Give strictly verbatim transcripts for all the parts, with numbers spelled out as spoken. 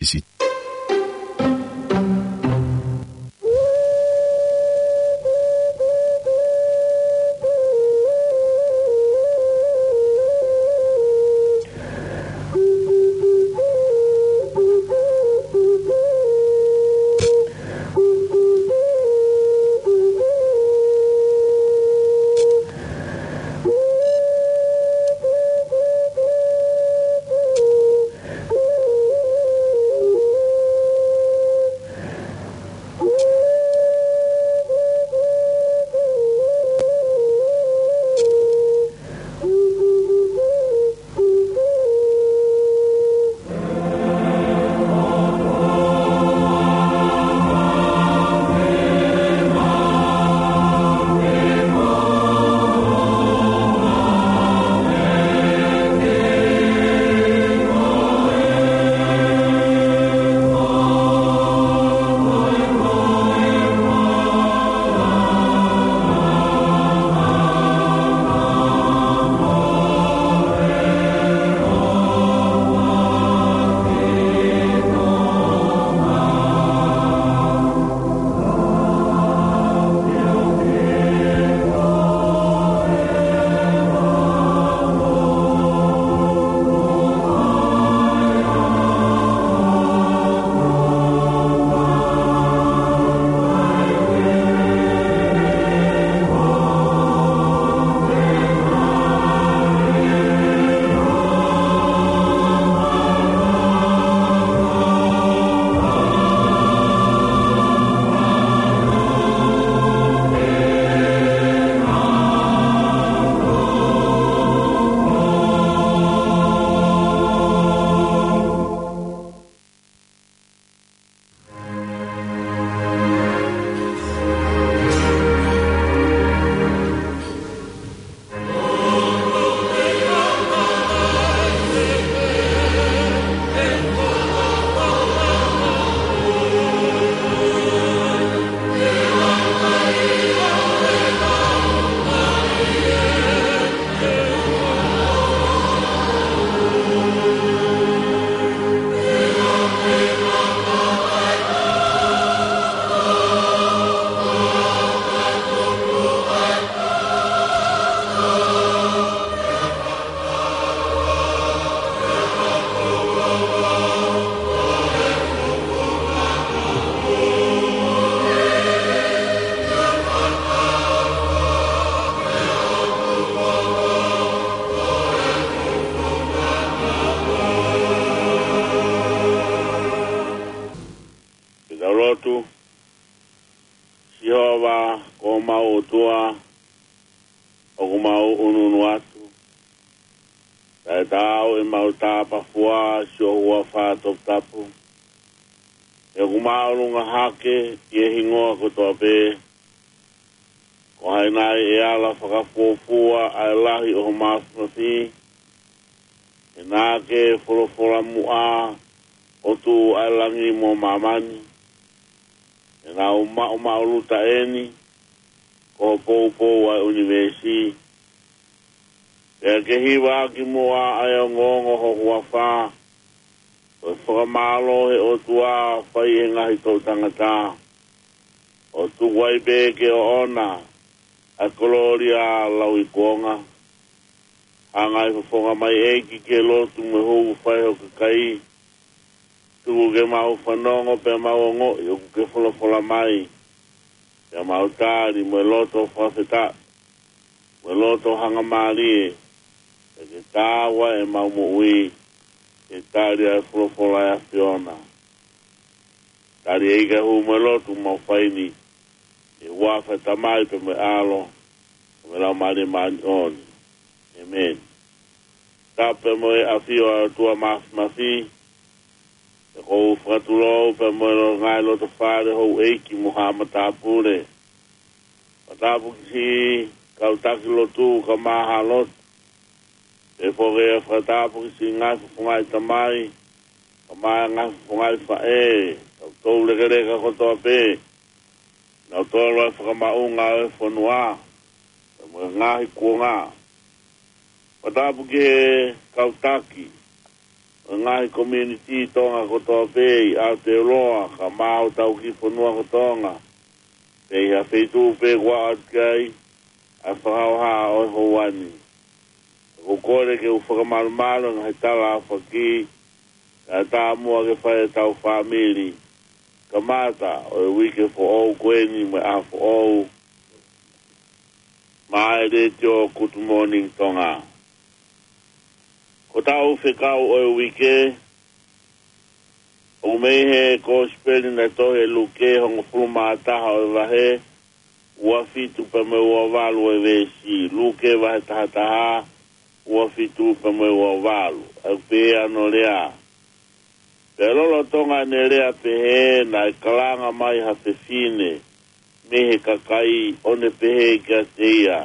Is it? Ke tau lotu. Sihova, ko homau ʻOtua, ʻoku mau ʻunuʻunu atu. Taʻetaau ʻemau tāpafua siʻo huafa toputapu. He ʻoku māʻolunga hake ʻi he hingoa kotoa pē. Ko hai nai ʻe ala fakafuofua ʻa e lahi ʻo ho māfimafi? He naʻa ke folofola muʻa ʻo tuʻu ʻa e langi mo māmani. He naʻa ku maʻumaʻuluta eni, ko ho poupou ʻa e ʻunivēsi. Pea ke hivaʻaki muʻa ʻa e ongoongo ho huafa, ko e fakamālō he ʻOtua fai ʻe he ngaahi toʻu tangata. ʻO tuku ai pē ke ʻoʻona ʻa e kolōlia lauikuonga. Hanga ʻe he fofonga mai ʻEiki ke lotu mo e hū fai ho kakai. Tuku ke mau fanongo pea mau ongoʻi ʻoku ke folofola mai. Pea mau tali mo e loto fakafetaʻi, mo e loto hangamālie, pea ke tāua ʻemau moʻui, ke tali ʻa e folofola ʻa e ʻAfiona. Tali ʻEiki ʻa e hū mo e lotu mau fai ni, ʻi he huafa ʻo e Tamai pea mo e ʻAlo, pea mo e Laumālie Māʻoniʻoni. ʻĒmeni. Tapu pea mo e ʻafio ʻa e ʻOtua Māfimafi, pea ʻoku ou fakatulou pea mo e lo-, ngaahi lotofale houʻeiki mo haʻa matāpule. Fakatapu ki siʻi kau taki lotu kae ʻumaʻā haʻa lotu. Pea foki ʻa e fakatapu ki siʻi ngaahi fofongaʻi tamai, kae ʻumaʻā e ngaahi fofongaʻi faʻē, kau toulekeleka kotoa pē. Naʻa nau tolo ʻa e fakamaʻunga ʻo e fonua, pea mo e ngaahi kuonga. Fakatapu ki he kau taki, ʻo ʻo e ngaahi community Tonga kotoa pē ʻi Aotearoa, kae ʻumaʻā hotau kiʻi fonua ko Tonga, pea ʻi ha feituʻu pē kuo ʻoatu ki ai ʻa e fakahoha ʻo e houa ni. ʻOku ou kole ke u fakamalumalu ʻa e ngaahi tala ʻa e faki, kae ʻatā muʻa ke fai ʻe heʻetau fāmili, kamata ʻo e uike foʻou ko eni mo e ʻaho foʻou, maʻa e Letiō Good Morning Tonga. Ko ʻetau fekau ʻo e uike, ʻoku mei he Kosipeli naʻe tohi ʻe Luke, hongofulu mā taha ʻo e vahe, ua fitu pea mo e ua valu ʻo e veesi. Luke vahe taha taha, ua fitu pea mo e ua valu. ʻOku pehē hono lea: Pea lolotonga ʻene lea pehē, naʻe kalanga mai ha fefine mei he kakai, ʻo ne pehē kiate ia,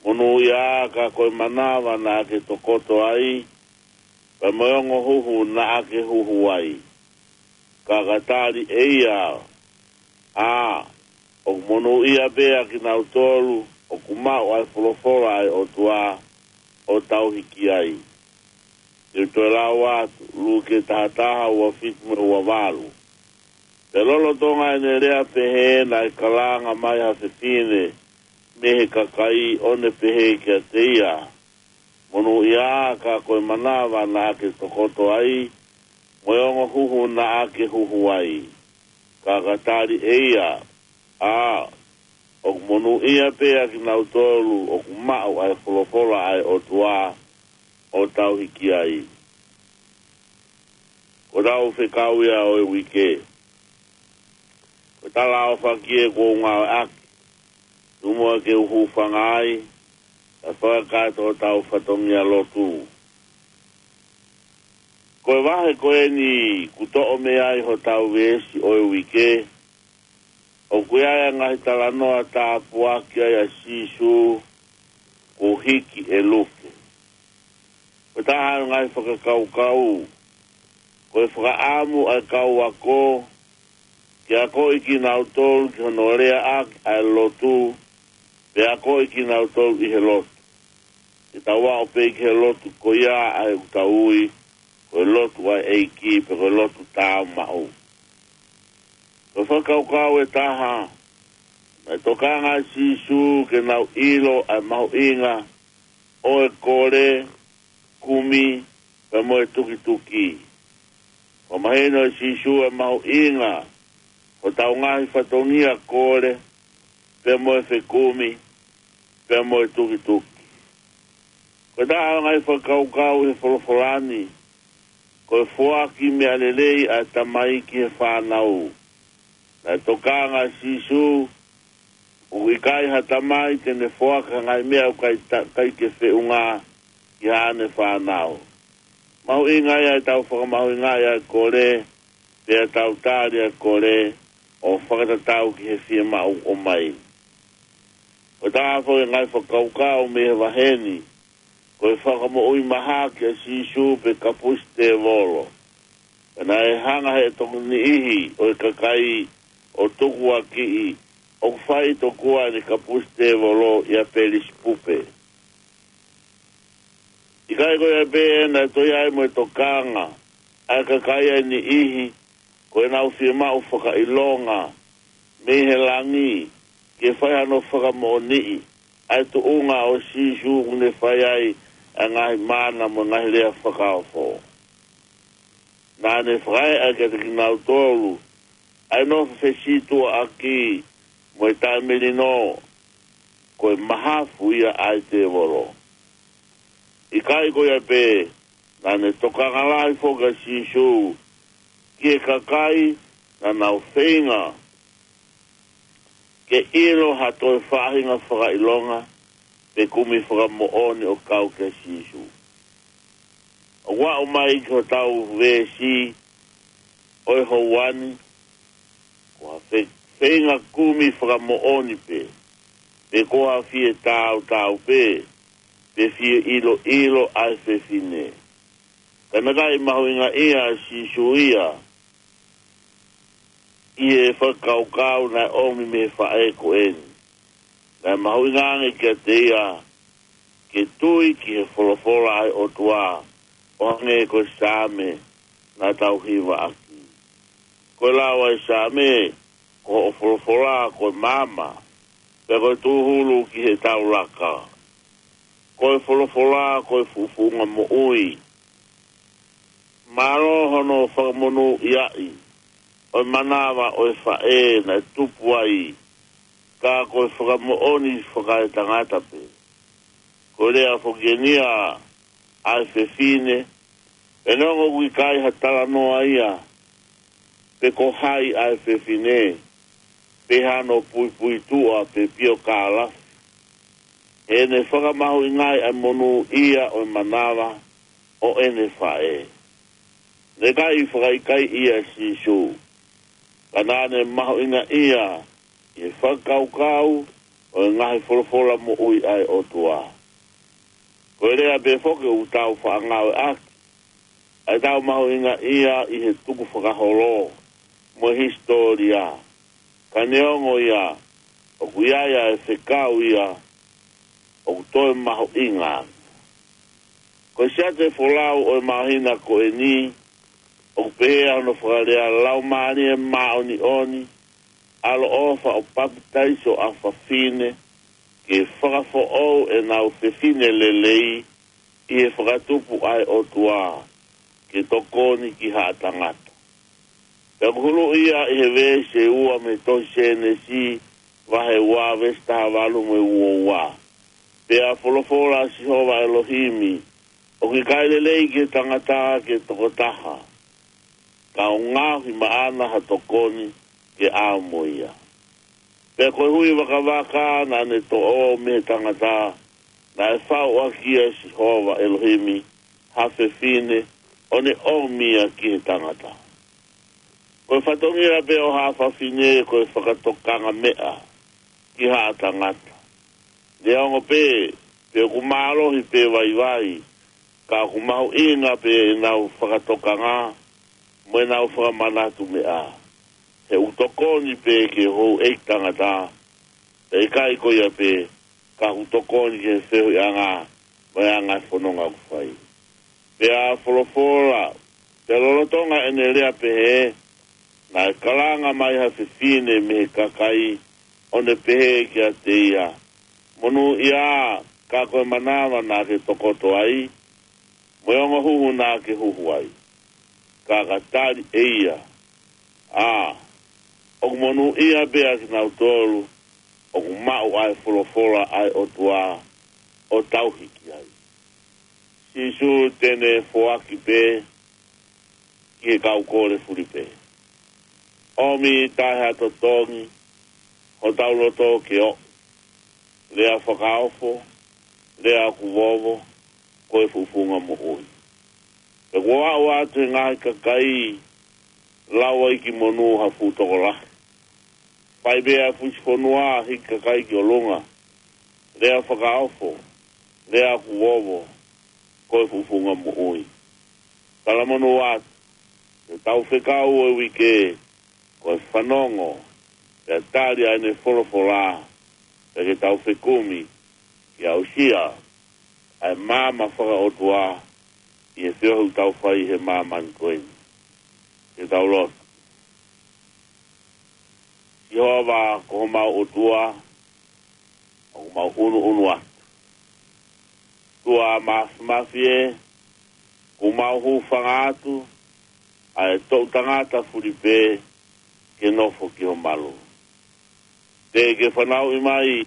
Monūʻia ā, ka ko e manava naʻa ke tokoto ai, pea mo e ongo huhu naʻa ke huhu ai. Ka ka tali ʻe ia, ʻĀ, ʻoku monūʻia pē ʻa kinautolu ʻoku maʻu ʻa e folofola ʻa e ʻOtua ʻo tauhi ki ai. Te u toe lau atu, Luke taha taha, ua fitu mo e ua valu. Pea lolotonga ʻene lea pehē, naʻe kalanga mai ha fefine mei he kakai, ʻo ne pehē kiate ia, Monūʻia ā, ka ko e manava naʻa ke tokoto ai, mo e ongo huhu naʻa ke huhu ai. Ka ka tali ʻe ia, ʻĀ, ʻoku monūʻia pē ʻa kinautolu ʻoku maʻu ʻa e folofola ʻa e ʻOtua ʻo tauhi ki ai. Ko ʻetau fekau ia ʻo e uike. Ko e tala ʻa e faki ʻoku ou ngāueʻaki, tuku muʻa ke u hūfanga ai, kae fakakakato hotau fatongia lotu. Ko e vahe ko eni kuo toʻo mei ai hotau veesi ʻo e uike, ʻoku ʻi ai ʻa e ngaahi talanoa tāpuaki ai ʻa Sīsū kuo hiki ʻe Luke. Ko e taha ʻo e ngaahi fakakaukau, ko e fakaʻamu ʻa e kau ako ke akoʻi kinautolu ki hono leaʻaki ʻa e lotu, pea akoʻi kinautolu ʻi he lotu. Ke tau aʻu pē ki he lotu ko ia ʻa ʻetau ui ko e lotu ʻa e ʻEiki, pe ko e lotu tāumaʻu. Ko e fakakaukau ʻe taha, naʻe tokanga ʻa Sīsū ke nau ʻilo ʻa e mahuʻinga ʻo e kole, kumi, pea mo e tukituki. Fakamahino ʻe Sīsū ʻa e mahuʻinga hotau ngaahi fatongia kole, pea mo e fekumi, pea mo e tukituki. Ko e taha ʻo e ngaahi fakakaukau he folofola ni, ko e foaki meʻa lelei ʻa e tamai ki he fānau. Naʻe tokanga ʻa Sīsū, ʻoku ʻikai ha tamai te ne foaki ha ngaahi meʻa ʻoku ʻikai ta-, ʻikai ke feʻunga ki haʻane fānau. Mahuʻinga ia ʻetau fakamahuʻingaʻi ʻa e kole, pea tau tali ʻa e kole ʻo fakatatau ki he fiemaʻu ʻomai. Ko e taha foki ʻo e ngaahi fakakaukau mei he vahe ni, ko e fakamoʻui mahaki ʻa Sīsū pe kapusi tēvolo. Pea naʻe hanga ʻe he tokoni niʻihi ʻo e kakai ʻo tukuakiʻi, ʻoku fai tokua ʻene kapusi tēvolo ʻia Pelisipupe. ʻIkai ko ia pē, naʻe toe ʻi ai mo e tokanga ʻa e kakai ʻa e niʻihi ko ʻenau fiemaʻu fakaʻilonga mei he langi ke fai hano fakamoʻoniʻi ʻa e tuʻunga ʻo Sīsū ʻoku ne fai ai ʻa e ngaahi mana mo e ngaahi lea fakaofo. Naʻa ne fakaeʻa kiate kinautolu ʻa e nofo fesītuʻaʻaki mo e taʻemelino, ko e mahafu ia ʻa e tēvolo. ʻIkai ko ia pē, naʻa ne tokanga lahi foki ʻa Sīsū ki he kakai naʻa nau feinga ke ʻilo ha toe faʻahinga fakaʻilonga pe kumi fakamoʻoni ʻo kau kia Sīsū. ʻOku aʻu mai ki hotau veesi ʻo e houa ni, ko ha fe-, feinga kumi fakamoʻoni pē, pe ko ha fie tautau pē, pe fie ʻiloʻilo ʻa e fefine. Ka naʻe ʻikai mahuʻingaʻia ʻa Sīsū ia ʻi he fakakaukau naʻe ʻomi mei he faʻē ko eni. Naʻe mahuʻinga ange kiate ia ke tui ki he folofola ʻa e ʻOtua, ʻo hangē ko e Saame naʻa tau hivaʻaki. Ko e lau ʻa e Saame, ko hoʻo folofola ko e maama, pea ko e tūhulu ki heʻetau laka. Ko e folofola ko e fuʻufuʻunga moʻui. Mālō hono fakamonūʻiaʻi ʻo e manava ʻo e faʻē naʻe tupu ai, ka ko e fakamoʻoni fakaetangata pē. Ko e lea foki eni ia ʻa e fefine, pea neongo ʻoku ʻikai ha talanoa ia pe ko hai ʻa e fefine, pe hano puipuituʻa pe piokālafi, heʻene fakamahuʻingaʻi ʻa e monūʻia ʻo e manava ʻo ʻene faʻē. Naʻe ʻikai fakaʻikaiʻi ia ʻe Sīsū, ka naʻa ne mahuʻingaʻia ʻi he fakakaukau ʻo e ngaahi folofola moʻui ʻa e ʻOtua. Ko e lea pē foki ʻoku tau faʻa ngāueʻaki ʻa ʻetau mahuʻingaʻia ʻi he tukufakaholo mo e hisitōlia. Ka neongo ia, ʻoku ʻi ai ʻa e fekau ia ʻoku toe mahuʻinga. Ko e siate folau ʻo e māhina ko eni, ʻoku pehē ʻa hono fakalea: Laumālie Māʻoniʻoni, ʻaloʻofa ʻo papitaiso ʻa fafine, ke fakafoʻou ʻenau fefine lelei ʻi he fakatupu ʻa e ʻOtua, ke tokoni ki haʻa tangata. Pea ʻoku huluʻi ia ʻi he veesi ʻe ua mei he tohi Sēnesi, vahe ua, veesi taha valu mo e ua ua. Pea folofola ʻa Sihova ʻElohimi, ʻOku ʻikai lelei ki he tangata ke tokotaha, ka ʻoku ngaohi maʻana ha tokoni ke ʻaʻau mo ia. Pea ko e hui vakavaka naʻa ne toʻo mei he tangata, naʻe fau ʻaki ʻe Sihova ʻElohimi ha fefine, ʻo ne ʻomi ia ki he tangata. Ko e fatongia pē ʻo ha fafine ko e fakatokanga meʻa ki haʻa tangata. Neongo pē pe ʻoku mālohi pe vaivai, ka ʻoku mahuʻinga pē ʻenau fakatokanga mo ʻenau fakamanatu meʻa. He ʻoku tokoni pē ki he houʻeiki tangata, pea ʻikai ko ia pē, ka ʻoku tokoni ki he feohiʻanga mo e anga e fononga ʻoku fai. Pea folofola, pea lolotonga ʻene lea pehē, naʻe kalanga mai ha fefine mei he kakai, ʻo ne pehē kiate ia, Monūʻia, ka ko e manava naʻa ke tokoto ai, mo e ongo huhu naʻa ke huhu ai. Ka ka tali ʻe ia, ʻA, ʻoku monūʻia pē ʻa kinautolu ʻoku maʻu ʻa e folofola ʻa e ʻOtua ʻo tauhi ki ai. Sīsū te ne foaki pē ki he kau kole fulipē. ʻOmi taʻe ha totongi hotau loto ke ʻoʻi. Lea fakaofo, lea ʻoku vovo, ko e fuʻufuʻunga moʻui. Pea kuo aʻu atu he ngaahi kakai, lau ai ki monū ha fuʻu tokolahi. Fai pē ʻa e fusi fonua, hiki kakai ki ʻolunga. Lea fakaofo, lea ʻoku vovo, ko e fuʻufuʻunga moʻui. Talamonū atu, ke tau fekau ʻo e uike, ko e fanongo, pea tali ʻa ʻene folofola, pea ke tau fekumi, ke aʻusia ʻa e maama fakaʻotua ʻi he feohi ʻoku tau fai he māmani ko eni. Ke tau lotu. Sihova ko homau ʻOtua, ʻoku mau ʻunuʻunu atu. ʻOtua Māfimafi ē, ʻoku mau hūfanga atu ʻa e toʻu tangata fulipē ke nofo ki ho malu. Teʻeki ke fanauʻi mai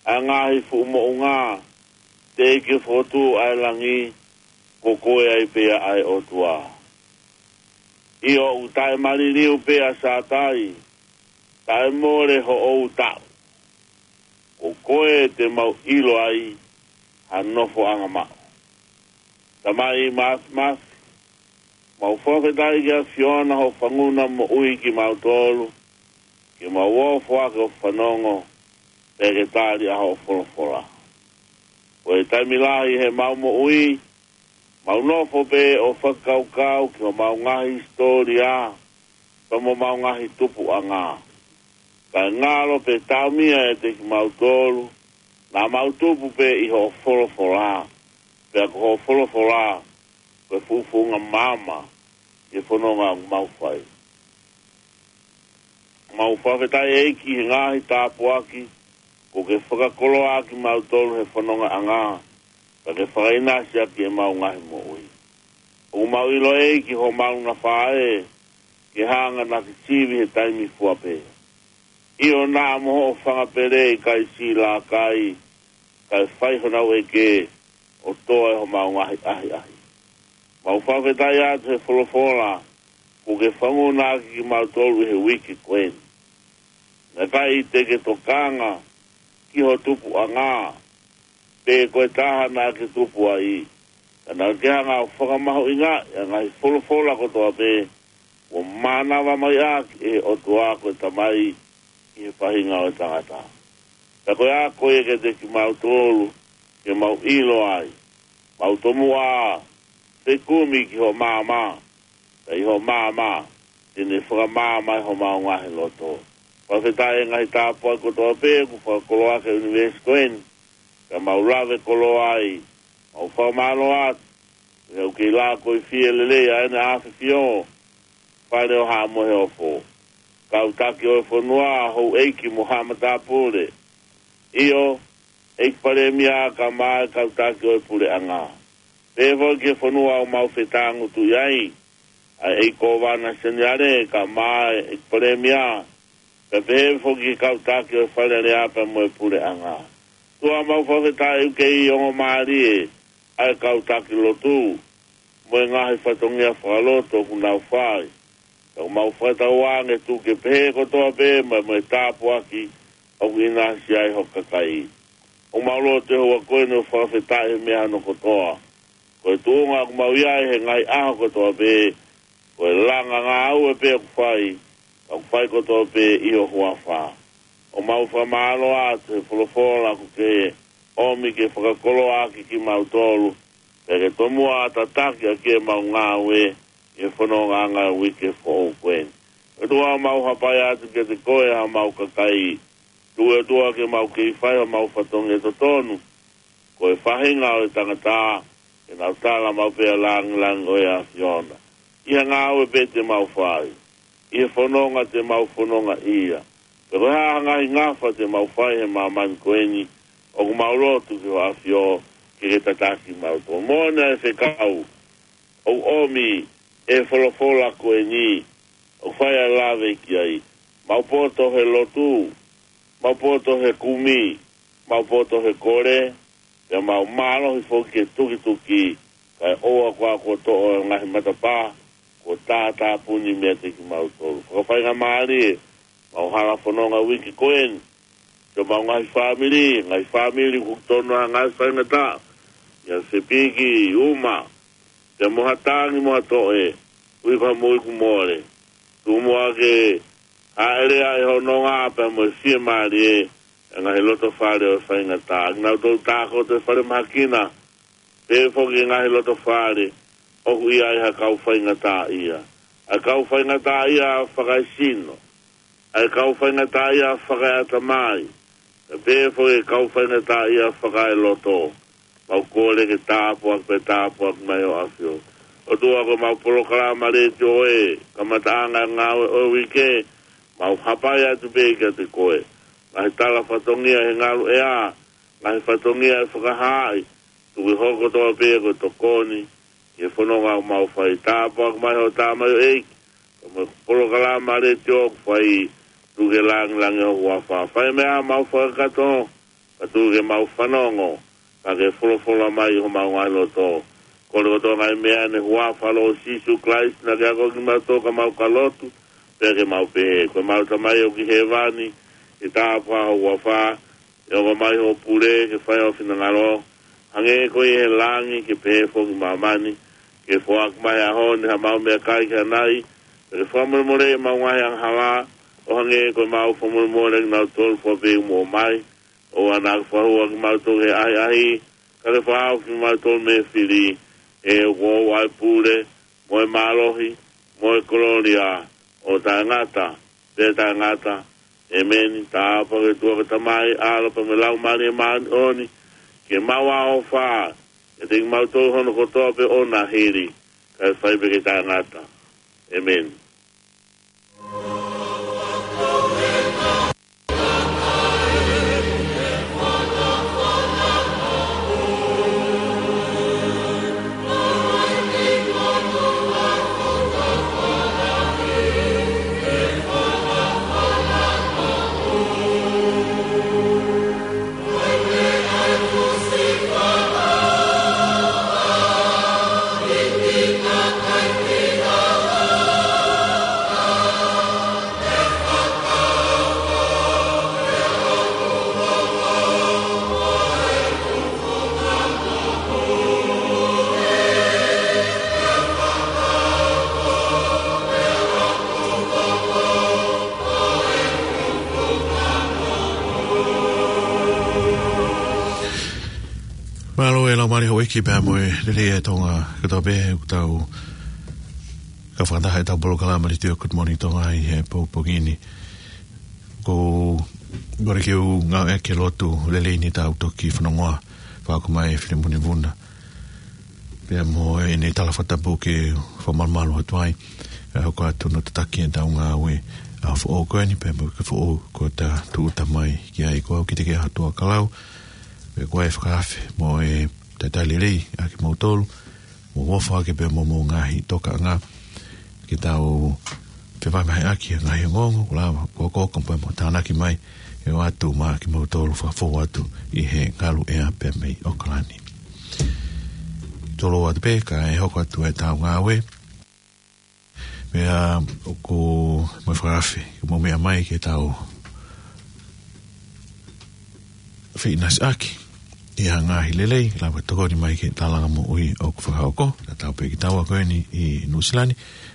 ʻa e ngaahi fuʻu moʻunga, teʻeki ke fokotuʻu ʻa e langi, ko koe ai pē ʻa e ʻOtua. ʻIo, ʻoku taʻemaliliu pē ʻa Sātai, taʻemole hoʻo taʻu. Ko koe te mau ʻilo ai ha nofoʻanga maʻu. Tamai Māfimafi, mau fakafetaʻi ki he ʻAfiona hoʻo fanguna moʻui kimautolu, ke mau ō ʻo foaki ʻo fanongo, pea ke tali ʻa hoʻo folofola. Ko e taimi lahi heʻemau moʻui, mau nofo pē ʻo fakakaukau ki homau ngaahi hisitōlia, pea mo homau ngaahi tupuʻanga. Kae ngalo pē taumia ʻiate kimautolu, naʻa mau tupu pē ʻi hoʻo folofola, pea ko hoʻo folofola, ko e fuʻu founga maama ʻi he fononga ʻoku mau fai. Mau fakafetaʻi ʻEiki he ngaahi tāpuaki kuo ke fakakoloa ʻaki kimautolu he fonongaʻanga, pea ke fakaʻinasi ʻaki ʻemau ngaahi moʻui. ʻOku mau ʻilo ʻEiki homau nafa ē, ke hanga naʻa ke sivi he taimi fua pē. ʻIo, naʻa mo hoʻo fanga pele ʻikai siʻi lākai, kae fai honau ʻeke, ʻo toʻo ʻe homau ngaahi ʻahiʻahi. Mau fakafetaʻi atu he folofola kuo ke fakamanatu ʻaki kimautolu he uike ko eni. Naʻe ʻikai te ke tokanga ki ho tupuʻanga, pe ko e taha naʻa ke tupu ai, ka naʻa ke hanga ʻo fakamahuʻingaʻi ʻa e ngaahi folofola kotoa pē kuo mānava mai ʻaki ʻe he ʻOtua ko e Tamai ʻi he faʻahinga ʻo e tangata. Pea ko e ako ia kiate kimautolu, ke mau ʻilo ai, mau tomuʻa fekumi ki hoʻo maama, pea ʻi hoʻo maama te ne fakamaama ʻa homau ngaahi loto. Fakafetaʻi he ngaahi tāpuaki kotoa pē kuo fakakoloa ʻaki ʻe he ʻunivēsi ko eni, pea mau lave koloa ai, mau fakamālō atu he ʻoku kei lākoifie lelei ʻa ʻEne ʻAfio, Fale ʻo Haʻa Moheofo, kau taki ʻo e fonua, houʻeiki mo haʻa matāpule. ʻIo, ʻEiki Palēmia, kae ʻumaʻā e kau taki ʻo e puleʻanga. Pehē foki ki he fonua ʻoku mau fetāngutuʻi ai, ʻa e ʻEiki Kōvana Seniale, kae ʻumaʻā e ʻEiki Palēmia, pea pehē foki ki he kau taki ʻo e Fale Alea pea mo e puleʻanga. ʻOtua, mau fakafetaʻi ʻoku kei ongo mālie ʻa e kau taki lotu, mo e ngaahi fatongia fakalotu ʻoku nau fai. Pea ʻoku mau fakatauange tuku ke pehē kotoa pē mo e, mo e tāpuaki ʻoku ʻinasi ai ho kakai. ʻOku mau lotu he houa ko eni ʻo fakafetaʻi he meʻa hono kotoa. Ko e tuʻunga ʻoku mau ʻi ai he ngaahi ʻaho kotoa pē, ko e langa ngāue pē ʻoku fai, ka ʻoku fai kotoa pē ʻi ho huafa. ʻOku mau fakamālō atu he folofola kuo ke ʻomi ke fakakoloa ʻaki kimautolu, pea ke tomuʻa tataki ʻaki ʻemau ngāue ʻi he fonongaʻanga ʻo e uike foʻou ko eni. ʻOtua, mau hapai atu kiate koe ʻa homau kakai. Tuku ʻOtua ke mau kei fai homau fatongia totonu, ko e faʻahinga ʻo e tangata, ke nau tala maʻu pē ʻa e lāngilangi ʻo e ʻAfiona ʻi he ngāue pē te mau fai, ʻi he fononga te mau fononga ai, pea ko e hā ha ngaahi ngafa te mau fai he māmani ko eni, ʻoku mau lotu ki ho ʻAfio ke ke tataki mautolu. Moʻoni ʻa e fekau ʻoku ʻomi ʻe he folofola ko eni, ʻoku fai ʻa e lave ki ai. Mau poto he lotu, mau poto he kumi, mau poto he kole, pea mau mālohi foki he tukituki, kae ʻoua kuo ke toʻo e ngaahi matapā kuo tātāpuni meiate kimautolu. Fakafaingamālie, mau hala fononga uike ko eni, siʻomau ngaahi fāmili, ngaahi fāmili ʻoku tonu ha ngaahi faingataʻa, ʻi ha sepiki, ʻuma, pea mo ha tangi mo ha toʻe, ʻuhi ko ha moʻui kuo mole. Tuku muʻa ke hāʻele ʻa e hononga pea mo e fiemālie ʻa e ngaahi loto fale ʻo e faingataʻa. Kinautolu tākoto ʻi he falemahaki na, pehē foki ki he ngaahi loto fale ʻoku ʻi ai ha kau faingataʻaʻia. ʻA e kau faingataʻaʻia fakaesino, ʻa e kau faingataʻaʻia fakaeʻatamai, pea pehē foki ki he kau faingataʻaʻia fakaeloto. Mau kole ke tāpuaki pea tāpuaki mai ho ʻAfio. ʻOtua, ko ʻemau polokalama letiō ē, kamataʻanga e ngāue ʻo e uike, mau hapai atu pē kiate koe. Ngaahi tala fatongia he ngalu ʻea, ngaahi fatongia ʻe fakahaaʻi, tuku ke hoko kotoa pē ko e tokoni ki he fononga ʻoku mau fai. Tāpuaki mai ho tamaioʻeiki, pea mo e polokalama letiō ʻoku fai, tuku ke lāngilangiʻia ho huafa. Fai meʻa mau fakakakato, ka tuku ke mau fanongo, ka ke folofola mai ʻi homau ngaahi loto. Kole kotoa e ngaahi meʻa ni he huafa ʻo Sīsū Kalaisi naʻa ke ako kimautolu ka mau ka lotu, pea ke mau pehē: Ko ʻemau Tamai ʻoku ʻi hēvani, ke tāpuhā ho huafa, ke hoko mai hoʻo pule, ke fai ho finangalo, hangē ko ia ʻi he langi, ke pehē foki ʻi māmani. Ke foaki mai he ʻaho ni haʻamau meʻakai ki hanai, pea ke fakamolemoleʻi ʻemau ngaahi angahala, ʻo hangē ko ʻemau fakamolemole ʻa kinautolu fua pē ʻoku mou ʻomai. ʻOua naʻa ke fakahū ʻa kimautolu ki he ʻahiʻahi, ka ke fakahaofi kimautolu mei he fili, he ʻoku ʻoʻou ʻa e pule, mo e mālohi, mo e kolōlia, ʻo taʻengata pea taʻengata. ʻEmeni. Tāpuaki ʻe he ʻOtua ko e Tamai, ʻAlo pea mo e Laumālie Māʻoniʻoni, ke maʻu ʻa e ʻofa kiate kimautolu hono kotoa pē ʻo nahili, kae fai pē ke tangata. ʻEmeni. Mālō e laumālie houʻeiki pea mo e lelei ʻa Tonga kotoa pē, ʻoku tau kau fakataha ʻetau polokalama Letiō Good Morning Tonga ʻi he pongipongi ni. Ko ʻene kei ngāueʻaki e lotu lelei ni ʻetau toki fanongoa, fakahoko mai ʻe Filimoni Vuna. Pea mo ʻene tala fakatapu ke fakamalumalu atu ai, kae hoko atu hono tataki ʻetau ngāue ʻaho foʻou ko eni, pea mo e uike foʻou kuo ta tūʻuta mai ki ai. Ko au Kiteke ʻAhotuʻa Kalau, pea ko e fakaafe mo e talitali lelei ʻa kimoutolu, mo e ʻofa ake pea mo hoʻomou ngaahi tokaʻanga, ke tau fevaivaheʻaki e ngaahi ongoongo kuo lava ʻo hokohoko pea mo tānaki mai, ʻe ʻoatu maʻa kimoutolu fakafou atu ʻi he ngalu ʻea pea mei ʻAokalani. Tolou atu pē kae hoko atu ʻetau ngāue. Pea ʻoku mau fakaafe ke mou meʻa mai ke tau feʻinasiʻaki ʻi ha ngaahi lelei, lava tokoni mai ki he tālanga moʻui ʻoku fakahoko. Tatau pē ki taua ko eni ʻi Nuʻusila ni,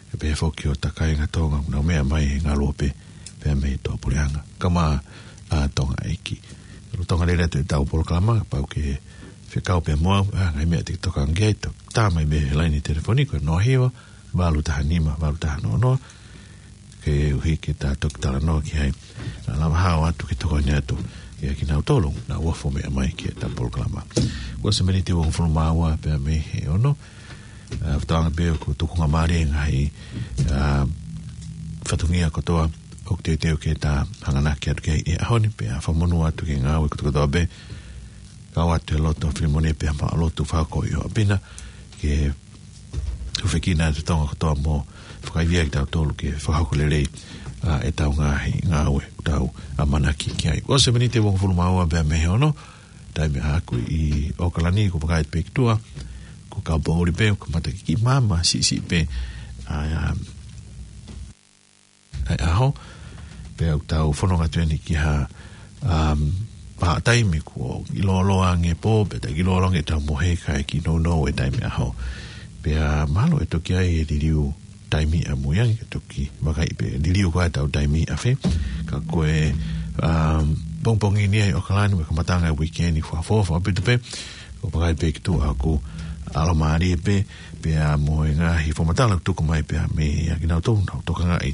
pea pehē foki ki hota kāinga Tonga ʻoku nau meʻa mai he ngaluope pea mei tuʻapuleʻanga. Kae ʻumaʻā ʻa Tonga ʻEiki. Lolotonga lele atu ʻetau polokalama, kapau ʻoku ke fekau pea mo au, ʻa e ngaahi meʻa te ke tokanga ki ai, tā mai mei he laine telefoni ko e noa hiva, valu taha nima, valu taha noa noa, koeʻuhi ke ta toki talanoa ki ai. Naʻa lava hao atu ke tokoni atu kiate kinautolu naʻa nau ʻofa ʻo meʻa mai ki heʻetau polokalama. Kuo ʻosi e miniti ʻe uofulu mā ua pea mei he ono. ʻA, fakatauange pē ʻoku tukungamālie e ngaahi, ʻa, fatongia kotoa ʻoku teuteu ke ta hanganaki atu ki ai he ʻaho ni, pea fakamonū atu ki he ngāue kotokotoa pē, kau atu e lotu ʻa Filimoni pea mo e lotu fakahoko ʻi ʻApina, ke ʻufiʻufi ʻa e Tonga kotoa mo fakaivia kitautolu ke fakahoko lelei, ʻa, ʻetau ngaahi ngāue ʻoku tau ʻamanaki ki ai. Kuo ʻosi e miniti ʻe uofulu mā ua pea mei he ono, taimi ʻaʻaku ʻi ʻAokalani, ʻoku ou vakai pē ki tuʻa, ko Kaupoʻuli pē ʻoku kamata ke kiʻi maama siʻisiʻi pē, ʻa, ʻa, ʻa e ʻaho, pea ʻoku tau fononga atu eni ki ha, um, vahaʻa taimi kuo lōloa ange e pō, pea ʻoku lōloa ange ʻetau mohe kae kiʻi nounou e taimi ʻaho. Pea mahalo ʻe toki ʻi ai e liliu taimi ʻamui ange, ke toki vakai pē liliu ko ē ʻetau taimi ʻa fē. Ka ko e, um, pongipongi ni ʻi ʻAokalani, mo e kamataʻanga e uike ni, fakaʻofoʻofa ʻaupito pē, ʻoku ou vakai pē ki tuʻa ʻoku ʻalomālie pē, pea mo e ngaahi fakamatala ʻoku tuku mai pea mei he kinautolu naʻa nau tokangaʻi,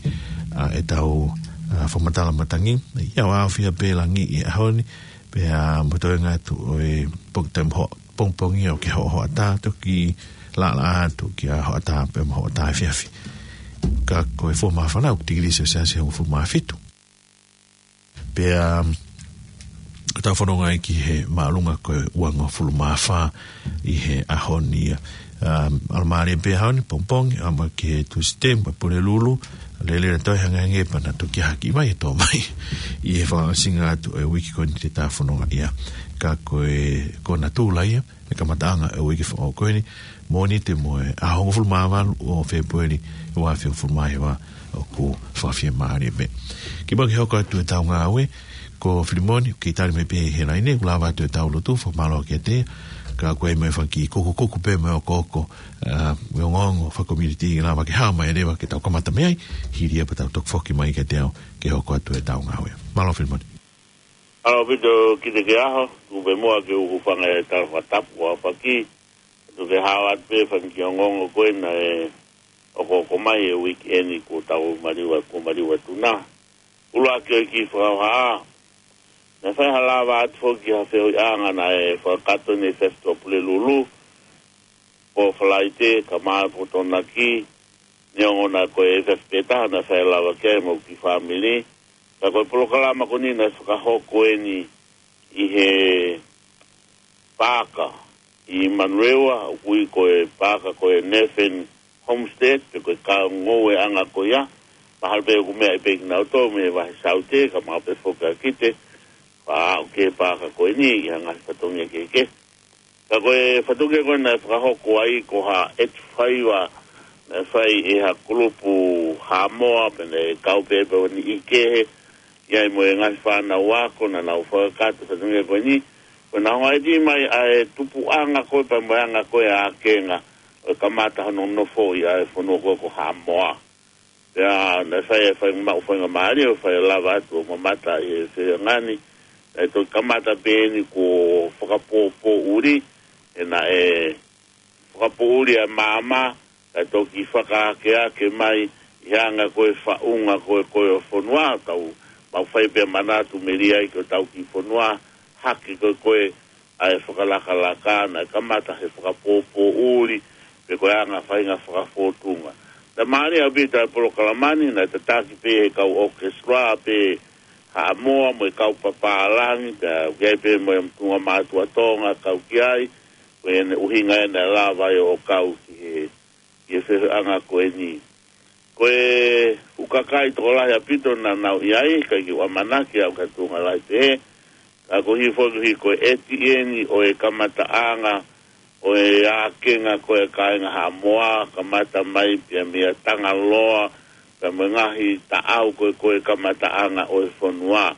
ʻa, ʻetau, ʻa, fakamatala matangi. ʻIo, ʻaofia pē langi ʻi he ʻaho ni, pea mo e toenga atu ʻo e pong-, taimi ho-, pongipongi ʻoku kei hoʻahoʻatā, toki laʻalaʻā atu ki ha hoʻatā pea mo e hoʻatā efiafi. Ka ko e fua māfana ʻoku tikilī selesiasi ʻe hongofulu mā fitu. Pea, um, ʻoku tau fononga ai ki he māʻolunga ko e uangofulu mā fā ʻi he ʻaho ni ia. Um, ʻalomālie pē ʻaho ni, pongipongi, ʻamanaki ki he Tūsite, mo e Pulelulu, lele na toe hangehangē pea na toki ʻi ai ha kiʻi vai ʻe tō mai ʻi he fakaʻosinga atu e uike ko eni te ta fononga ai. Ka ko e, ko e natula ia, e kamataʻanga e uike foʻou ko eni, Mōnite mo e ʻaho hongofulu mā valu ʻo Fēpueli, ua afe hongofulu mā hiva, ʻoku fakafiemālie pē. Kimuʻa ke hoko atu ʻetau ngāue, ko Filimoni, ʻoku kei tali mai pē he laine, ʻoku lava atu ʻetau lotu, fakamālō kiate ia, ka ko e meʻa fanga kiʻi kukukuku pē mo e okooko, ʻa, mo e ongoongo fakakomiunitī, lava ke hao mai leva ke tau kamata mei ai, hili ia pea tau toki foki mai kiate au, ke hoko atu ʻetau ngāue. Mālō Filimoni. Mālō ʻaupito Kiteke ʻAho, tuku pē muʻa ke u hūfanga he tala fakatapu ʻa Faki, tuku ke hao atu pē fanga kiʻi ongoongo ko ē naʻe okooko mai he uike ni kuo tau maliu, kuo maliu atu na. ʻUluaki ʻo e kiʻi fakahohaʻa. Naʻe fai ha lava atu foki ha feohiʻanga naʻe fakakakato ʻi he efiafi Tuʻapulelulu. pō Falaite, ka mā pō Tokonaki, neongo naʻe ko e efiafi pē taha naʻe fai lava ki ai mo e kiʻi fāmili. Ka ko e polokalama ko eni naʻe fakahoko eni ʻi he paaka ʻi Manurewa, ʻoku ui ko e paaka ko e Nathan Homestead, pe ko e kau ngoueʻanga ko ia. Mahalo pē ʻoku meʻa pē kinautolu mei he vahe Saute, ka mahalo pē foki ʻa Kite, pea aʻu ki he paaka ko eni ʻi ha ngaahi fatongia kehekehe. Ka ko e fatongia ko ē naʻe fakahoko ai ko ha ʻeti faiva naʻe fai ʻe ha kulupu Haʻamoa, pea naʻe kau pē pē ʻo niʻihi kehe, ʻi ai mo e ngaahi fānau ako naʻa nau fakakakato fatongia ko eni. Ko e naʻe hanga ʻeti mai ʻa e tupuʻanga ko ē pea mo e anga ko ē ʻa e ʻākenga ʻo e kamata hono nofo ʻi he fonua ko ē ko Haʻamoa. Pea naʻe fai e fai maʻu faingamālie ʻo fai lava atu ʻo mamata ʻi he feohiʻanga ni. Naʻe toki kamata pē eni kuo fakapōpōʻuli, he naʻe fakapōʻuli ʻa e maama, kae toki fakaakeake mai ʻi he anga ko ē faʻunga ko ē ko ē ʻo e fonua, tau maʻu fai pē manatu melie ai ki hotau kiʻi fonua, hake ko ē ko ē ʻa e fakalakalaka, naʻe kamata he fakapōpōʻuli, pe ko e anga faʻahinga fakafōtunga. Naʻe mālie ʻaupito ʻa e polokalama ni, naʻe tataki pē he kau ʻokesitula pē Haʻamoa mo e kau papālangi, pea ʻoku ʻi ai pē mo e tuʻunga mātuʻa Tonga kau ki ai, ko ʻene ʻuhinga ʻe naʻe lava ai ʻo kau ki he, ki he feohiʻanga ko eni. Ko e fuʻu kakai tokolahi ʻaupito naʻa nau ʻi ai, ʻikai ke u ʻamanaki au ki ha tuʻunga lahi pehē, ka ko e hifo ki he ko e ʻeti eni ʻo e kamataʻanga ʻo e ʻākenga ko ē ʻa e kāinga Haʻamoa, kamata mai pea mei Tangaloa, pea mo e ngaahi taʻau ko ē ko ē kamataʻanga ʻo e fonua.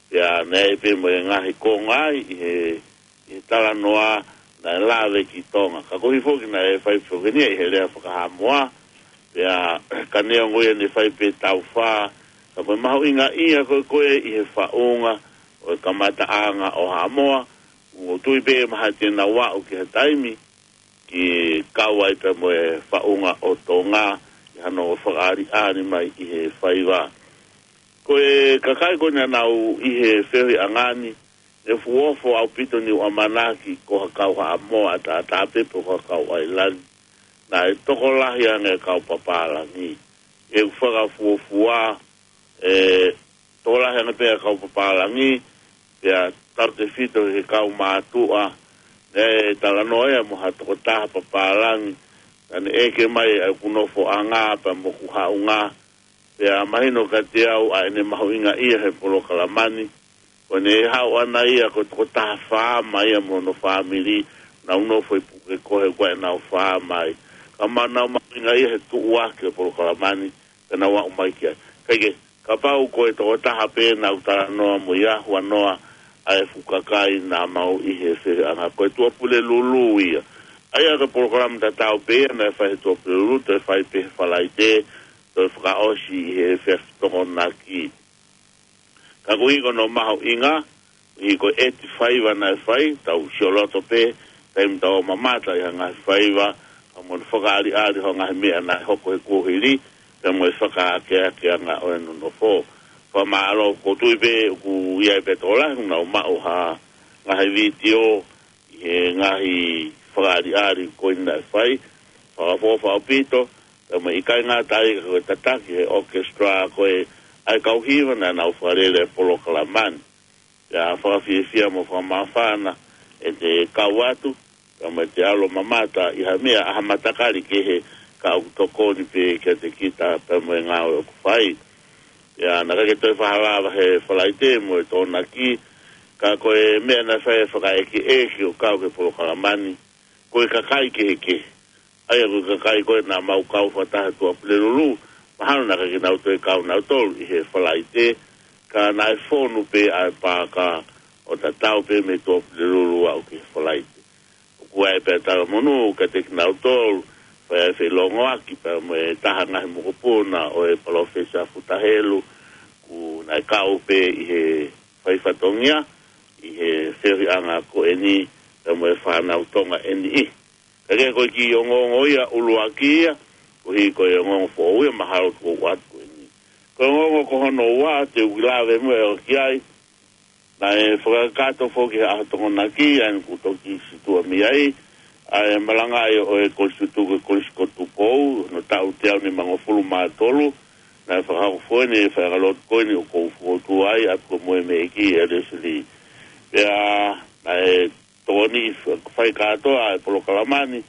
Pea naʻe pē mo e ngaahi konga ai ʻi he, ʻi he talanoa naʻe lave ki Tonga. Ka ko e hifo ki naʻe fai foki eni ʻi he lea faka-Haʻamoa, pea ka neongo ia naʻe fai pē taʻu fā, ka ko e mahuʻinga ia ko ē ko ē ʻi he faʻunga ʻo e kamataʻanga ʻo Haʻamoa, ʻoku ou tui pē mahalo te nau aʻu ki ha taimi ke kau ai pea mo e faʻunga ʻo Tonga, ʻi hano fakaʻaliʻali mai ʻi he faiva. Ko e kakai ko ē naʻa nau ʻi he feohiʻanga ni, ʻe fuʻu ofo ʻaupito ʻeku ʻamanaki ko ha kau Haʻamoa ʻataʻatā pē pe ko ha kau ʻAilani. Naʻe tokolahi ange kau papālangi. ʻE fakafuofua, ʻe tokolahi ange pē ʻa e kau papālangi, pea tautefito he kau mātuʻa, naʻe talanoa ia mo ha tokotaha papālangi, naʻa ne ʻeke mai ʻa ʻeku nofoʻanga pea mo ʻeku haʻunga, pea mahino kiate au ʻa ʻene mahuʻingaʻia he polokalama ni, ko ʻene haʻu ʻana ia ko e tokotaha faama ia mo hono fāmili, nau nofo ʻi Pukekohe ko ʻenau faama ai. Ka ma nau mahuʻingaʻia he tuʻuaki e polokalama ni, pea nau aʻu mai ki ai. Kae kehe, kapau ko e tokotaha pē naʻa ku talanoa mo ia, huanoa ʻa e fuʻu kakai naʻa mau ʻi he feohiʻanga, ko e Tuʻapulelulu ia. ʻA ia ko e polokalama tatau pē ia naʻe fai he Tuʻapulelulu, toe fai pē he Falaite, toe fakaʻosi ʻi he efiafi Tokonaki. Ka koeʻuhi ko hono mahuʻinga, ʻi he ko e ʻeti faiva naʻe fai, tau sioloto pē, taimi tau mamata ʻi ha ngaahi faiva, ka mo e fakaʻaliʻali ho ngaahi meʻa naʻe hoko he kuohili, pea mo e fakaakeakeʻanga ʻo e nonofo. Fakamālō, ʻoku ou tui pē ʻoku ʻi ai pē tokolahi, nau maʻu ha ngaahi vitiō, ʻi he ngaahi fakaʻaliʻali ko ē naʻe fai, fakaʻofoʻofa ʻaupito, pea mo e ʻikai ngata ai ka ko e tataki he ʻokesitula ko ē ʻa e kau hiva naʻa nau fakalele e polokalama ni. Pea fakafiefia mo fakamāfana ʻete kau atu, pea mo ʻete ʻalu ʻo mamata ʻi ha meʻa, ʻa ha matakali kehe ka ʻoku tokoni pē kiate kita pea mo e ngāue ʻoku fai. Pea naʻe ʻikai ke toe fakalava he Falaite mo e Tokonaki, ka ko e meʻa naʻe fai e fakaʻekeʻeke ʻo kau ki he polokalama ni, ko e kakai kehekehe. ʻA ia ko e kakai ko ē naʻa mau kau fakataha Tuʻapulelulu, mahalo naʻe ʻikai ke nau toe kau nautolu ʻi he Falaite, ka naʻe fonu pē ʻa e paaka ʻo tatau pē mei Tuʻapulelulu aʻu ki he Falaite. ʻOku ʻi ai pē ʻa e talamonū kiate kinautolu, fai ai e feʻiloaki pea mo e taha ngaahi mokopuna ʻo e Palōfesa Futa Helu, ʻoku naʻe kau pē ʻi he fai fatongia, ʻi he feohiʻanga ko eni, pea mo e fānau Tonga ʻe niʻihi. Kae kehe ko e kiʻi ongoongo ia ʻuluaki ia, koeʻuhi ko e ongoongo foʻou ia mahalo ʻoku ou ʻoatu ko eni. Ko e ongoongo ko hono ua, te u kiʻi lave muʻa ki ai, naʻe fakakakato foki he ʻaho Tokonaki, ʻa ia naʻa ku toki situʻa mei ai, ʻa e malanga ʻa e Kolisi Tutuku, Kolisi ko Tupou, hono taʻu teau nimangofulu mā tolu, naʻe fakahoko foki ʻe he faiʻanga lotu ko eni ʻoku ou fokotuʻu ai, ʻa ia ko e moʻui mei he ʻEiki ʻa Lesili. Pea naʻe tokoni fai kātoa ʻa e polokalama ni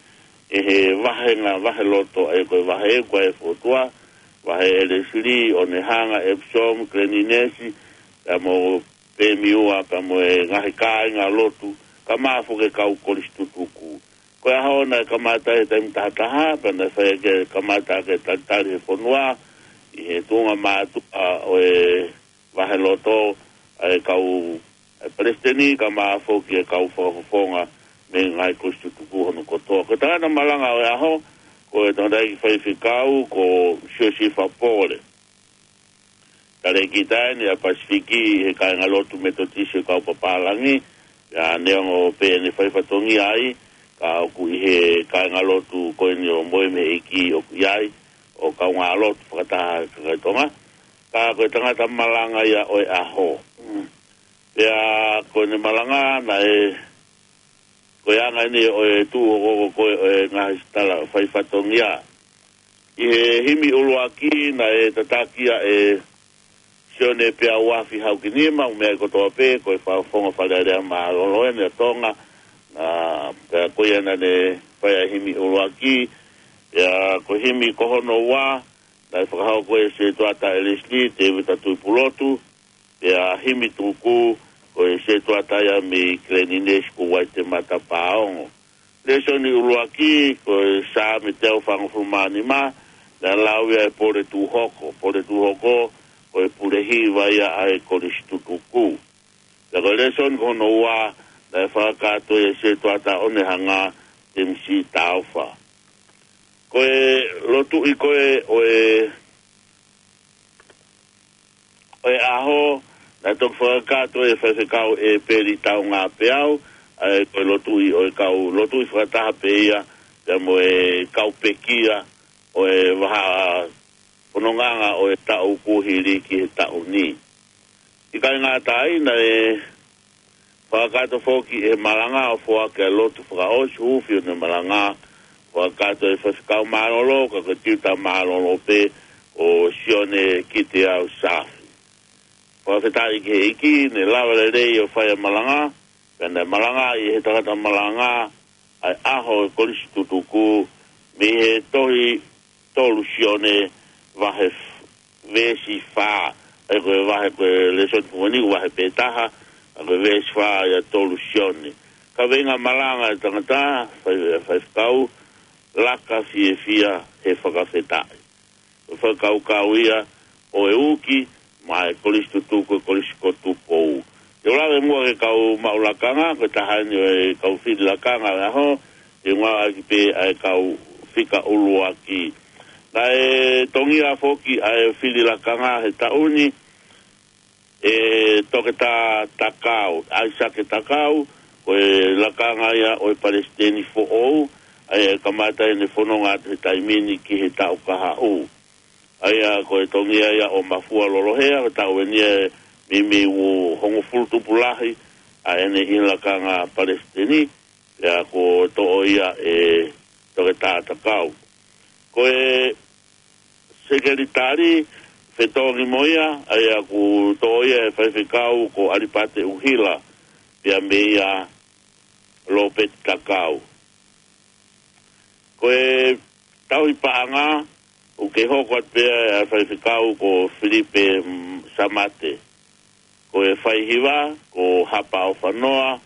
ʻe he vahenga vaheloto, ʻa ia ko e vahe ʻe ua ʻa e fokotuʻa, vahe ʻa Lesili, ʻOnehanga, Epsom, Glen Innes, pea mo Pemiua, pea mo e ngaahi kāingalotu, kae ʻumaʻā foki e kau Kolisi Tutuku. Ko e ʻaho naʻe kamata he taimi taha taha, pea naʻe fai ke kamata ke talitali he fonua, ʻi he tuʻunga mātuʻa ʻo e vaheloto, ʻa e kau, ʻa e palesiteni, kae ʻumaʻā foki e kau fakafofonga mei he ngaahi Kolisi Tutuku hono kotoa. Ko e tangata malanga ʻo e ʻaho, ko e tangataʻeiki faifekau, ko Siosifa Pole. Talēkita eni ʻa e Pasifiki he kāingalotu Metotisi ʻo e kau papālangi, pea neongo pē ʻene fai fatongia ai, ka ʻoku ʻi he kāingalotu ko eni ʻo e moʻui mei he ʻEiki ʻoku ʻi ai, ʻo kaungālotu fakataha ʻa e kakai Tonga, ka ko e tangata malanga ia ʻo e ʻaho. Pea ko ʻene malanga naʻe, ko e anga eni ʻo e tuʻu hoko ko ē ʻo e ngaahi tala fai fatongia. ʻI he himi ʻuluaki naʻe tataki ia ʻe Sione Peauafi Haukinima, ʻo meʻa kotoa pē, ko e fakafofonga Fale Alea Mālōlō eni ʻa Tonga, na, pea ko ia naʻa ne fai ʻa e himi ʻuluaki, pea ko e himi ko hono ua, naʻe fakahoko ʻe Setuata ʻa Lesili, Tēvita Tuʻipulotu, pea himi tuku, ko e Setuata ia mei Glen Innes ko Uaitemata Paongo. Lēsoni ʻuluaki, ko e Saame teau fāngofulu mā nima, naʻe lau ia ʻe Pole Tūhoko. Pole Tūhoko, ko e pule hiva ia ʻa e Kolisi Tutuku. Pea ko e lēsoni ko hono ua, naʻe fakakātoa ʻe Setuata ʻOnehanga, Temisi Taufa. Ko e lotuʻi ko ē ʻo e ʻo e ʻaho, naʻe toki fakakātoa ʻe Faifekau ʻEpeli Taungāpeau, ʻa ia ko e lotuʻi ʻo e kau, lotuʻi fakataha pē ia, pea mo e kau pekia ʻo e vahaʻa fonongaʻanga ʻo e taʻu kuo hili ki he taʻu ni. ʻIkai ngata ai, naʻe fakakātoa foki ʻe he malanga ʻo foaki ʻa e lotu fakaʻosi, huufi ʻo e malanga, fakakātoa ʻe he Faifekau Mālōlō, ka ko e tiuta mālōlō pē ʻo Sione Kiteau Saafi. Fakafetaʻi ki he ʻEiki, naʻe lava lelei ʻo fai ʻa e malanga, pea naʻe malangaʻi ʻe he tangata malanga ʻa e ʻaho ʻo e Kolisi Tutuku, mei he tohi tolu Sione vahe f-, veesi fā, ʻa ia ko e vahe ko e lēsoni ko eni, vahe pē taha, ʻa ia ko e veesi fā ia tolu Sione. Kaveinga malanga ʻa e tangata, fai, faifekau, Laka Fiefia he Fakafetaʻi. Ko e fakakaukau ia ʻo e uki, maʻa e Kolisi Tutuku, ko e Kolisi ko Tupou. Te u lave muʻa ki he kau maʻu lakanga, ko e taha eni ʻo e kau fili lakanga ʻo e ʻaho, te u ngāueʻaki pē ʻa e kau fika ʻuluaki. Naʻe tongia foki ʻa e fili lakanga he taʻu ni ʻe Toketā Takau, ʻAisake Takau, ko e lakanga ia ʻo e palesiteni foʻou, ʻa ia ʻe kamata ʻene fononga atu he taimi ni ki he taʻu kahaʻu. ʻA ia ko e tongia ia ʻo Mafua Lolohea, ko e taʻu eni ʻe meimei ua hongofulu tupu lahi ʻa ʻene ʻi he lakanga palesiteni, pea kuo toʻo ia ʻe Toketā Takau. Ko e sekelitali fetongi mo ia, ʻa ia kuo toʻo ia ʻe he faifekau ko ʻAlipate ʻUhila, pea meia Lopeti Takau. Ko e tauhi paʻanga, ʻoku kei hoko atu pē ʻa e faifekau ko Filipe, mm, Samate. Ko e fai hiva, ko Hapa ʻOfanoa,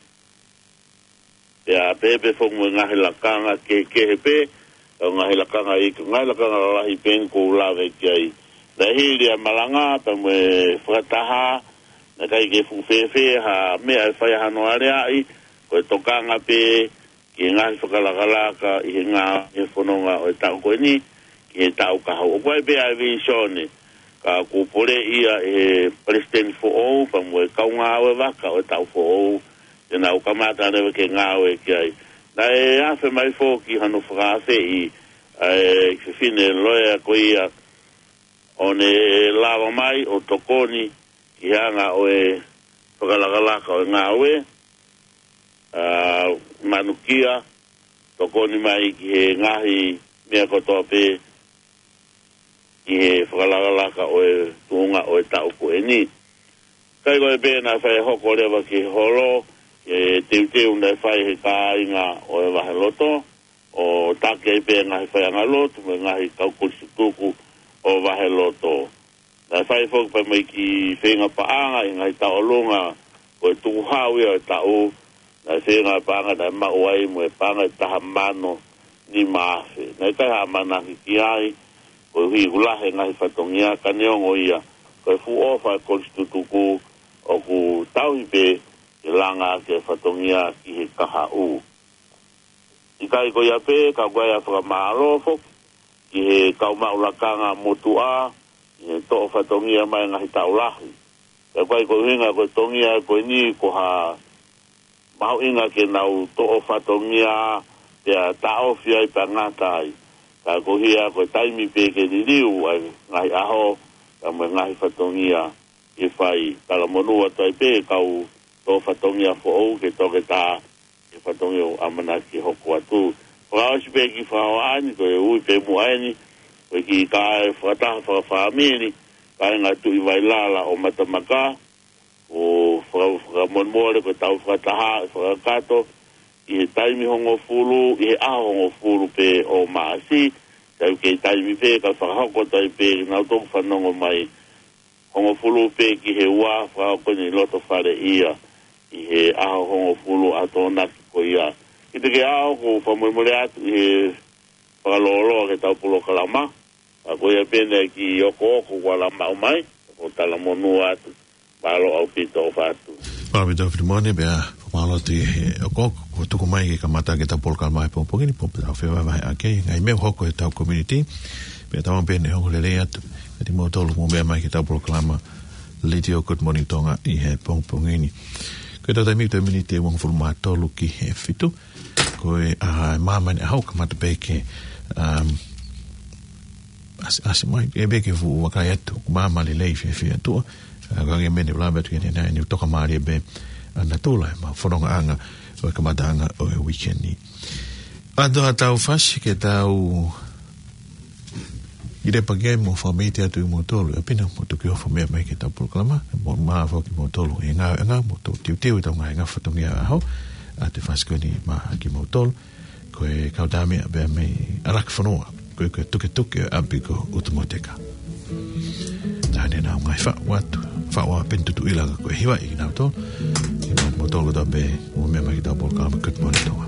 pea pehē pē foki mo e ngaahi lakanga kehekehe pē, ʻa e ngaahi lakanga ʻi, ngaahi lakanga lalahi pē eni ʻoku ou lave ki ai. Naʻe hili ʻa e malanga, pea mo e fakataha, naʻe ʻikai ke fuʻu fēfē ha meʻa ʻe fai hano aleaʻi, ko e tokanga pē, ki he ngaahi fakalakalaka ʻi he ngā, ʻi he fononga ʻo e taʻu ko eni, ki he taʻu kahaʻu. ʻOku ʻi ai pē ʻa e vīsone, ka kuo poleʻi ia ʻe he palesiteni foʻou, pea mo e kau ngāue vaka ʻo e taʻu foʻou, te nau kamata leva ke ngāue ki ai. Naʻe afe mai foki hano fakaafeʻi, ʻa e fefine loea ko ia, ʻo ne lava mai ʻo tokoni, ki he anga ʻo e fakalakalaka ʻo e ngāue, ʻa, Manukia, tokoni mai ki he ngaahi meʻa kotoa pē ki he fakalakalaka ʻo e tuʻunga ʻo e taʻu ko eni. Kae ko e pē naʻe fai hoko leva ki he holo, ke teuteu naʻe fai he kāinga ʻo e vaheloto, ʻo taki ai pē ngaahi faiʻanga lotu mo e ngaahi kau kolisi tutuku ʻo vaheloto. Naʻe fai foki pea mo e kiʻi feinga paʻanga ʻi he ngaahi taʻolunga, ko e tukuhau ia ʻo e taʻu, naʻe feinga paʻanga naʻe maʻu ai mo e paʻanga ʻe taha mano nima afe. Naʻe ʻikai ha ʻamanaki ki ai, koeʻuhi ʻoku lahi e ngaahi fatongia, ka neongo ia, ko e fuʻu ʻofa e kolisi tutuku, ʻoku tauhi pē ke langa ʻaki e fatongia ki he kahaʻu. ʻIkai ko ia pē, ka ʻoku ʻi ai ʻa e fakamālō foki ki he kau maʻu lakanga motuʻa, ʻi he toʻo fatongia mai ngaahi taʻu lahi. Pea ʻoku ʻikai ko e ʻuhinga ko e tongia ko eni ko ha mahuʻinga ke nau toʻo fatongia pea taʻofi ai pea ngata ai. Ka ko ia ko e taimi pē ke liliu ai ngaahi ʻaho, ka mo e ngaahi fatongia ke fai. Talamonū atu ai pē kau toʻo fatongia foʻou ke toke tā e fatongia ʻoku ʻamanaki ke hoko atu. Fakaʻosi pē ki fakaoani, ko e ui pē muʻa eni, ko e kiʻi kae fakataha fakafāmili, kāinga Tuʻi Vailala ʻo Matamaka, ʻo faka-, fakamolemole ko e tau fakataha, fakakakato, ʻi he taimi hongofulu, ʻi he ʻaho hongofulu pē ʻo Maʻasi, kae kei taimi pē, ka fakahoko atu ai pē, nau toki fanongo mai, hongofulu pē ki he ua, fakahoko eni ʻi loto fale ia, ʻi he ʻaho hongofulu ʻa Tokonaki ko ia. Kiate kimoutolu ʻoku fakamolemole atu ʻi he fakalōloa ki heʻetau polokalama, ka ko ia pē eni e kiʻi okooko kuo lava maʻu mai, ko e talamonū atu, mālō ʻaupito ʻofa atu. Mālō ʻaupito Filimone, pea fakamālō atu ʻi he okooko kuo tuku mai ke kamata ʻaki ʻetau polokalama he pongipongi ni, pea tau fevahevaheʻaki e ngaahi meʻa ʻoku hoko heʻetau community, pea tau pehē ni ʻoku lelei atu kiate kimoutolu ʻoku mou meʻa mai ki heʻetau polokalama Letiō Good Morning Tonga ʻi he pongipongi ni. Ko ʻetau taimi ko e miniti ʻe uofulu mā tolu ki he fitu. Ko e, ʻa, māmani ʻaho kamata pē ke, um, ʻasi, ʻasi mai, ʻe pē ke fuʻu vakai atu, māmani lelei fiefia atu. ʻA, ko e ngaahi meʻa ne u lave atu ki ai ʻanenai, ne u toka mālie pē ʻa natula ʻemau fonongaʻanga ʻo e kamataʻanga ʻo e weekend ni. ʻA, tau fasi ke tau ʻi lepa ke mo fakamolemole atu ʻi moutolu, ʻa pina mo tuki ʻofa meʻa mai ki heʻetau polokalama, mo mālō foki moutolu ʻi he ngāueʻanga, mo tau teuteu ʻetau ngaahi ngāue fatongia ʻaho, ʻa, te fasi ko eni maʻa kimoutolu, ko e kau tama ia pea mei ʻAlakifonua, ko e, ko e tuketuke ʻapi ko ʻUtumoteka. Taha eni ʻenau ngaahi faʻu atu, faʻu ʻa Peni Tutuʻila ka ko e hiva ʻi kinautolu, ʻi maʻa kimoutolu tau pē, mo meʻa mai ki heʻetau polokalama Good Morning Tonga.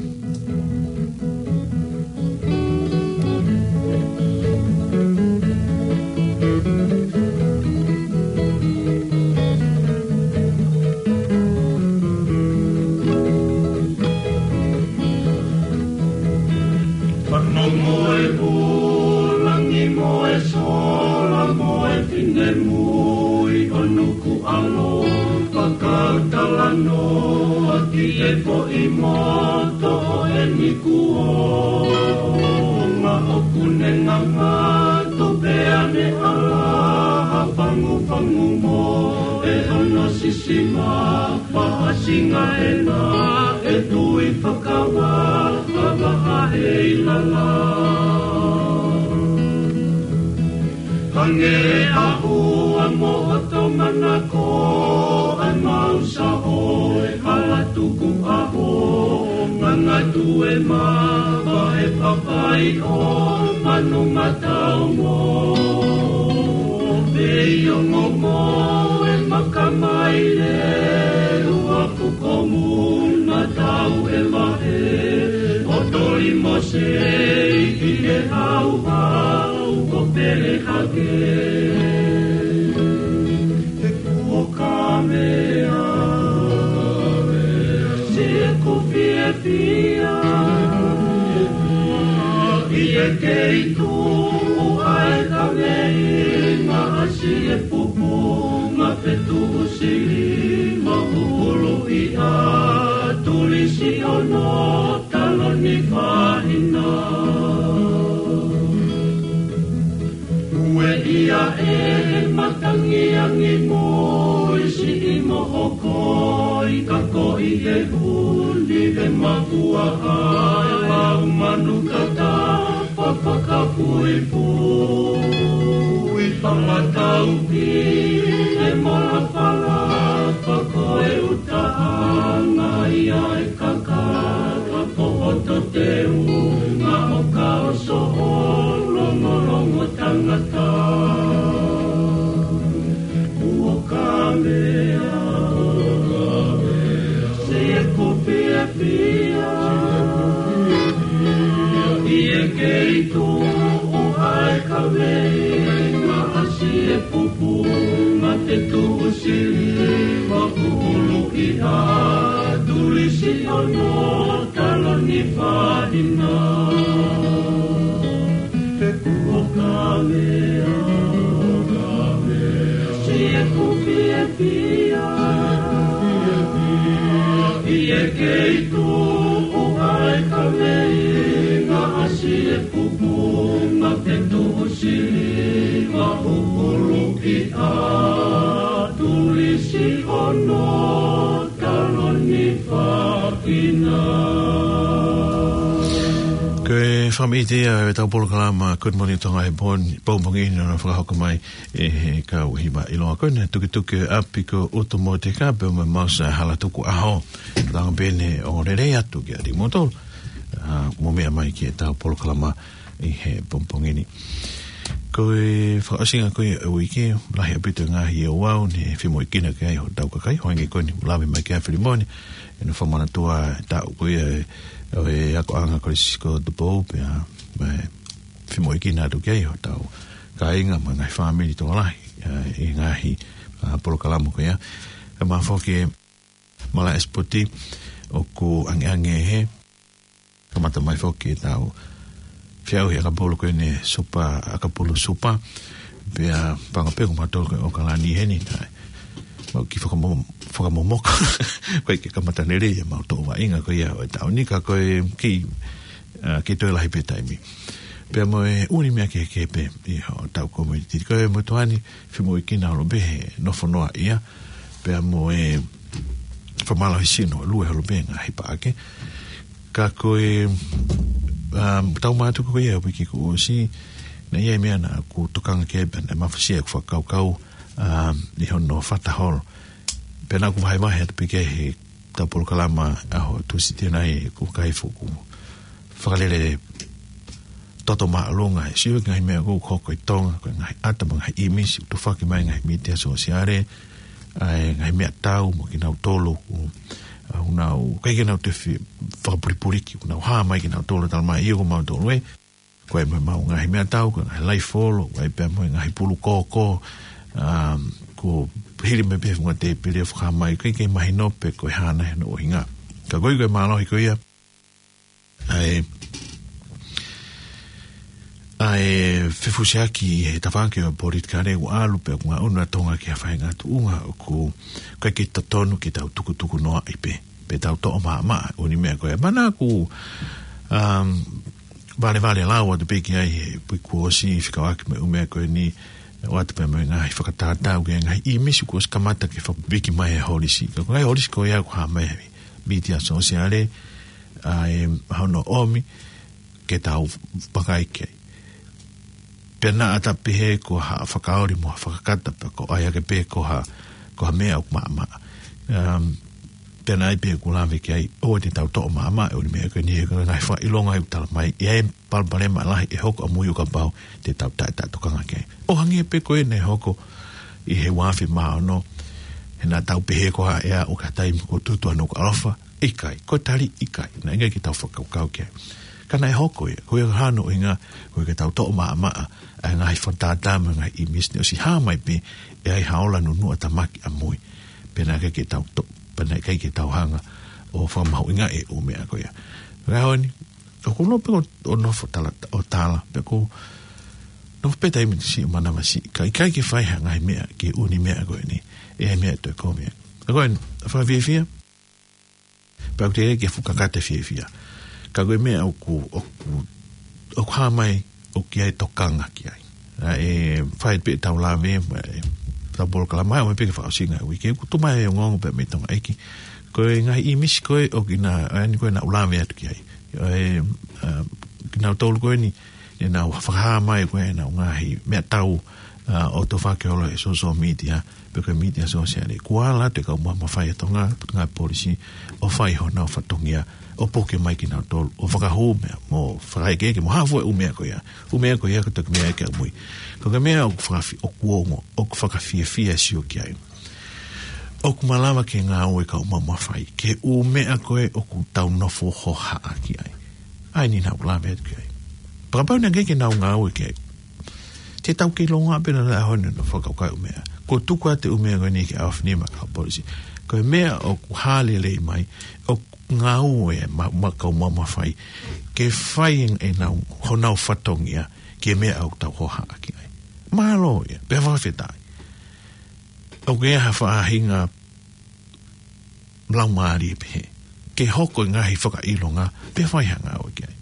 Fanongo e ʻū langi mo e sola mo e finemui ʻo Nukuʻalofa, kau talanoa ki he foʻi moto ʻo eni kuonga ʻoku ne ngangatu pea ne ʻalaha fangufangu mo e hono sisima. Paʻasinga ena e tui fakavaha, vaha ʻe lala. Hangē ʻa ʻua mo hoto manako, ʻa e mau saʻo e hala tukuʻaho, ngangatu e mava e papai ʻo Manumataongo. Pea ʻi ongo mo e makamaile, ua kuko muna tau e vahe, ʻo toli mo sei ki he hauhau ko Pelehake. He kuo kamea, sieku fiefia, ʻi he kei tuʻu ʻa e kaveinga ʻasi e pupunga fetuʻu sili ma pupulu ʻi ʻa tulisi ono taloni fahina. Ue ia e matangi angi mo e siʻi mohokoi ka ko i He huni he makuaʻa e lau manu kata, papakapuipui palataupi e mola pala, pako e utaʻanga ia e kakaka, popoto teunga ʻo ka ʻoso ʻo longolongo tangata. Kuo kamea, sie kupiapia. ʻI he kei tuʻu ai ka vei, ma asi e pupu, ma te tuʻu sili, ma pupulu i a, tulisi ono, taloni fahina. He kuo kamea, sie kupiapia. ʻI he kei tuʻu ai ka vei, ma asi e pupu, ma te tuʻu sili, ma pupulu i a, tulisi ono, taloni fahina. Ko e fakaʻamu ia ʻetau polokalama Good Morning Tonga he pon-, pongipongi ni, naʻe fakahoko mai ʻe he kau hiva ʻiloa ko eni, Tukituki ʻo e ʻApi ko Utu Mōteka pea mo Mausa Halatukuʻaho. Tau pehē ʻoku lelei atu kiate kimoutolu ʻoku mou meʻa mai ki heʻetau polokalama ʻi he pongipongi ni. Ko e fakaʻosinga ko ia ʻo e uike, lahi ʻaupito e ngaahi ouau naʻe femoʻuekina ki ai hotau kakai, hangē ko eni naʻe lave mai ki ai ʻa Filimone, ʻi heʻene fakamanatua e taʻu ko ia ʻo e akoʻanga Kolisi ko Tupou, pea mo e femoʻuekina atu ki ai hotau kāinga mo e ngaahi fāmili tokolahi, ʻa, ʻi he ngaahi, ʻa, polokalama ko ia. Pea mo e foki e malaʻe sipoti ʻoku ʻangeʻange hē. Kamata mai foki ʻetau feʻauhi ʻakapulu ko eni, Supa ʻAkapulu Supa. Pea paʻanga pē ko mautolu ko ē ʻOkalani heni, naʻe mau kiʻi fakamo-, fakamomoka. Ko e kiʻi kamata lelei ʻemau toʻo vaʻinga ko ia ʻo e taʻu ni, ka ko e kiʻi, ʻa, kiʻi toe lahi pē taimi. Pea mo e ʻū meʻa kehekehe pē ʻi hotau community. Ko e motuʻa ni, femoʻuekina holo pē he nofo noaʻia, pea mo e fakamālohisino ʻo lue holo pē ngaahi paʻake. Ka ko e, um, tau mātuku ko ia ʻo e uike kuo ʻosi, naʻe ʻi ai e meʻa naʻá ku tokanga ki ai pea naʻe mafasia ʻeku fakakaukau, um, ʻi hono fata holo. Pea naʻá ku vahevahe atu pē ki ai heʻetau polokalama ʻaho Tūsite ni, ʻoku ʻikai fuʻu fakalele toto māʻolunga, he sio ki he ngaahi meʻa ʻoku hoko ʻi Tonga, ko e ngaahi ʻata mo e ngaahi ʻīmisi ʻoku tufaki mai ʻe he ngaahi mītia sōsiale, ʻa e ngaahi meʻatau mo kinautolu ʻoku, ʻa, ʻoku nau, ʻikai ke nau toe fi-, fakapulipuliki, ʻoku nau hā mai kinautolu, talamai ʻio ko mautolu ē, ko e mo ʻemau ngaahi meʻatau, ko e ngaahi laifolo, ko e pea mo e ngaahi pulu koko, um, ko e hili mai pē he funga tēpile ʻo fakahā mai, ʻikai ke mahino pe ko e hā nai hono ʻuhinga. Ka ko e, ko e mālohi ko ia, ʻa e, ʻa e fefusiaki he tafaʻaki ʻo e politikale ʻoku ʻalu pē ʻoku ngaʻunu ʻa Tonga ki ha faʻahinga tuʻunga ʻoku ʻikai ke totonu ke tau tukutuku noaʻi pē, pe tau toʻo maʻamaʻa ʻū meʻa ko ia. Mana ku, um, valevale lau atu pē ki ai he uike kuo ʻosi fekauʻaki mo e ʻū meʻa ko eni, ʻoatu pē mo e ngaahi fakatātā ki he ngaahi ʻīmisi kuo ʻosi kamata ke fakapiki mai he holisi. Ka ko e ngaahi holisi ko ia ʻoku hā mai he mītia sōsiale, ʻa e hono ʻomi ke tau vakai ki ai. Pea naʻa ta pehē ko ha fakaoli mo ha fakakata pea ko e ʻai ake pē ko ha, ko ha meʻa ʻoku maʻamaʻa. Um, pea naʻe ʻi ai pē ʻeku lave ki ai, ʻoua te tau toʻo maʻamaʻa ʻū meʻa ko eni he ko e ngaahi fakaʻilonga ʻoku tala mai, ʻi ai e palopalema lahi ʻe hoko ʻamui ʻo kapau te tau taʻe, taʻe tokanga ki ai. ʻO hangē pē ko ē naʻe hoko ʻi he ua afe mā ono, he naʻa tau pehē ko ha ʻea ʻoku ʻi ai ha taimi kuo tutu ai hono ʻaloʻofa, ʻikai, ko e tali ʻikai, naʻe ʻikai ke tau fakakaukau ki ai. Ka naʻe hoko ia, ko ia hano ʻuhinga, ko e ke tau toʻo maʻamaʻa ʻa e ngaahi fakatātā mo e ngaahi ʻīmisi naʻe ʻosi hā mai pē, ʻe ʻi ai ha ola nunuʻa tāmaki ʻamui. Pea naʻe ʻikai ke tau to-, pea naʻe ʻikai ke tau hanga ʻo fakamahuʻingaʻi e ʻū meʻa ko ia. Ka ʻaho ni, ʻoku ou nofo pē ʻo, ʻo nofo tala, ʻo tala, pea ʻoku ou nofo pē taimi siʻi manavasiʻi, ka ʻikai ke fai ha ngaahi meʻa ki he ʻū meʻa ko eni, ʻe ʻi ai e meʻa ʻe toe kovi ai. Ka ko e, fakafiefia, pea ʻoku teʻeki ke fuʻu kakata fiefia. Ka ko e meʻa ʻoku, ʻoku, ʻoku hā mai, ʻoku ʻi ai e tokanga ki ai. ʻA e fai pē ʻetau lave, ʻa e ʻetau polokalama, ʻomai pē ke fakaʻosinga e uike, ʻoku tuʻu mai e ongoongo pē mei Tonga ʻEiki. Ko e ngaahi ʻīmisi ko ē ʻoku na, ʻa eni ko ē naʻa ku lave atu ki ai. ʻA e, ʻa, kinautolu ko eni, ne nau fakahā mai ko ē ʻenau ngaahi meʻatau, ʻa, ʻo tofake holo he social media, pe ko e mītia sōsiale. Kuo ala atu e kau mamafa ʻa Tonga, ngaahi polisi, ʻo fai honau fatongia, ʻo puke mai kinautolu, ʻo fakahū meʻa, mo fakaekeeke, mo hā fua e ʻū meʻa ko ia. ʻŪ meʻa ko ia ko e toki meʻa ʻe ʻikai mui. Ko e meʻa ʻoku fakafi-, ʻoku ongo, ʻoku fakafiefia e sio ki ai. ʻOku malava ke ngāue kau mamafa ʻi he ʻū meʻa ko ē ʻoku tau nofo hohaʻa ki ai. ʻA eni naʻa ku lave atu ki ai. Pea kapau naʻe ʻikai ke nau ngāue ki ai, te tau kei longoaʻa pē ʻi he ʻaho ni ʻo fakakaukau e ʻū meʻa. Kuo tuku atu e ʻū meʻa ko eni ki he ʻaofinima ʻa e kau polisi. Ko e meʻa ʻoku hā lelei mai, ʻoku ngāue e ma-, ma-, kau mamafa ʻi ke fai ʻenau, honau fatongia ki he meʻa ʻoku tau hohaʻa ki ai. Mālō ia, pea fakafetaʻi. ʻOku ʻi ai ha faʻahinga laumālie pehē ke hoko e ngaahi fakaʻilonga, pea fai ha ngāue ki ai.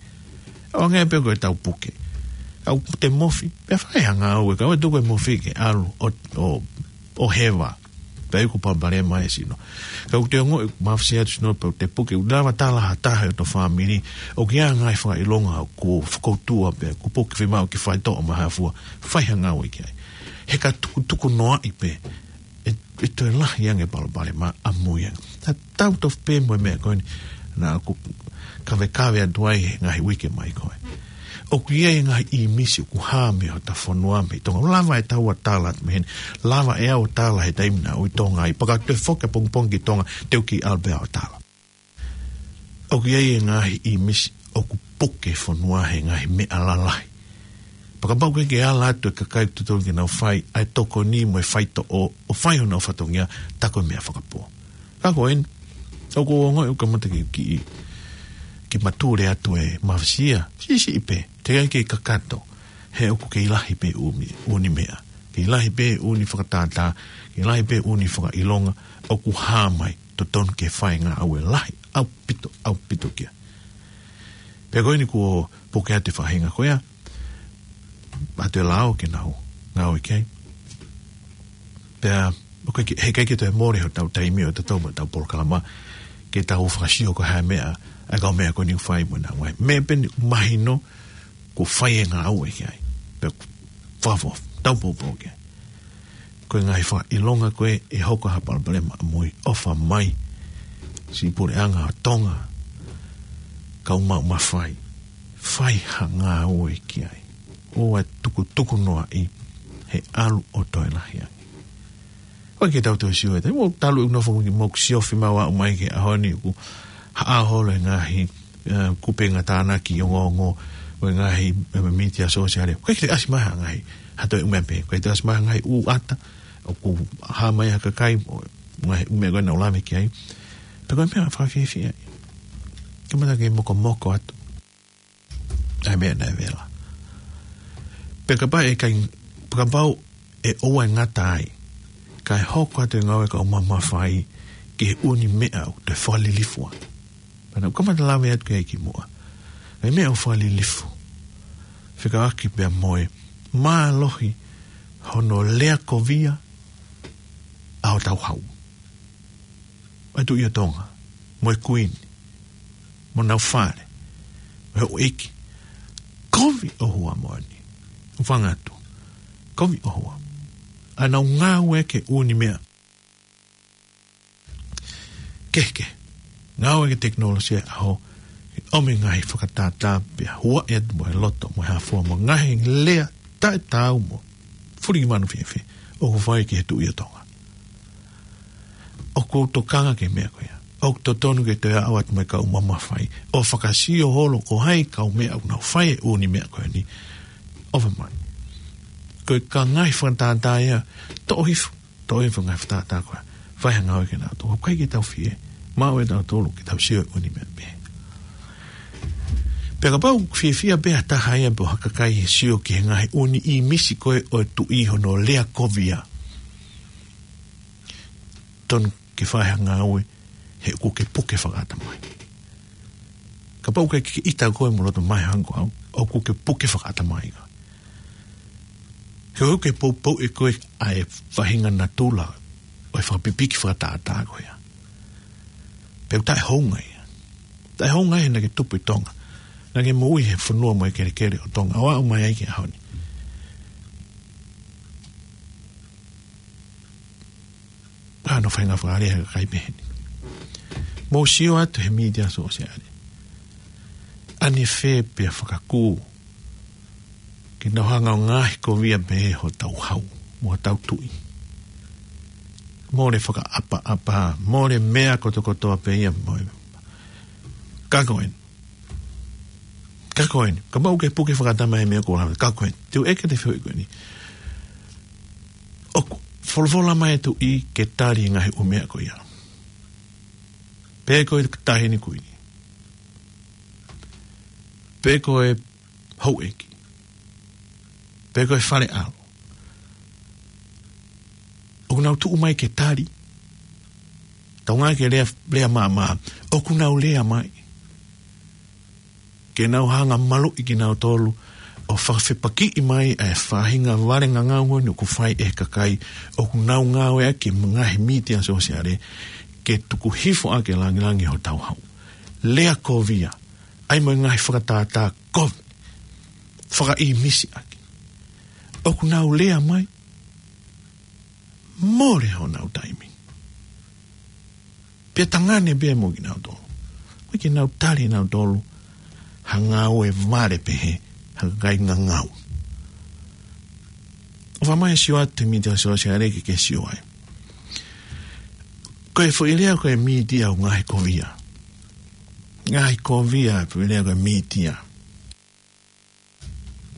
ʻO hangē pē ko ʻetau puke. Kapau te mofi, pea fai ha ngāue, kapau ʻe tuku e mofi ke ʻalu ʻo, ʻo, ʻo heva. Pea ʻoku palopalema e sino. Ka ʻoku te ongoʻi ʻoku mafasi atu sino pea te puke, ʻoku lava tala ha taha ʻi hoto fāmili, ʻoku ʻi ai e ngaahi fakaʻilonga ʻoku fakautua pea ʻoku puke, fiemaʻu ke fai toʻo mai ha fua, fai ha ngāue ki ai. He ka tukutuku noaʻi pē, ʻe, ʻe toe lahi ange e palopalema ʻamui ange. Tatau tofu pē mo e meʻa ko eni naʻa ku kavekave atu ai he ngaahi uike mai ko ē. ʻOku ʻi ai e ngaahi ʻīmisi ʻoku hā mei hota fonua mei Tonga. Lava ʻe taua ʻo tala atu mei heni. Lava ʻe au ʻo tala he taimi naʻa ku ʻi Tonga ai. Pea ka toe foki ʻapongipongi ki Tonga, te u kiʻi ʻalu pē au ʻo tala. ʻOku ʻi ai e ngaahi ʻīmisi ʻoku puke fonua he ngaahi meʻa lalahi. Pea kapau ʻoku ʻikai ke ala atu e kakai ʻoku totonu ke nau fai ʻa e tokoni mo e faitoʻo, ʻo fai honau fatongia, tā ko e meʻa fakapō. Ka ko eni, ʻoku ou ongoʻi ʻoku kamata ke kiʻi, kiʻi matule atu e mafasi ia, siʻisiʻi pē, teʻeki ai ke kakato, he ʻoku kei lahi pē ʻū meʻa, ʻū meʻa. Kei lahi pē ʻū fakatātā, kei lahi pē ʻū fakaʻilonga, ʻoku hā mai, totonu ke fai e ngāue lahi, ʻaupito, ʻaupito ki ai. Pea ko eni kuo puke atu e faʻahinga ko ia, ʻoatu e lao ke nau ngāue ki ai. Pea, ʻoku ʻikai ke, he ʻikai ke toe mole hotau taimi ʻo tatau mo ʻetau polokalama, ke tau fakasio ko e hā e meʻa, ʻa e kau meʻa ko eni ʻoku fai mo ʻenau ngāue. Meʻa pē eni ʻoku mahino, kuo fai e ngāue ki ai. Pea, fafo, tau poupou ki ai. Ko e ngaahi fakaʻilonga ko ē ʻe hoko ha palopalema ʻamui, ʻofa mai. Siʻi puleʻanga ʻo Tonga, kau mamafa ʻi, fai ha ngāue ki ai. ʻOua ʻe tukutuku noaʻi, he ʻalu ʻo toe lahi ange. ʻOku ʻikai ke tau toe sio ʻe taha. Mo talu ʻeku nofo mo ʻeku sio fiemaʻu ʻomai ki he ʻaho ni ʻoku haʻa holo e ngaahi, ʻa, kupenga tānaki ongoongo, ʻo e ngaahi, ʻa, mītia sōsiale. ʻOku ʻikai ke ʻasi mai ha ngaahi, ha toe ʻū meʻa pehē. ʻOku ʻikai ke ʻasi mai ha ngaahi ʻū ʻata, ʻoku hā mai ha kakai, ʻo e ngaahi ʻū meʻa ko ē naʻa ku lave ki ai. Pea ko e meʻa fakafiefia. Kamata ke mokomoko atu ʻa e meʻa naʻe vela. Pea kapau ʻe ʻikai, pea kapau ʻe ʻoua ʻe ngata ai, kae hoko atu e ngāue kau mamafa ʻi ki he ʻū meʻa ʻoku toe fakalilifu ai. Pea naʻa ku kamata lave atu ki ai kimuʻa. ʻA e meʻa ʻoku fakalilifu. Fekauʻaki pea mo e mālohi hono leakovia ʻa hotau hau. ʻA e Tuʻi ʻo Tonga, mo e Kuini, mo ʻenau fale, mo e houʻeiki, kovi ʻohua moʻoni. ʻOfa atu, kovi ʻohua. ʻA ʻenau ngāue ki he ʻū meʻa kehekehe. Ngāue ki he tekinolosia ʻo e ʻaho, ʻomi e ngaahi fakatātā pea huaʻi atu mo e loto, mo e hā fua, mo e ngaahi lea taʻetaau mo fuli ki manu fiefia ʻoku fai ki he Tuʻi ʻo Tonga. ʻOku ou tokanga ki he meʻa ko ia. ʻOku totonu ke toe aʻu atu mo e kau mamafa ʻi ʻo fakasio holo ko hai e kau meʻa ʻoku nau fai e ʻū meʻa ko eni. ʻOfa mai. Ko e ngaahi fakatātā ia, toʻo hifo, toʻo hifo e ngaahi fakatātā ko ia. Fai ha ngāue kia nautolu. ʻOku ʻikai ke tau fie maʻu ʻe tautolu ke tau sio e ʻū meʻa pehē. Pea kapau ʻoku fiefia pē ha taha ia pe ko ha kakai he sio ki he ngaahi ʻū ʻīmisi ko ē ʻo e Tuʻi hono leakovia, tonu ke fai ha ngāue, he ʻoku ke puke fakaʻatamai. Kapau ʻoku ke ʻita koe mo loto mahe hangē ko au, ʻoku ke puke fakaʻatamai koe. Ke ʻoua ke poupou ʻe koe ʻa e faʻahinga natula ʻo e fakapipiki fakatātā ko ia. Pea ʻoku taʻehounga ia. Taʻehounga ia naʻe tupu ʻi Tonga. Naʻe moʻui he fonua mo e kelekele ʻo Tonga. ʻO aʻu mai ai ki he ʻaho ni. Ka ʻoku nau faʻahinga fakalea he kakai pehē ni. Mou sio atu he mītia sōsiale. ʻAnefē pea fakakū ke nau hanga ʻo ngaohikovia pē hotau hau mo hotau tuʻi. Mole fakaʻapaʻapa, mole meʻa kotokotoa pē ia mo e. Ka ko eni. Ka ko eni. Kapau ʻoku ke puke fakatama e meʻa ko la. Ka ko eni. Te u ʻeke atu e fehuʻi ko eni. ʻOku folofola mai e tuʻi ke tali e ngaahi ʻū meʻa ko ia. Pe ko e taʻahine kuini. Pe ko e houʻeiki. Pe ko e fale ʻalo. ʻOku nau tuʻu mai ke tali. Tau ngāueʻaki e lea, lea māmā. ʻOku nau lea mai. Ke nau hanga ʻo maluʻi kinautolu ʻo fakafepakiʻi mai ʻa e faʻahinga vale ngangau ko eni ʻoku fai ʻe he kakai ʻoku nau ngāueʻaki e ngaahi mītia sōsiale ke tuku hifo ʻaki e langilangi hotau hau. Lea kovia, ʻai mo e ngaahi fakatātā kovi, fakaʻīmisi ʻaki. ʻOku nau lea mai, mole honau taimi. Pea tangane pē mo kinautolu. Ko e ke nau tali nautolu ha ngāue vale pehē, ha kakai ngangau. ʻOfa mai sio atu he mītia sōsiale ke ke sio ai. Ko e foʻi lea ko e mītia ʻoku ngaohikovia. Ngaohikovia e foʻi lea ko e mītia.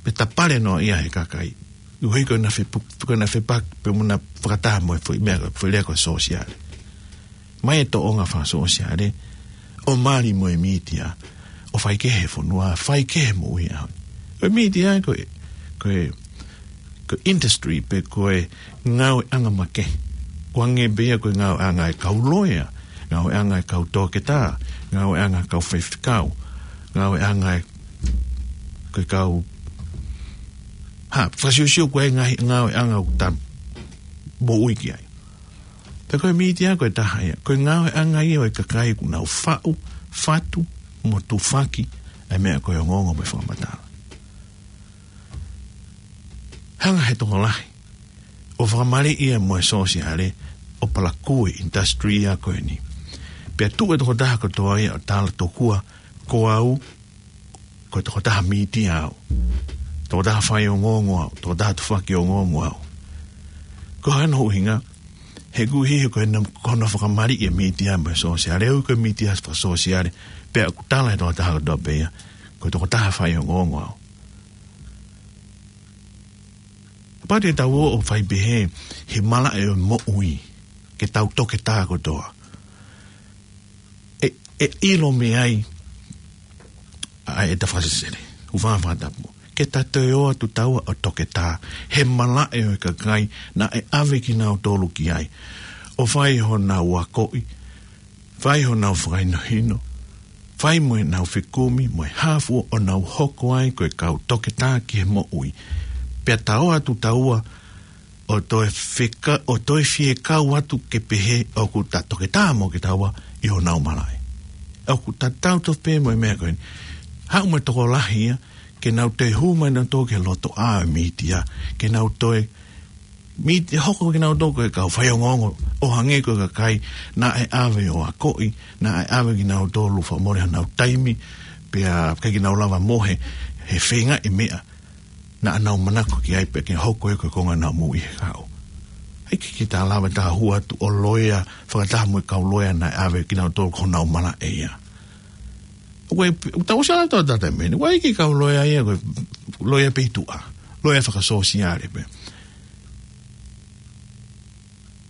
Pe tapale noa ia he kakai. ʻUhi ko ena fepu-, ko ena fepa, pe mo ena fakataha mo e foʻi meʻa, foʻi lea ko e sōsiale. Mai e tōʻonga fakasōsiale, ʻo mali mo e mītia, ʻo fai kehe e fonua, fai kehe e moʻui ʻaho ni. Ko e mītia ko e, ko e, ko e industry pe ko e ngāueʻanga makehe. ʻOku hangē pē ia ko e ngāueʻanga e kau loea, ngāueʻanga e kau toketā, ngāueʻanga e kau faifekau, ngāueʻanga e ko e kau, ha, fakasiosio ko e ngaahi ngāueʻanga ʻoku tau moʻui ki ai. Pea ko e mītia ko e taha ia. Ko e ngāueʻanga ia ʻo e kakai ʻoku nau faʻu, fatu, mo tufaki ʻa e meʻa ko e ongoongo mo e fakamatala. Hanga he tokolahi ʻo fakamaliʻi ia mo e sōsiale ʻo palakū e industry ia ko eni. Pea tuʻu e tokotaha kotoa ia ʻo tala tokua ko au, ko e tokotaha mītia au, tokotaha faiongoongo au, tokotaha tufaki ongoongo au. Ko hono ʻuhinga, he ʻoku ʻi he ko ena, ko hono fakamaliʻi e mītia mo e sōsiale, ʻoku ko e mītia fakasōsiale, pea ʻoku tala he tokotaha kotoa pē ia, ko e tokotaha faiongoongo au. Pea te tau ō ʻo fai pehē he malaʻe ʻo e moʻui, ke tau toketā kotoa. ʻE, ʻe ʻilo mei ai ʻa e ta fakasesele, ʻoku fakatapu. Ke ta toe ō atu taua ʻo toketā he malaʻe ʻo e kakai naʻe ʻave kinautolu ki ai, ʻo fai honau akoʻi, fai honau fakahinohino, fai mo ʻenau fekumi, mo e hā fua ʻo nau hoko ai ko e kau toketā ki he moʻui. Pea ta ō atu taua ʻo toe feka-, ʻo toe fie kau atu ke pehē ʻoku ta toketā mo kitaua ʻi honau malaʻe. ʻOku ta tau tofu pē mo e meʻa ko eni. Haʻu mo e tokolahi ia, ke nau toe hū mai nautolu ki he lotoʻā ʻo e mītia, ke nau toe mītia hoko kinautolu ko e kau faiongoongo, ʻo hangē ko e kakai naʻe ʻave ʻo akoʻi, naʻe ʻave kinautolu fakamole honau taimi, pea ʻikai ke nau lava mohe he feingaʻi meʻa naʻa nau manako ki ai pea ke hoko ia ko e konga ʻenau moʻui he kahaʻu. ʻIkai ke ta lava ta hū atu ʻo loea fakataha mo e kau loea naʻe ʻave kinautolu ko honau malaʻe ia. ʻOku ʻi ai, ʻoku tau sala tau tata meni. ʻOku ʻi ai e kiʻi kau loea ia, ko e loea pē ʻi tuʻa. Loea fakasōsiale pē.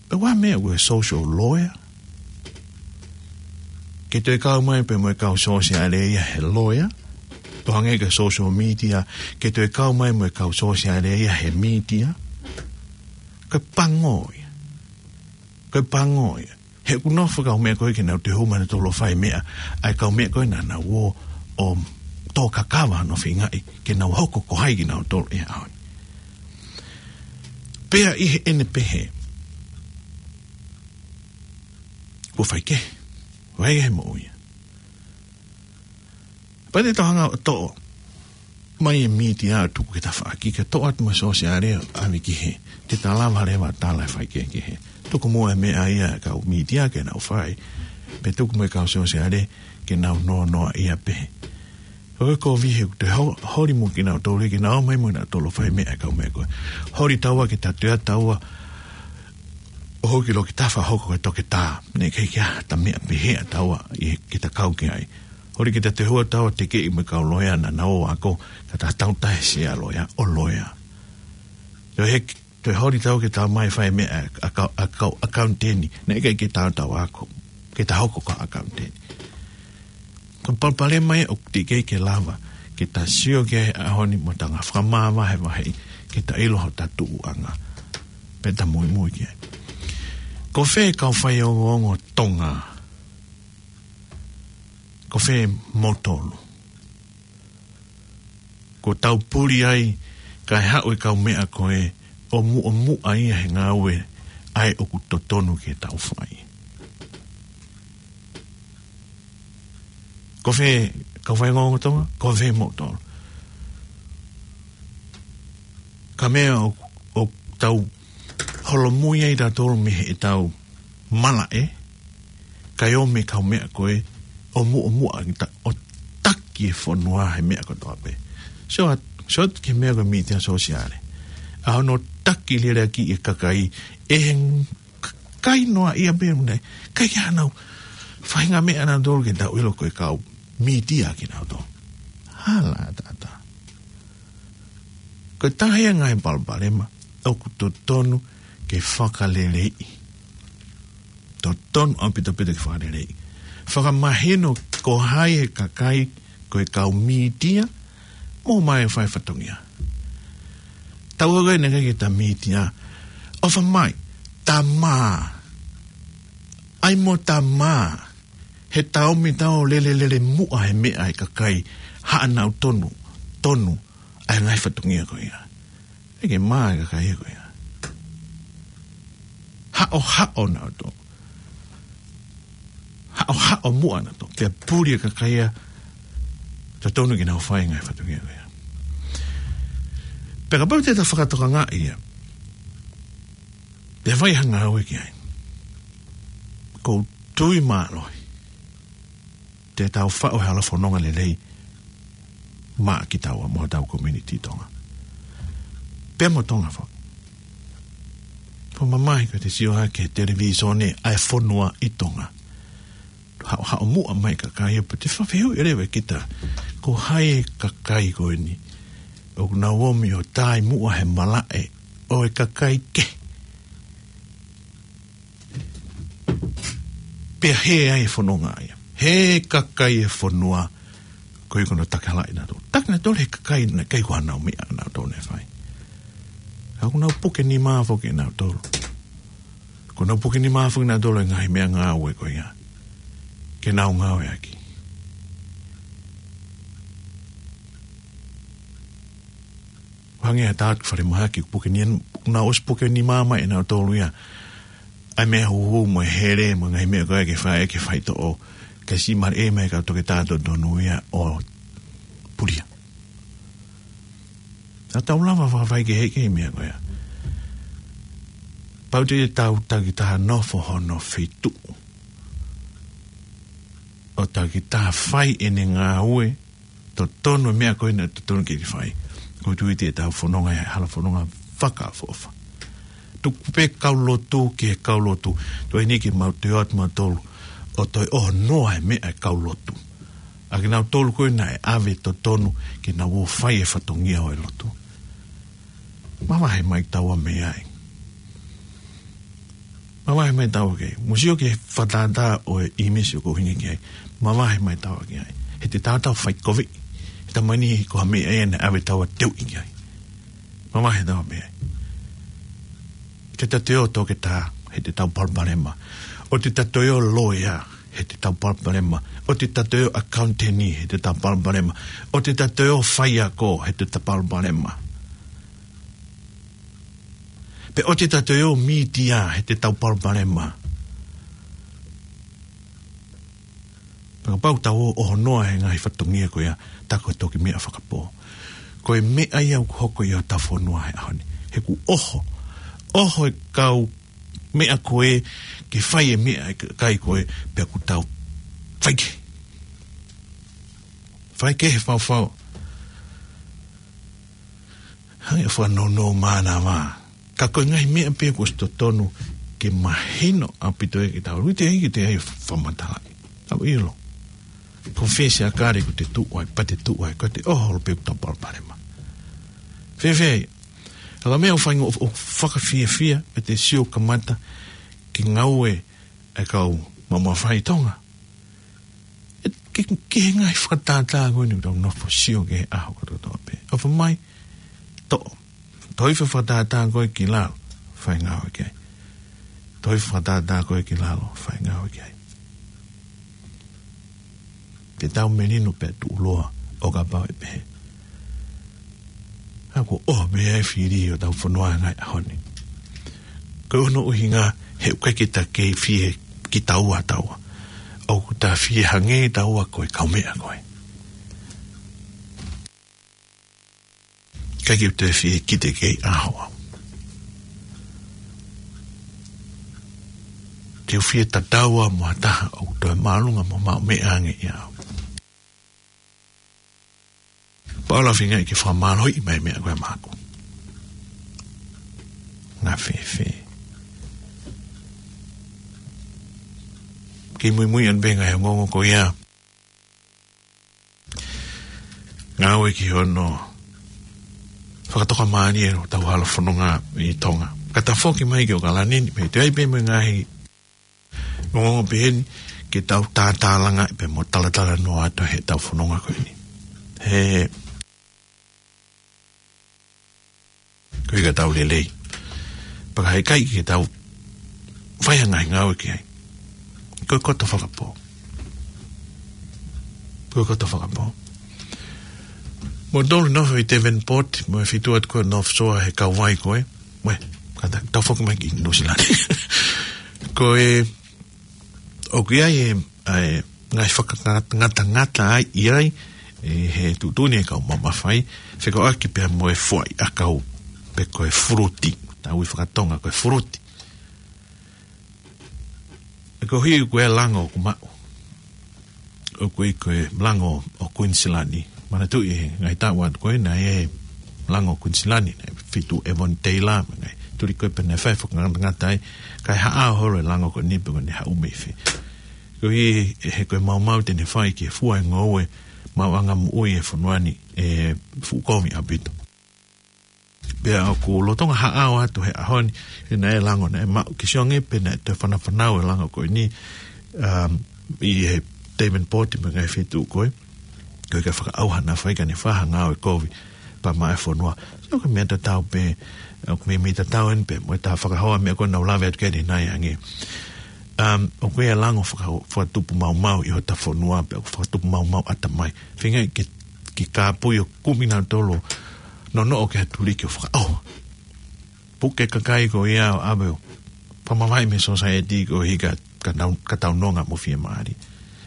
Pea ʻoku ʻi ai e meʻa ko e social lawyer. Ke toe kau mai pē mo e kau sōsiale ia he loea. ʻO hangē ko e social media, ke toe kau mai mo e kau sōsiale ia he mītia. Ko e pango ia. Ko e pango ia. He ʻoku nofo e kau meʻa ko ē ke nau toe hū mai nautolu ʻo fai meʻa, ʻa e kau meʻa ko ē naʻa nau ō ʻo tō kakava hono feingaʻi ke nau hoko ko hai kinautolu he ʻaho ni. Pea ʻi heʻene pehē, kuo faikehe, faikehe moʻui ia. Pea te tau hanga ʻo toʻo mai e mītia ʻo tuku ki tafaʻaki, ke toʻo atu mo e sōsiale ʻo ʻave ki hē. Te ta lava leva tala e faikehekehe. Tuku muʻa e meʻa ia ʻa e kau mītia ke nau fai. Pea tuku mo e kau sōsiale ke nau noanoa ia pē. Ko e kovi he te ho-, holi mo kinautolu ke nau mai mo nautolu fai meʻa e kau meʻa ko ē. Holi taua ke ta toe taua ʻo hoko ki loki tafa hoko ko e toketā. Naʻe ʻikai ke ʻi ai ha meʻa pehē ʻa taua ʻi he ke ta kau ki ai. Holi ke ta toe hua taua tekeʻi mo e kau loea naʻa nau ako, ka ta tautahe sia loea, ʻo loea. Toe heki, toe holi taua ke ta mai fai meʻa ʻa kau, ʻa kau, ʻakauniteni, naʻe ʻikai ke ta taua ako, ke ta hoko ko e ʻakauniteni. Ko e palopalema ia ʻoku teʻeki ke lava ke ta sio ki ai he ʻaho ni mo ta hanga ʻo fakamāvahevaheʻi, ke ta ʻilo hota tuʻuʻanga. Pea ta muimui ki ai. Ko fē kau faiongoongo Tonga? Ko fē moutolu? Ko tau puli ai, kae haʻu e kau meʻa ko ē ʻo muʻomuʻa ia he ngāue ʻa ē ʻoku totonu ke tau fai. Ko fē kau faiongoongo Tonga? Ko fē moutolu? Ka meʻa ʻo, ʻo tau holomui ai tautolu mei heʻetau malaʻe, kae ʻomi e kau meʻa ko ē ʻo muʻomuʻa kita ʻo taki e fonua he meʻa kotoa pē. So, so ki he meʻa ko e mītia sōsiale. ʻA hono taki lelei ʻaki e kakai, ʻe he kakai noa ia pē mune, ʻikai ke ʻanau fai ha meʻa nautolu ke tau ʻilo ko e kau mītia kinautolu. Hala ʻatā. Ko e taha ia e ngaahi palopalema ʻoku totonu ke fakaleleiʻi. Totonu ʻaupito ʻaupito ke fakaleleiʻi. Fakamahino ko hai e kakai ko e kau mītia mo mai fai fatongia. Tau ʻai naʻe ʻikai ke ta mītia. ʻOfa mai, ta mā. ʻAi mo ta mā. He ta ʻomi tau lelelele muʻa he meʻa e kakai haʻanau tonu, tonu ʻa e ngaahi fatongia ko ia. ʻIkai ke mā e kakai ko ia. Haʻohaʻo nautolu. Haʻohaʻo muʻa nautolu. Pea puli e kakai ia, totonu ke nau fai e ngaahi fatongia ko ia. Pea kapau te ta fakatokangaʻi ia, pea fai ha ngāue ki ai, ʻoku ou tui mālohi te tau faʻu e hala fononga lelei maʻa kitaua mo hotau community Tonga. Pea mo Tonga foki. Ko e mamahi ko e te sio hake he televīsone ʻa e fonua ʻi Tonga. Haʻo, haʻo muʻa mai e kakai ia pea te fafehuʻi leva kita, ko hai e kakai ko eni ʻoku nau ʻomi ʻo tai muʻa he malaʻe ʻo e kakai kehe. Pea hē ai e fononga ia. Hē kakai e fonua, ko e ʻikai ke nau takihalaʻi nautolu. Taki nautolu he kakai naʻe ʻikai ko haʻanau meʻa nautolu ne fai. Ka ʻoku nau puke nima foki nautolu. ʻOku nau puke nima foki nautolu he ngaahi meʻangāue ko ia ke nau ngāueʻaki. Hangē ha taha atu falemahaki, puke ni, nau ʻosi puke nima mai ʻe nautolu ia ʻa e meʻa huhu mo e hele mo e ngaahi meʻa ko ia ke fai, ke faitoʻo, ke siʻi mali ʻe mai e kau toketā totonu ia ʻo pulia. Ka tau lava fakafaikehekehe e meʻa ko ia. Pau te tau takitaha nofo hono feituʻu ʻo takitaha fai ʻene ngāue, totonu e meʻa ko ena totonu ke ke fai. ʻOku ou tui te tau fononga ia he hala fononga fakaʻofoʻofa. Tuku pē kau lotu ki he kau lotu. Tuai ni ke mau toe ʻoatu mautolu ʻo toe ʻohonoa e meʻa e kau lotu. ʻA kinautolu ko ena ʻe ʻave totonu ke nau ō fai e fatongia ʻo e lotu. Mavahe mai taua mei ai. Mavahe mai taua ki ai. Mou sio ki he fakatātā ʻo e ʻīmisi ʻoku ou ʻuhinga ki ai. Mavahe mai taua ki ai. He te tau tau fai kovi. He tamani ko ha meʻa ia naʻe ʻave taua teuʻi ki ai. Mavahe taua mei ai. Te ta toe ō toketā, he te tau palopalema. ʻO te ta toe ō loea, he te tau palopalema. ʻO te ta toe ō ʻakauniteni, he te tau palopalema. ʻO te ta toe ō faiako, he te tau palopalema. Pe ʻoua te tau toe ō mītia he te tau palopalema. Pea kapau tau ō ʻo honoa he ngaahi fatongia ko ia, tā ko e toki meʻa fakapō. Ko e meʻa ia ʻoku hoko ʻi hotau fonua he ʻaho ni. He kuo ʻoho, ʻoho e kau meʻa ko ē, ke fai e meʻa ʻa e kakai ko ē, pea kuo tau fai kehe. Fai kehe faufau. Hangē ʻoku fakanounou mānava. Ka ko e ngaahi meʻa pē kuo ʻosi totonu ke mahino ʻaupito ʻe kitautolu. Te ai ke te ai fakamatalaʻi. Au ilo. Confess a kare ko te tuʻu ai, pea te tuʻu ai, ko te ʻoho holo pē ʻoku tau palopalema. Fēfē, ʻa e meʻa ʻoku fainga ʻo, ʻo fakafiefia, ʻe te sio kamata, ke ngāue e kau maumau fai Tonga. ʻE, ke, ke he ngaahi fakatātā ko eni ʻoku tau nofo sio ki he ʻaho kotoa pē. ʻOfa mai, toʻo. Toʻo hifo e fakatātā ko ē ki lalo, fai ngāue ki ai. Toʻo hifo e fakatātā ko ē ki lalo, fai ngāue ki ai. Te tau melino pē tuʻuloa ʻo kapau ʻe pehē. ʻA ko ʻoho pē ʻa e fili ʻo tau fonua ngaahi ʻaho ni. Ko hono ʻuhinga he ʻoku ʻikai ke ta kei fie kitaua taua. ʻOku ta fie hangē taua ko e kaumeʻa ko ē. ʻIkai ke u toe fie kite kei ʻaho au. Te u fie tatau au mo ha taha ʻoku toe māʻolunga mo maʻu meʻa ange ʻia au. Pea ʻoua leva feingaʻi ke fakamālohiʻi mai meʻa ko ē maʻaku. Ngā fēfē. Kei muimui ʻana pē ngaahi ongoongo ko ia. Ngāue ki hono fakatokamālie ʻo tau hala fononga ʻi Tonga. Ka ta foki mai ki ʻAokalani ni, pea toe ʻi ai pē mo e ngaahi ongoongo pehē ni, ke tau tātālanga pē mo talatalanoa atu he tau fononga ko eni. He, ko e ka tau lelei. Pea ka heʻikai ke tau fai ha ngaahi ngāue ki ai. Ko e koto fakapō. Ko e koto fakapō. Mo tolu nofo ʻi Devonport, mo e fitu atu ko ē North Shore he kauvai ko ē. Mo e, ka ta, tau foki mai ki Nuʻu Sila ni. Ko e, ʻoku ʻi ai e, ʻa e, ngaahi fakangatangata ai, ʻi ai, ʻe, he tuʻutuʻuni e kau maumau fai, fekauʻaki pea mo e foʻi ʻakau, pe ko e fuluti, tau ui fakatonga ko e fuluti. ʻE ko hi ko e lango ʻoku maʻu. ʻOku ʻi ko e lango ʻo Kuinisilani. Manatuʻi he ngaahi taʻu atu ko ē naʻe ʻi ai e lango ʻo Kuinisilani, naʻe fitu Avon Taylor, mo e ngaahi tuli ko ē pea naʻe fai fakangatangata ai, kae haʻao holo e lango ko eni pe ko ʻene haʻu mei fē. Ko hi, he ko e maumau te ne fai ke fua e ngoue, maʻuʻanga moʻui e fonua ni, ʻe fuʻu kovi ʻaupito. Pea ʻoku lolotonga haʻao atu he ʻaho ni, he naʻe lango naʻe maʻu ki sione pe naʻe toe fanafanau e lango ko eni, um, ʻi he Devonport mo e ngaahi feituʻu ko ē. Ko e ka fakaʻauha naʻa faifai ka ne fai ha ngāue kovi pea maʻa e fonua. So ko e meʻa tatau pē, ʻoku meimei tatau eni pē, mo e tā fakahoa meʻa ko ē naʻa ku lave atu ki ai ʻanenai ange. Um, ʻoku ʻi ai e lango faka-, fakatupu maumau ʻi hota fonua pea ʻoku fakatupu maumau ʻatamai. Feingaʻi ke, ke kāpui ʻo kumi nautolu ʻo nonoʻo ki ha tuliki ʻo fakaʻauha. Puke kakai ko ia ʻo ʻave ʻo fakamavaheʻi mei he society ko e hika ka tau, ka tau nonga mo fiemālie.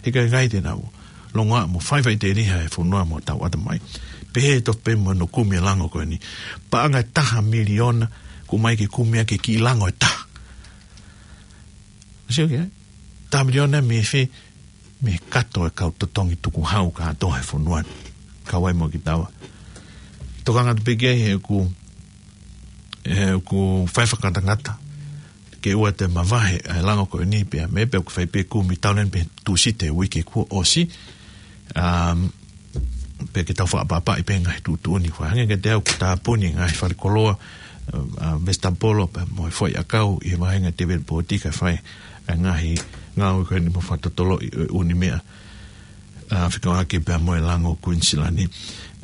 He ʻikai ke nau longoaʻa mo faifaiteliha e fonua mo tau ʻatamai. Pehē tofu pē mo hono kumi e lango ko eni. Paʻanga ʻe taha miliona, ʻoku ʻomai ke kumi ʻaki e kiʻi lango ʻe taha. Sio ki ai. Taha miliona mei fē, mei he kato e kau totongi tukuhau kātoa he fonua ni. Kau ai mo kitaua. Tokanga atu pē ki ai he ʻoku, he ʻoku fai fakangatangata. Ke ʻoua te mavahe ʻa e lango ko eni pea mei pē ʻoku fai pē kumi tau len pē Tūsite uike kuo ʻosi. Um, pea ke tau fakaʻapaʻapaʻi pē ngaahi tuʻutuʻuni. Ko e hangē kiate au ʻoku tāpuni ngaahi falekoloa, uh, uh, vesitapolo pea mo e foʻi ʻakau ʻi he vāhenga Devonport kae fai e ngaahi ngāue ko eni mo fakatotoloʻi e ʻū meʻa. Uh, fekauʻaki pea mo e lango Kuinisilani.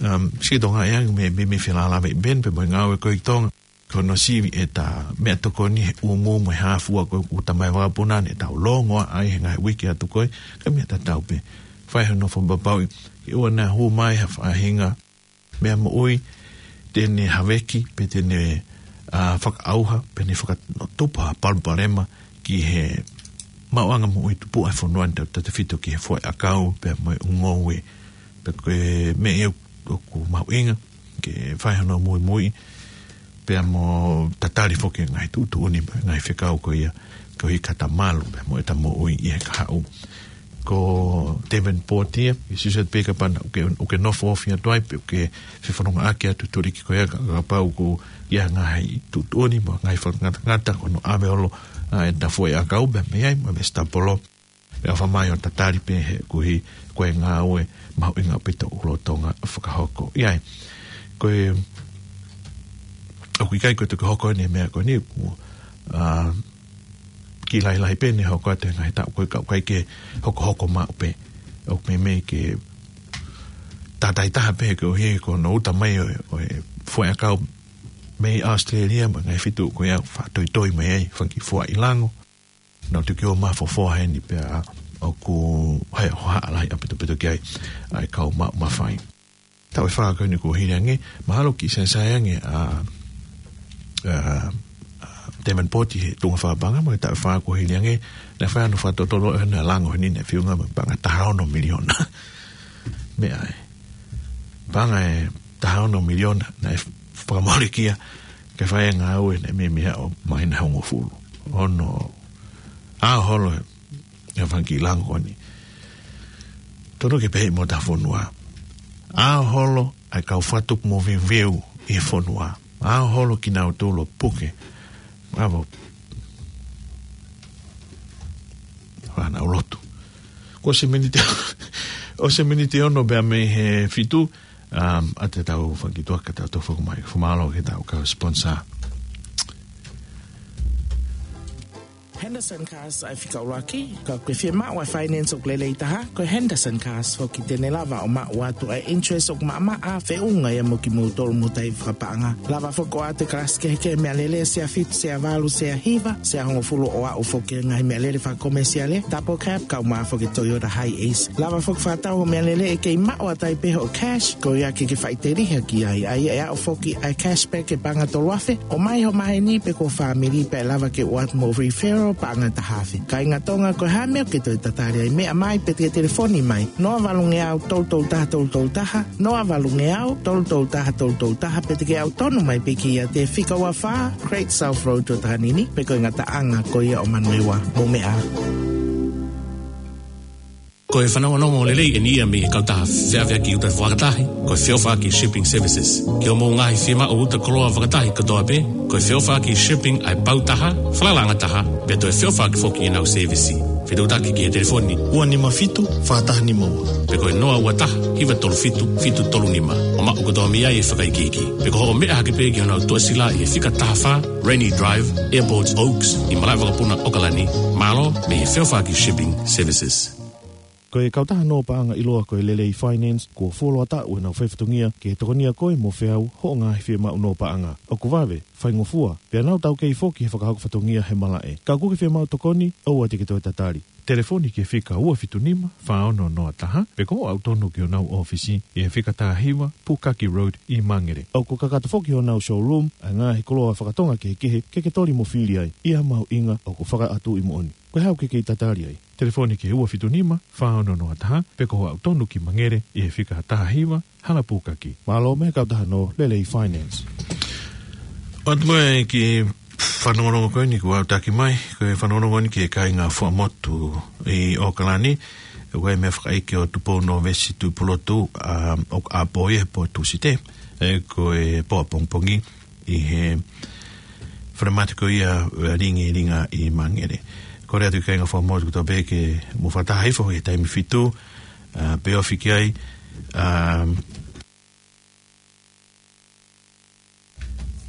Um, siʻi Tonga ʻe ange mei, mei, mei felālāveʻi pē eni pea mo e ngāue ko ē ʻi Tonga. Ko hono sivi ʻeta meʻatokoni he ʻūmū mo e hā fua ko ē ʻoku tau mai vakapuna ni ʻetau longoaʻa ai he ngaahi uike atu ko ē, ka meʻa tatau pē. Fai hono fakapapauʻi, ke ʻoua naʻa hū mai ha faʻahinga meʻa moʻui, te ne haveki, pe te ne, ʻa, fakaʻauha, pe ne fakatupu ha palopalema ki he maʻuʻanga moʻui tupuʻa e fonua ni, tautefito ki he foʻi ʻakau, pea mo e ʻū ngoue, pea ko e meʻa ia ʻoku mahuʻinga ke fai hono muimui, pea mo tatali foki e ngaahi tuʻutuʻuni mo e ngaahi fekau ko ia, koeʻuhi ke ta malu pea mo ʻeta moʻui ʻi he kahaʻu. Ko Davenport ia, ʻi Suicide Bay, kapau naʻa ke, ʻoku ke nofo ofi atu ai, pe ʻoku ke fefonongaʻaki atu, tuliki, ko ia ka, kapau ʻoku ʻi ai ha ngaahi tuʻutuʻuni mo e ngaahi fakangatangata, ko hono ʻave holo ʻa ʻeta foʻi ʻakau pea mei ai, mo e vesitapolo. Pea ʻofa mai ʻo tatali pē he koeʻuhi ko e ngāue mahuʻinga ʻaupito ʻoku lolotonga fakahoko. ʻI ai, ko e, ʻoku ʻikai ko e toki hoko eni e meʻa ko eni, ʻoku, ʻa, kiʻi lahilahi pē ʻene hoko atu he ngaahi taʻu ko ē, ka ʻoku ʻikai ke hokohoko maʻu pē. ʻOku meimei ke tātāitaha pē koeʻuhi ko hono uta mai ʻo, ʻo e foʻi ʻakau mei ʻAositelēlia mo e ngaahi feituʻu ko ia, fakatoitoi mai ai fanga kiʻi fua ʻi lango. Naʻa nau toki ō mai ʻo fofoa heni pea ʻoku ʻi ai e hohaʻa lahi ʻaupito ʻaupito ki ai ʻa e kau maʻu mafai. Taʻu ʻe fā ko eni kuo hili ange, mahalo kiʻi saisaia ange ʻa, ʻa, ʻa Davenport ʻi he tuʻunga fakapaʻanga, mo e taʻu ʻe fā kuo hili ange, naʻe fai hono fakatotolo ʻo e lango heni, naʻe feʻunga mo e paʻanga ʻe taha ono miliona. Meʻa ē. Paʻanga ʻe taha ono miliona, naʻe fakamolekia ke fai e ngāue, naʻe meimei aʻu mai ʻi he hongofulu. Ono, ʻaho holo e fanga kiʻi lango ko eni. Tonu ke pehē mo ʻeta fonua. ʻAho holo ʻa e kau fakatupu moveuveu ʻi he fonua. ʻAho holo kinautolu ʻo puke. ʻAvo. Fana ʻo lotu. Kuo ʻosi e miniti, ʻosi e miniti ono pea mei he fitu, um, ʻa ʻetau fanga kiʻi tuʻa ka tau toki foki mai. Fakamālō ki heʻetau kau sponsor. Henderson Cars ʻa e fika ʻuluaki, ka ʻoku ke fiemaʻu ʻa e finance ʻoku lelei taha, ko e Henderson Cars foki te ne lava ʻo maʻu atu ʻa e interest ʻoku maʻamaʻa, feʻunga ia mo kimoutolu mo ʻeta fakapaʻanga. Lava foki ʻo ʻoatu e kalasi kehekehe meʻalele, sea fitu, sea valu, sea hiva, sea hongofulu, ʻo aʻu foki ki he ngaahi meʻalele fakakomesiale, double cab, kaeʻumaʻā foki e Toyota Hiace. Lava foki ʻo fakatau hoʻo meʻalele ʻe kei maʻu atu ai pē hoʻo cash, ko ia ke ke faʻiteliha ki ai, ʻa ia ʻe aʻu foki ʻa e cashback ʻe paʻanga tolu afe, ʻomai ho maheni pe ko ho fāmili pea ʻe lava ke ʻoatu mo e referral paʻanga ʻe taha afe. Kāinga Tonga, ko e hā e meʻa ʻoku ke toe tatali ai, meʻa mai pe te ke telefoni mai, noa valu ngeau tolu tolu taha tolu tolu taha, noa valu ngeau tolu tolu taha tolu tolu taha, pe te ke ʻalu tonu mai pē ki he fika ua fā Great South Road ʻo Takanini, pe ko e ngataʻanga ko ia ʻo Manurewa. Mou meʻa ā. Ko e fanongonongo lelei eni ia mei he kautaha feʻaveʻaki uta fakatahi, ko e Feʻofaʻaki Shipping Services. Ki hoʻomou ngaahi fiemaʻu uta koloa fakatahi kotoa pē, ko e Feʻofaʻaki Shipping ʻa e pau taha, falalaʻanga taha, pea toe feʻofaʻaki foki ʻenau sēvisi. Fetuʻutaki ki he telefoni ua nima fitu, fā taha nima ua, pe ko e noa ua taha, hiva tolu fitu, fitu tolu nima, ʻo maʻu kotoa mei ai e fakaikiiki. Pe ko hoʻo meʻa hake pē ki honau tuʻasila ʻi he fika taha fā Rainy Drive, Airport Oaks, ʻi Malaʻevakapuna, ʻOkalani. Mālō mei he Feʻofaʻaki Shipping Services. Ko e kautaha nō paʻanga ʻiloa ko e Lelei Finance, kuo fuoloa taʻu ʻenau faifatongia ke tokonia koe mo feau hoʻo ngaahi fiemaʻu nō paʻanga. ʻOku vave, faingofua, pea nau taukei foki he fakahoko fatongia he malaʻe. Ka ʻoku ke fiemaʻu tokoni, ʻoua te ke toe tatali. Telefoni ki he fika ua fitu nima, fā ono noa taha, pe ko hoʻo aʻu tonu ki honau ʻōfisi ʻi he fika taha hiva Pukaki Road ʻi Mangere. ʻOku kakato foki honau showroom ʻa e ngaahi koloa fakatonga kehekehe ke ke toli mo fili ai, ʻi ha mahuʻinga ʻoku fakaʻatuʻi moʻoni. Ko e hā ʻoku ke kei tatali ai? Telefoni ki he ua fitu nima, fā ono noa taha, pe ko hoʻo aʻu tonu ki Mangere ʻi he fika taha hiva Hala Pukaki. Mālō mei he kautaha nō Lelei Finance. ʻOatu mai e kiʻi fanongonongo ko eni kuo aʻutaki mai, ko e fanongonongo eni ki he kāinga Fuaʻamotu ʻi ʻOkalani, ʻoku ʻi ai e meʻa fakaʻeiki ʻo Tupou Nōvesi Tuʻipulotu, ʻa, ʻoku ʻapō ia he pō Tūsite, ē, ko e pō ʻapongipongi, ʻi he falemate ko ia ʻo e Lingilinga ʻi Mangere. Kole atu ki he kāinga Fuaʻamotu kotoa pē ke mou fakataha hifo he taimi fitu, ʻa, pea ofi ki ai, ʻa,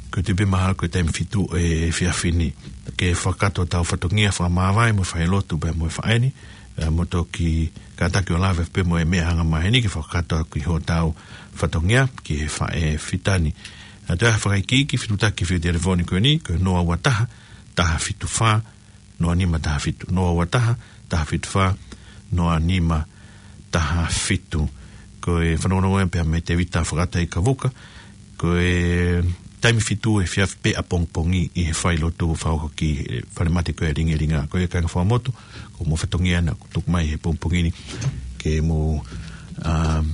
ko e tuʻu pē mahalo ko e taimi fitu ʻo e efiafi ni. Ke fakakakato ʻetau fatongia fakamāvae mo e failotu pea mo e faʻē ni, ʻa, mou toki kātaki ʻo lave pē mo e meʻa anga maheni ke fakakakato ʻaki hotau fatongia ki he faʻē fita ni. ʻA, toe ʻi ai ha fakaikiiki, fetuʻutaki ki he telefoni ko eni, ko e noa ua taha, taha fitu fā, noa nima taha fitu, noa ua taha, taha fitu fā, noa nima taha fitu. Ko e fanongonongo ia pea mei Tevita Fakataikavuka, ko e taimi fitu he efiafi pē ʻapongipongi ʻi he failotu fakahoko ki he falemate ko e Lingilinga. Ko ia kāinga fakamotu, ko hoʻomou fatongia naʻa ku tuku mai he pongipongi ni ke mou, um,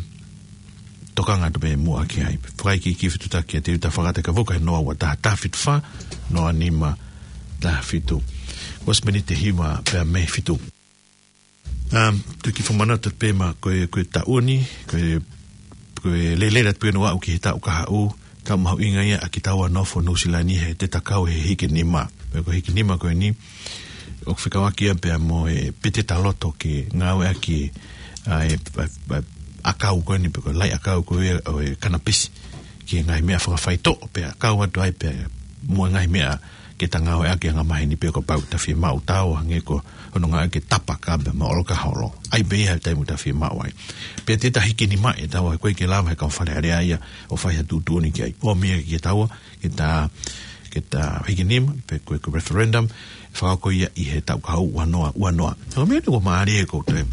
tokanga atu pē muʻa ki ai. Fakaikiiki fetuʻutaki ʻa Teuta Fakata, ka ʻoku ʻi he noa ua taha taha fitu fā, noa nima taha fitu. Kuo ʻosi miniti ʻe hiva pea mei he fitu. Um, tuku ke fakamanatu pē mai ko e, ko e taʻu ni, ko e, ko e lele atu pē ʻo aʻu ki he taʻu kahaʻu, taʻu mahuʻinga ia ʻa kitaua nofo Nuʻusila ni he te ta kau he hikinima. Pea ko e hikinima ko eni, ʻoku fekauʻaki ia pea mo e peteta loto ke ngāueʻaki ʻa e, ʻa e, ʻa e ʻakau ko eni pe ko e laʻi ʻakau ko ia ʻo e kanapisi ki he ngaahi meʻa fakafaitoʻo pea kau atu ai pea mo e ngaahi meʻa ke ta ngāueʻaki ʻi he anga maheni pea kuo pau ke ta fiemaʻu, taua hangē ko hono ngāueʻaki e tapaka pea mo e ʻolokaholo. ʻAi pē ia he taimi ʻoku ta fiemaʻu ai. Pea te ta hikinimaʻi ʻe taua, ʻoku ʻikai ke lava he kau Fale Alea ia ʻo fai ha tuʻutuʻuni ki ai. ʻOmi ia kiate taua ke ta, ke ta hikinima, pe ko e, ko e referendum, fakahoko ia ʻi he taʻu kahaʻu ua noa ua noa. Ko e meʻa ni ʻoku mālie ʻoku te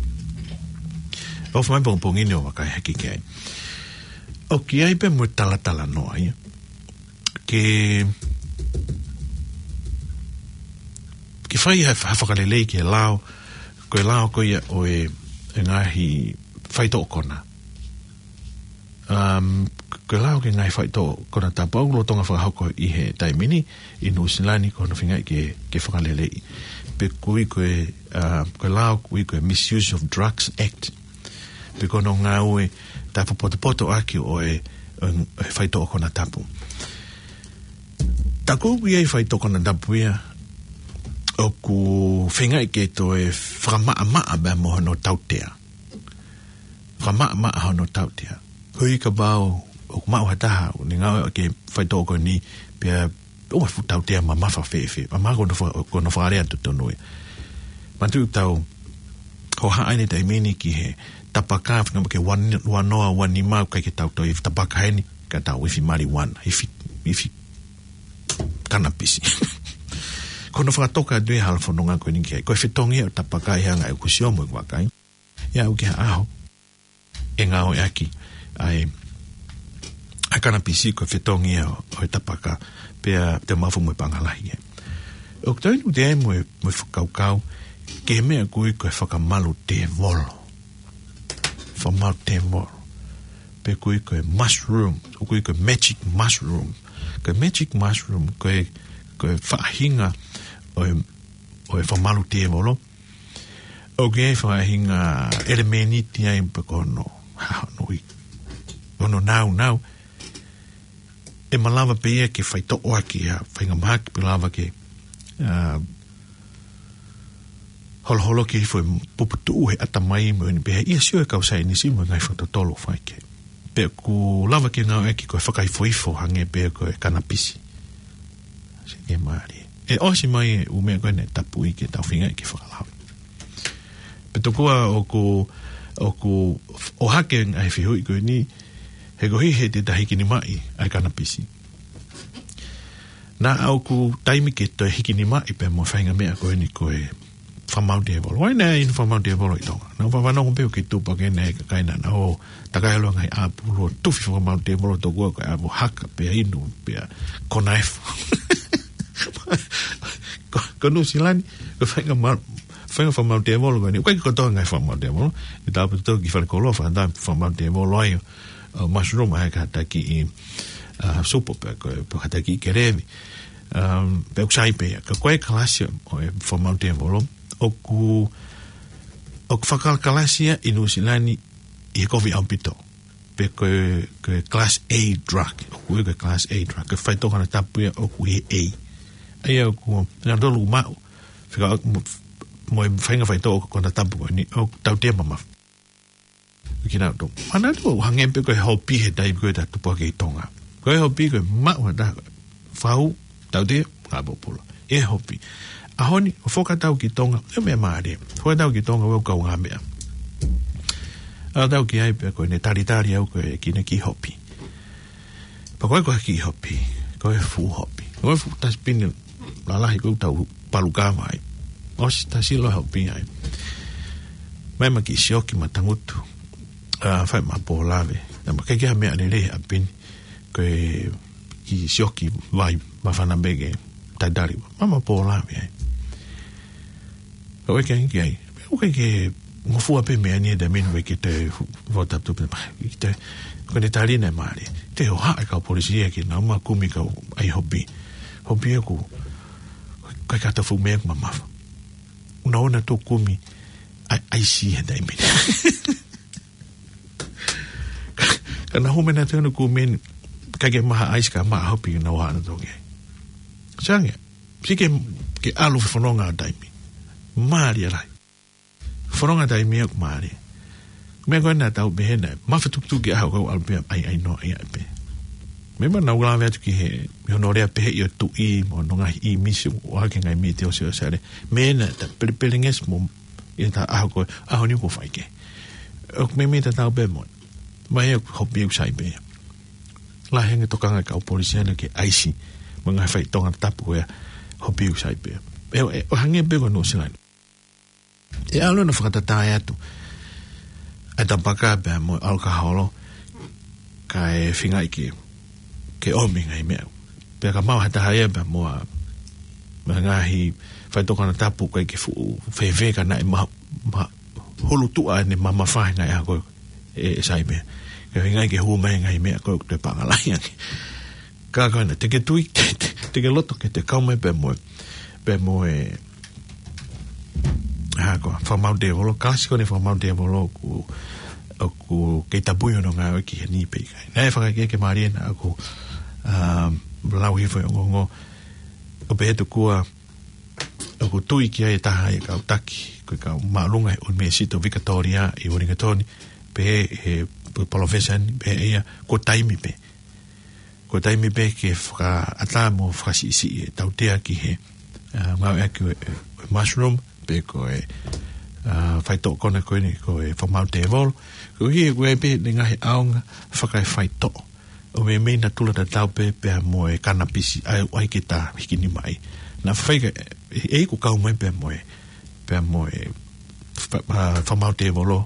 ʻofa mai pongipongi ni ʻo vakai hake ki ai. ʻOku ʻi ai pē mo e talatalanoa ia ke, ke fai ha, ha fakalelei ki he lao, ko e lao ko ia ʻo e, e ngaahi faitoʻo kona. Um, ko e lao ki he ngaahi faitoʻo konatapu ʻoku lolotonga fakahoko ʻi he taimi ni ʻi Nuʻusila ni, ko hono feingaʻi ke, ke fakaleleiʻi. Pe ʻoku ui ko e, uh, ko e lao ʻoku ui ko e Misuse of Drugs Act. Pe ko hono ngāue tapu potopoto ʻaki ʻo e, ʻo e faitoʻo konatapu. Taku ʻoku ʻi ai e faitoʻo konatapu ia ʻoku feingaʻi ke toe fakamaʻamaʻa pea mo hono tautea. Fakamaʻamaʻa hono tautea. Koeʻuhi kapau ʻoku maʻu ha taha ʻoku ne ngāueʻaki e faitoʻo ko eni pea ʻoua ʻe fuʻu tautea mamafa fēfē. Mahalo ko hono fa-, ko hono fakalea totonu ia. Manatuʻi ʻoku tau hohaʻa ʻeni he taimi ni ki he tapaka, feinga ke ua noa ua nima ʻoku ʻikai ke tau toe ifi tapaka heni, ka tau ifi marijuana, ifi, ifi kanapisi. Ko hono fakatoka atu ia ʻa e hala fononga ko eni ki ai. Ko e fetongi ia ʻo e tapaka ʻi he anga ʻeku sio mo ʻeku vakai, ʻe aʻu ki ha ʻaho ʻe ngāueʻaki ʻa e, ʻa e kanapisi ko e fetongi ia ʻo e tapaka, pea te mafu mo e paʻanga lahi ia. ʻOku tau inu te mo e, mo e fakakaukau ki he meʻa ʻoku ui ko e fakamalu tēvolo. Fakamalu tēvolo. Pe ʻoku ui ko e mushroom, ʻoku ui ko e magic mushroom. Ko e magic mushroom, ko e, ko e faʻahinga ʻo e, ʻo e fakamalu tēvolo. ʻOku ʻi ai e faʻahinga ʻelemēniti ai pe ko hono, ha, hono ui, hono nāunau. ʻE malava pē ia ke faitoʻo ʻaki ha faʻahinga mahaki pe lava ke, ah, holoholoki hifo e puputuʻu he ʻatamai mo eni pehē. ʻI he sio ʻa e kau saienisi mo e ngaahi fakatotolo ʻoku fai ki ai. Pea ʻoku lava ke ngāueʻaki ko e fakaifoifo hangē pē ko e kanapisi. Sio ki he mālie. ʻE ʻosi mai e ʻū meʻa ko eni ʻe tapuʻi ke tau feingaʻi ke fakalao. Pea tokua ʻoku, ʻoku ʻohake e ngaahi fehuʻi ko eni, he koeʻuhi he te ta hikinimaʻi ʻa e kanapisi. Naʻa ʻoku taimi ke toe hikinimaʻi pea mo e faʻahinga meʻa ko eni ko e fakamalu tēvolo. ʻOku ʻi ai nai e fakamalu tēvolo ʻi Tonga? Naʻa ku fanongo pē ʻoku kei tupu hake ʻeni ʻa e kakai naʻa nau ō takai ʻalu ʻo ngaahi ʻapu ʻo tufi fakamalu tēvolo, tokua ko e ʻapu haka pea inu pea kona efu. Ko, ko Nuʻusila ni, ko e faʻahinga ma-, faʻahinga fakamalu tēvolo ko eni. ʻOku ʻikai ko e kotoa e ngaahi fakamalu tēvolo. ʻI he taʻu pē ʻoku tau ki Falekolova, fakaʻatā fakamalu tēvolo ai ʻo, ʻo mushroom ʻa e kātaki ʻi, ah, supo pea ko e, pe kātaki ʻi kelevi. Um, pea ʻoku sai pē ia. Ka ko e kalasi ʻo e fakamalu tēvolo, ʻoku, ʻoku fakakalakalasi ia ʻi Nuʻusila ni ʻi he kovi ʻaupito. Pe ko e, ko e class A drug. ʻOku ui ko e class A drug. Ko e faitoʻo konatapu ia ʻoku ʻi he A. ʻA ia ʻoku, naʻa tolu maʻu, fika mo, mo e faʻahinga faitoʻo konatapu ko eni, ʻoku tautea mamafa. Kinautolu. Manatuʻi ʻoku hangē pē ko e hopi he taimi ko ē ʻoku ta tupu hake ʻi Tonga. Ko e hopi ko e maʻu ha taha, fau, tautea, ngāue pōpula. ʻE hopi. ʻAho ni, ʻo fakatau ki Tonga, ʻe meʻa mālie. Fakatau ki Tonga, ʻoku kaungāmeʻa. ʻAlu atu ki ai pea ko ʻene talitali au ko e kiʻi hopi. Pea ko e, ko e kiʻi hopi, ko e fuʻu hopi. Ko e fuʻu tasipini lalahi ko ē ʻoku tau palu kava ai. ʻOsi tasi loa e hopi ai. Mai ma kiʻi sioki ma tangutu. Ah, fai ma pōlave. Naʻa ma kei ke ha meʻa lelei ʻapi ni. Ko e ki sioki vai, māfana pē ke talitali. Mama pō lave ai. ʻOku ʻikai ke ai. ʻOku ʻikai ke ngofua pē meʻa ni ʻe taimi ni ʻoku ʻikai ke toe fu-, fuatapu pē mai. ʻIkai te, ko ʻene tali ʻe Mālie. Te hohaʻa e kau polisi ia ke nau ō mai ʻo kumi kau ai hopi. Hopi ʻoku, ʻikai ke ʻi ai ha fuʻu meʻa ʻoku mamafa. Naʻa nau ō ʻo kumi ʻa-, ʻaisi he taimi ni. Ka naʻa nau ō mai ʻo tonu kumi ni, ʻikai ke maʻu ha ʻaisi ka maʻu ha hopi naʻa nau ō ʻo tonu ki ai. Sai ange, sio ki he, ki he ʻalu e fononga ʻa e taimi. Mālie lahi. Fononga taimi ʻoku mālie. Meʻa ko ē naʻa tau pehē naʻe mafatukutuku ki he ʻaho ko ē ʻalu pē ai ai noa ia pē. Meimei naʻa ku lave atu ki he, ʻi hono lea pehē ʻi he tuʻi mo hono ngaahi ʻīmisi ʻoku ʻohake ngaahi mītia ʻo Siaosi Alex. Meʻa naʻe ta pelepelengesi mo ʻi he ta ʻaho ko ē, ʻaho ni ʻoku fai ke. ʻOku meimei tatau pē mo. Mai ʻoku hopi ʻoku sai pē. Lahi ange tokanga e kau polisi ʻana ki he ʻaisi. Mo e ngaahi faitoʻo konatapu ko ia hopi ʻoku sai pē. ʻE, ʻe, ʻo hangē pē ko Nuʻu Sila ni. ʻE ʻalu ʻo fakatatā atu ʻa e tapaka pea mo e ʻalukaholo kae feingaʻi ke, ke ʻomi ngaahi meʻa. Pea ka maʻu ha taha ia pea mo ha, mo e ngaahi faitoʻo konatapu ʻoku ʻikai ke fuʻu fēfē ka naʻe ma-, ma-, hulu tuʻa ʻene mamafa he ngaahi ʻaho ko ē ʻe, ʻe sai pē. Kae feingaʻi ke hū mai ngaahi meʻa ko ē ʻoku toe pangalahi ange. Ka ko ena, te ke tui, te, te, te ke loto ke te kau mai pea mo e, pea mo e, ha ko e, fakamaau tēvolo, kalasi ko eni fakamaau tēvolo ʻoku, ʻoku kei tapui hono ngāue ki heni pē ʻikai. Naʻe fakaʻeke ke Mālie naʻa ku, um, lau hifo e ongoongo, ʻo pehē atu kuo, ʻoku tui ki ai e taha e kau taki, ko e kau māʻolunga he ʻUnivēsiti ʻo Vikatōlia ʻi Uelingatoni, pehē ʻe he palōfesa ni, pehē ʻe ia, ko e taimi pē. Ko e taimi pē ke fakaʻatā mo fakasiʻisiʻi e tautea ki he, ā, ngāueʻaki ʻo e, ʻo e mushroom, pe ko e, ā, faitoʻo konatapu ko eni ko e fakamaau tēvolo. Koeʻuhi ko e pē ʻene ngaahi ʻaonga fakaefaitoʻo. ʻO meimei natula tatau pē pea mo e kanapisi ʻa ia ʻoku ʻai ke ta hikinimaʻi. Naʻa faifai ka, ʻe, ʻe ʻikai kau mai pea mo e, pea mo e fa-, ā, fakamaau tēvolo,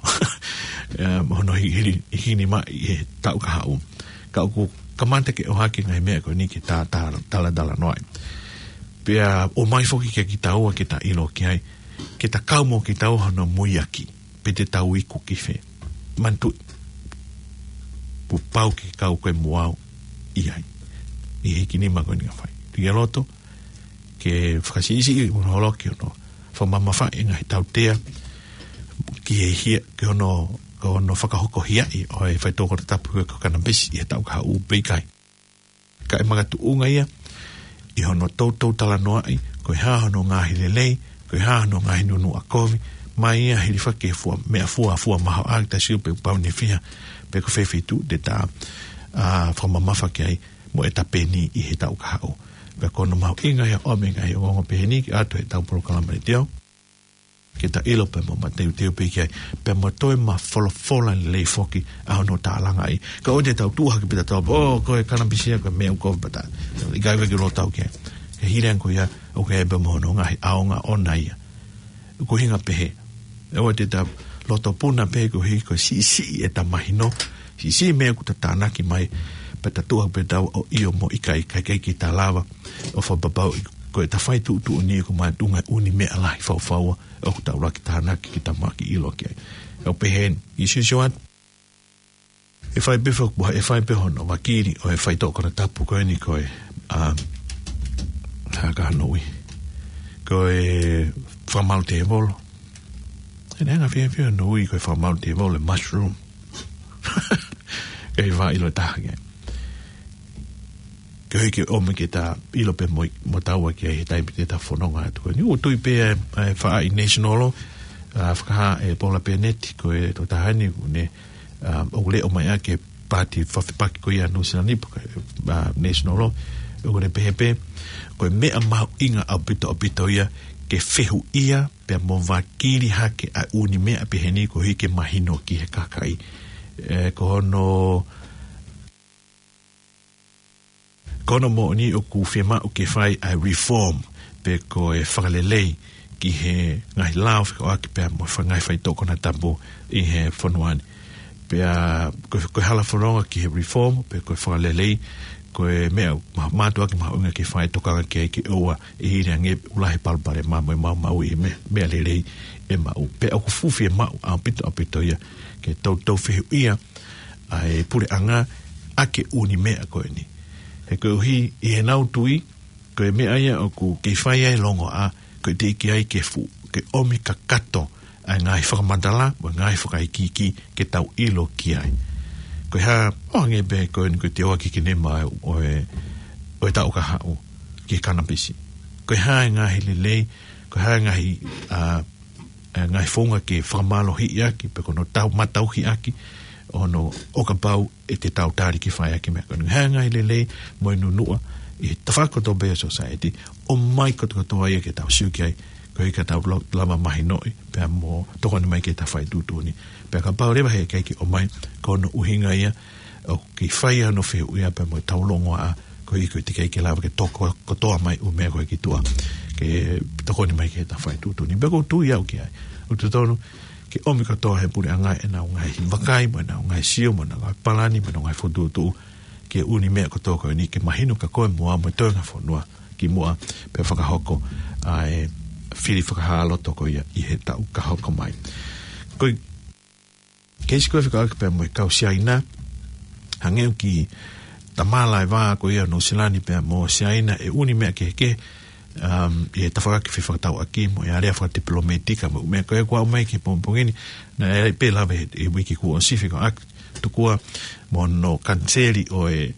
ā, mo hono hi-, hili-, hikinimaʻi he taʻu kahaʻu. Ka ʻoku kamata ke ʻohake ngaahi meʻa ko eni ke ta, ta, talatalanoaʻi. Pea ʻomai foki kia kitaua ke ta ʻilo ki ai, ke ta kau mo kitaua hono muiaki, pe te tau iku ki fē. Manatuʻi, kuo pau ke kau koe mo au ʻi ai. ʻI he hikinima ko eni ʻoku fai. Tuku ke loto, ke fakasiʻisiʻi hono holoki hono fakamamafaʻi e ngaahi tautea, ki he hia, ki hono, ki hono fakahokohiaʻi ʻo e faitoʻo konatapu ko e kanapisi ʻi he taʻu kahaʻu pe ʻikai. Ka ʻe makatuʻunga ia, ʻi hono toutou talanoaʻi, ko e hā hono ngaahi lelei, ko e hā hono ngaahi nunuʻa kovi, mai ia hilifaki e fua, meʻafua, fua mahoaʻa, ta sio pe pau ne fiha, pe ko fē feituʻu te ta, ā, fakamamafa ki ai, mo e tapeni ʻi he taʻu kahaʻu. Pea ko hono mahuʻinga ia ʻo e meʻa ngaahi ongoongo pehē ni ki ʻato he ʻetau polokalama letiō. Ke ta ʻilo pea mo mateuteu pē ki ai, pea mo toe mafolofola lelei foki ʻa hono tālangaʻi. Ka ʻoua te tau tuʻu hake pē ta tau, ʻō, ko e kanapisi ia, ko e meʻa ʻoku kovi pē ta. ʻIkai ke ʻilo ʻe tautolu ki ai. He hili ange ko ia, ʻoku ʻi ai pē mo hono ngaahi ʻaonga ʻoʻona ia. Ko e ʻuhinga pehē. ʻOua te ta loto puna pē koeʻuhi ko e siʻisiʻi ʻeta mahino. Siʻisiʻi meʻa ʻoku ta tānaki mai. Pea ta tuʻu hake pē ta ʻo ʻio mo ʻikai, ʻikai ke ta lava ʻo fakapapauʻi ko ʻeta fai tuʻutuʻuni ʻoku makatuʻunga ʻi he ʻū meʻa lahi faufaua ʻoku tau laki tānaki ke ta mahaki ʻilo ki ai. ʻOku pehē ni, ʻi Siusiuati, ʻe fai pē fakapuha, ʻe fai pē hono vakili ʻo e faitoʻo konatapu ko eni ko e, ā, hā ka hono ui. Ko e fakamaau tēvolo. ʻE anga fiefia hono ui ko e fakamaau tēvolo, e mushroom. Kei fakaʻilo ʻe taha ki ai. Koeʻuhi ke ʻomi ke ta ʻilo pē mo, mo taua ki ai he taimi te ta fononga atu. Ni ʻoku tui pē ʻa e, ʻa e faʻahi National Law, ā, fakahā ʻe Paula Bennett, ko e tokotaha ni, ʻoku ne, ā, ʻoku leʻo mai ʻa e paati fakafepaki ko ia Nuʻu Sila ni, pe ko e, ā, National Law, ʻoku ne pehē pē, ko e meʻa mahuʻinga ʻaupito, ʻaupito ia, ke fehuʻia, pea mo vakili hake ʻa e ʻū meʻa pehē ni koeʻuhi ke mahino ki he kakai. Ē, ko hono, ko hono moʻoni ʻoku fiemaʻu ke fai ʻa e reform, pe ko e fakalelei ki he ngaahi lao fekauʻaki pea mo e ngaahi faitoʻo konatapu ʻi he fonua ni. Pea ko, ko e hala fononga ki he reform, pe ko e fakalelei, ko e meʻa ma-, mātuʻaki mahuʻinga ke fai, tokanga ki ai ke ʻoua ʻe hili ange ʻū lahi palopalema mo e maumauʻi e meʻa, meʻa lelei ʻe maʻu. Pea ʻoku fuʻu fiemaʻu ʻaupito, ʻaupito ia ke toutou fehuʻia ʻa e puleʻanga ʻaki e ʻū meʻa ko eni. He koeʻuhi ʻi heʻenau tui, ko e meʻa ia ʻoku kei fai ai e longoaʻa, ko e teʻeki ai ke fuʻu, ke ʻomi kakato ʻa e ngaahi fakamatala mo e ngaahi fakaikiiki ke tau ʻilo ki ai. Ko e hā, ʻo hangē pē ko eni ko e teoaki ki nema ʻo e, ʻo e taʻu kahaʻu ki he kanapisi. Ko e hā e ngaahi lelei, ko e hā e ngaahi, ʻa, e ngaahi founga ke fakamālohiʻi ʻaki, pe ko hono tau, matauhi ʻaki, ʻo hono ʻo kapau ʻe te tau tali ke fai ʻaki e meʻa ko eni. Hā e ngaahi lelei mo e nunuʻa ʻi he tafaʻaki kotoa pē ʻo e society, ʻomai kotokotoa ia ke tau sio ki ai, koeʻuhi ka tau lau-, lava mahinoʻi, pea mo tokoni mai ki heʻeta faituʻutuʻuni. Pea kapau leva he ʻikai ke ʻomai, ko hono ʻuhinga ia ʻoku kei fai ai hono fehuʻia pea mo ʻetau longoaʻa, koeʻuhi ko e teʻeki ai ke lava ke toko kotoa mai ʻū meʻa ko ē ki tuʻa ke tokoni mai ki heʻeta faituʻutuʻuni. Pea ʻoku ou tui au ki ai, ʻoku totonu ke ʻomi kotoa ʻe he puleʻanga ʻenau ngaahi vakai, mo ʻenau ngaahi sio, mo ʻenau ngaahi palani, mo ʻenau ngaahi fokotuʻutuʻu ki he ʻū meʻa kotoa ko eni ke mahino kia koe mo au mo e toenga fonua kimuʻa pea fakahoko ʻa e fili fakahāloto ko ia ʻi he taʻu ka hoko mai. Ko e keisi ko ē fekauʻaki pea mo e kau Siaina, hangē ʻoku tamala e vā ko ia ʻo Nuʻusila ni pea mo Siaina ʻi he ʻū meʻa kehekehe, um, ʻi he tafaʻaki fefakatauʻaki mo e area fakatipilōmētika mo e ʻū meʻa ko ē kuo aʻu mai ki he pongipongi ni, naʻe ʻi ai pē lave he, he uike kuo ʻosi fekauʻaki tokua mo hono kaniseli ʻo e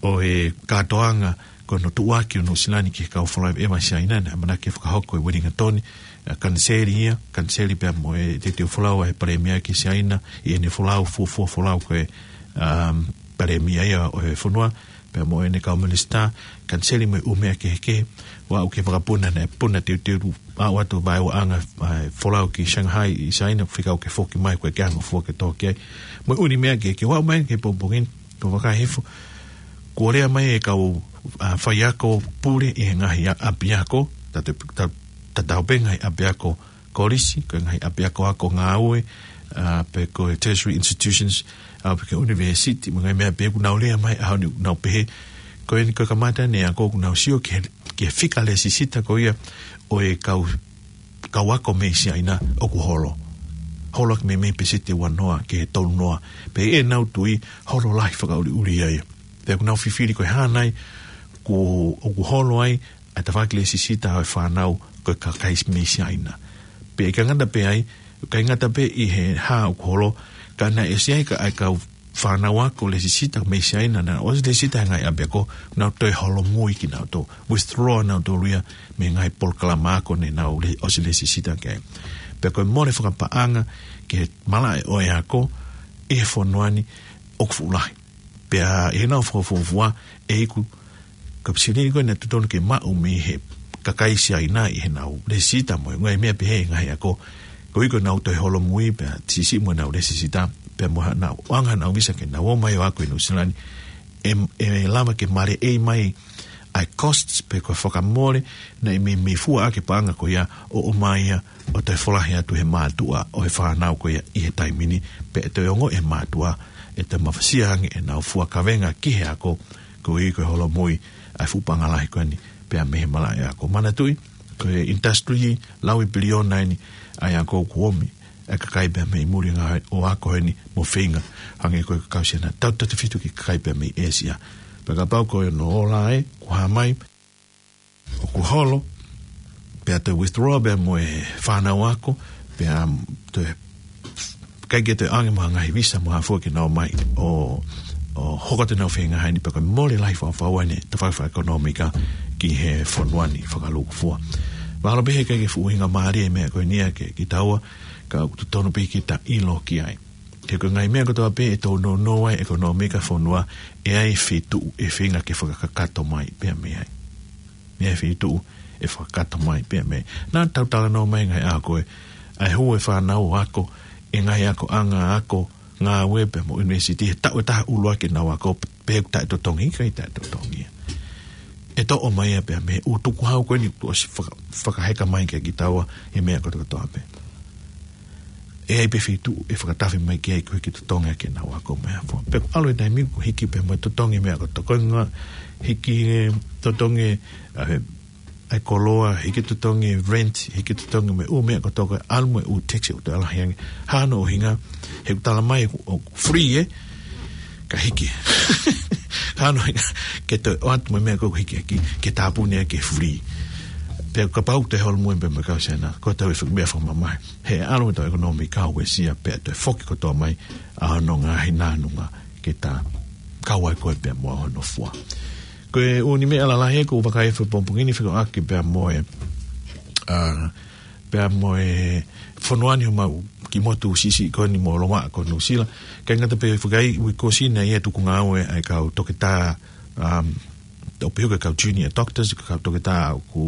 ʻo e kātoanga ko hono tuʻuaki ʻo Nuʻusila ni ki he kau folau ʻeva Siaina, naʻe ʻamanaki ke fakahoko ʻi Uelingatoni, ʻa, kaniseli ia, kaniseli pea mo e teuteu folau ʻa e palēmia ki Siaina, ʻi heʻene folau, fuofua folau ko e, um, palēmia ia ʻo e fonua, pea mo ʻene kau minisitā, kaniseli mo e ʻū meʻa kehekehe, ʻo aʻu ki he vakapuna naʻe puna teuteu aʻu atu vaeuaʻanga, ʻa, folau ki Shanghai ʻi Siaina, fekau ke foki mai ko e ke anga fua ke tō ki ai. Mo e ʻū meʻa kehekehe ʻo aʻu mai ki he pongipongi ni, ko e vakai hifo, kuo lea mai e kau, ʻa, faiako pule ʻi he ngaahi ʻa-, ʻapiako, ta te, ta, tatau pē ngaahi ʻapiako kolisi, ko e ngaahi ʻapiako ako ngāue, ʻa, pe ko e tertiary institutions, ʻa, pe ko e university, mo e ngaahi meʻa pehē kuo nau lea mai, ʻa, ʻoku nau pehē, ko eni ko e kamata eni e ako kuo nau sio ki he, ki he fika lēsisita ko ia ʻo e kau kau ako mei Siaina ʻoku holo. Holo ʻaki meimei peseti ua noa ki he tolu noa. Pea ʻi heʻenau tui holo lahi fakaʻuliʻuli ai. Pea ʻoku nau fifili ko e hā nai kuo, ʻoku holo ai ʻa e tafaʻaki lēsisita ʻo e fānau ko e kakai mei Siaina. Pea ʻikai ngata pē ai, ʻikai ngata pē ʻi he hā ʻoku holo, ka naʻe ʻosi ʻi ai ka ʻa e kau fānau ako lēsisita mei Siaina naʻe ʻosi lēsisita he ngaahi ʻapiako, nau toe holomui kinautolu, withdraw nautolu ia mei he ngaahi polokalama ako ne nau le-, ʻosi lēsisita ki ai. Pea ko e mole fakapaʻanga ki he malaʻe ʻo e ako ʻi he fonua ni ʻoku fuʻu lahi. Pea ʻi heʻenau fakafuofua ʻe iku ka pisi lini ko ē naʻe totonu ke maʻu mei he kakai Siaina ʻi heʻenau lēsisita mo e ngaahi meʻa pehē ʻi he ngaahi ako. Ko e iku ʻenau toe holomui pea siʻisiʻi mo ʻenau lēsisita, pea mo haʻanau ʻoange haʻanau visa ke nau ō mai ʻo ako ʻi Nuʻusila ni. ʻE, ʻe lava ke maleʻei mai ʻa e costs pe ko e fakamole naʻe meimei fua ʻaki e paʻanga ko ia ʻo ʻomai ia ʻo toe folahi atu he mātuʻa ʻo e fānau ko ia ʻi he taimi ni, pea ʻe toe ongoʻi ʻe he mātuʻa ʻe toe mafasia ange ʻenau fua kavenga ki he ako, koeʻuhi ko e holomui ʻa e fuʻu paʻanga lahi ko eni pea mei he malaʻe ako. Manatuʻi, ko e industry laui piliona eni ʻa e ako kuo ʻomi ʻa e kakai pea mei muli ngāue ʻo ako eni mo feinga, hangē ko e kau Siaina, tautautefito ki he kakai pea mei ʻĒsia. Pea kapau ko hono ola ē, kuo hā mai, ʻoku holo, pea toe withdraw pea mo e fānau ako, pea toe ʻikai ke toe ʻoange mo ha ngaahi visa mo ha fua ke nau ō mai ʻo, ʻo hoko atu ʻenau feinga he ʻaho ni, pea ko e mole lahi fakafaua eni tafaʻaki fakaʻekonōmika ki he fonua ni fakalūkufua. Mahalo pē he ʻikai ke fuʻu ʻuhinga mālie e meʻa ko eni ia kiate kitaua, ka ʻoku totonu pē ke ta ʻilo ki ai. He ko e ngaahi meʻa kotoa pē ʻe toutou nounou ai e ʻekonōmika e fonua, ʻe ʻi ai e feituʻu ʻe feinga ke fakakakato mai pea mei ai. ʻI ai e feituʻu ʻe fakakakato mai pea mei ai. Naʻa tau talanoa mai he ngaahi ʻaho ko ē, ʻa e hū e fānau ʻo ako ʻi he ngaahi akoʻanga ako ngāue pea mo e ʻunivēsiti he taʻu ʻe taha ʻuluaki ʻenau ako, pe ʻoku taʻetotongi, ʻikai taʻetotongi ia. ʻE toʻo mai ia pea mei he ʻū tukuhau ko eni kuo ʻosi faka-, fakaheka mai kiate kitaua he meʻa kotokotoa pē. ʻe ʻi ai pē feituʻu ʻe fakatafe mai ki ai ko e hiki totongi ʻaki ʻenau ako meʻafua. Pea ʻoku ʻalu e taimi ʻoku hiki pē mo e totongi meʻa kotoa ko ē, hiki e totongi, ʻa e, ʻa e koloa, hiki totongi e rent, hiki totongi mo e ʻū meʻa kotoa ko ē, ʻalu mo e ʻū tax ʻoku toe lahi ange. Hā hono ʻuhinga, he ʻoku tala mai ʻoku, ʻoku free ē, ka hiki. Hā hono ʻuhinga, ke toe ʻoatu mo e meʻa ko ē ʻoku hiki ʻaki, ke tāpuni ʻaki e free. Pea kapau te holomui pē mo e kau Siaina, ko e tau e fak-, meʻa fakamamahi. He ʻalu e tau ʻekonōmika ʻo Uēsia pea toe foki kotoa mai ʻa hono ngaahi nānunga ke tā kau ai ko ē pea mo hono fua. Ko e ʻū meʻa lalahi ʻoku ou vakai he pongipongi ni fekauʻaki pea mo e, ʻa, pea mo e fonua ni homau kiʻi motu siʻisiʻi ko eni mo Lomaʻa ko Nuʻusila. ʻIkai ngata pē he fakaʻi uike kuo ʻosi naʻe ʻi ai e tukungāue ʻa e kau toketā, um, ʻo pehē ko e kau junior doctors, ko e kau toketā ʻoku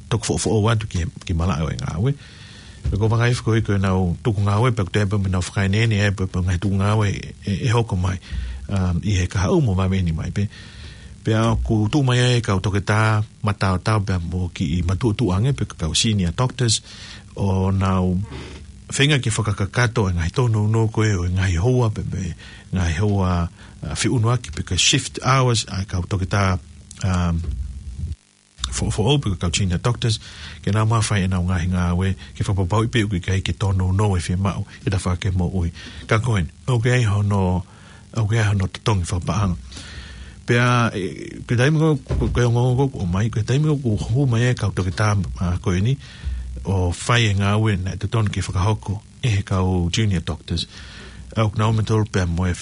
toki foʻofoʻou atu ki, ki malaʻe ʻo e ngāue. Pea ʻoku ou vakai he fakaʻi uike ko ē ʻenau tukungāue, pea ʻoku toe pē mo ʻenau fakaeneene, ʻe pē, pē ngaahi tukungāue ʻe, ʻe hoko mai, um, ʻi he kahaʻu mo vave ni mai pē. Pea ʻoku tuʻu mai ai e kau toketā mataotao pea mo e kiʻi matuʻotuʻa ange pē ko e kau senior doctors, ʻo nau feinga ke fakakakato e ngaahi tōnounou ko ē ʻo e ngaahi houa pē, pē ngaahi houa, ʻa, feʻunuaki pe ko e shift hours ʻa e kau toketā, um, foʻofoʻou pe ko e kau junior doctors, ke nau maʻu fai ʻenau ngaahi ngāue, ke fakapapauʻi pē ʻoku ʻikai ke tōnounou e fiemaʻu ʻi he tafaʻaki moʻui. Ka ko eni, ʻoku ʻi ai hono, ʻoku ʻi ai hono totongi fakapaʻanga. Pea, ʻe, ko e taimi ko, ko, ko e ongoongo ʻoku ʻomai, ko e taimi ʻoku hū mai ai e kau toketā, ʻa, ko eni, ʻo fai e ngāue naʻe totonu ke fakahoko ʻe he kau junior doctors, ʻoku nau ō mai tolu pea mo e,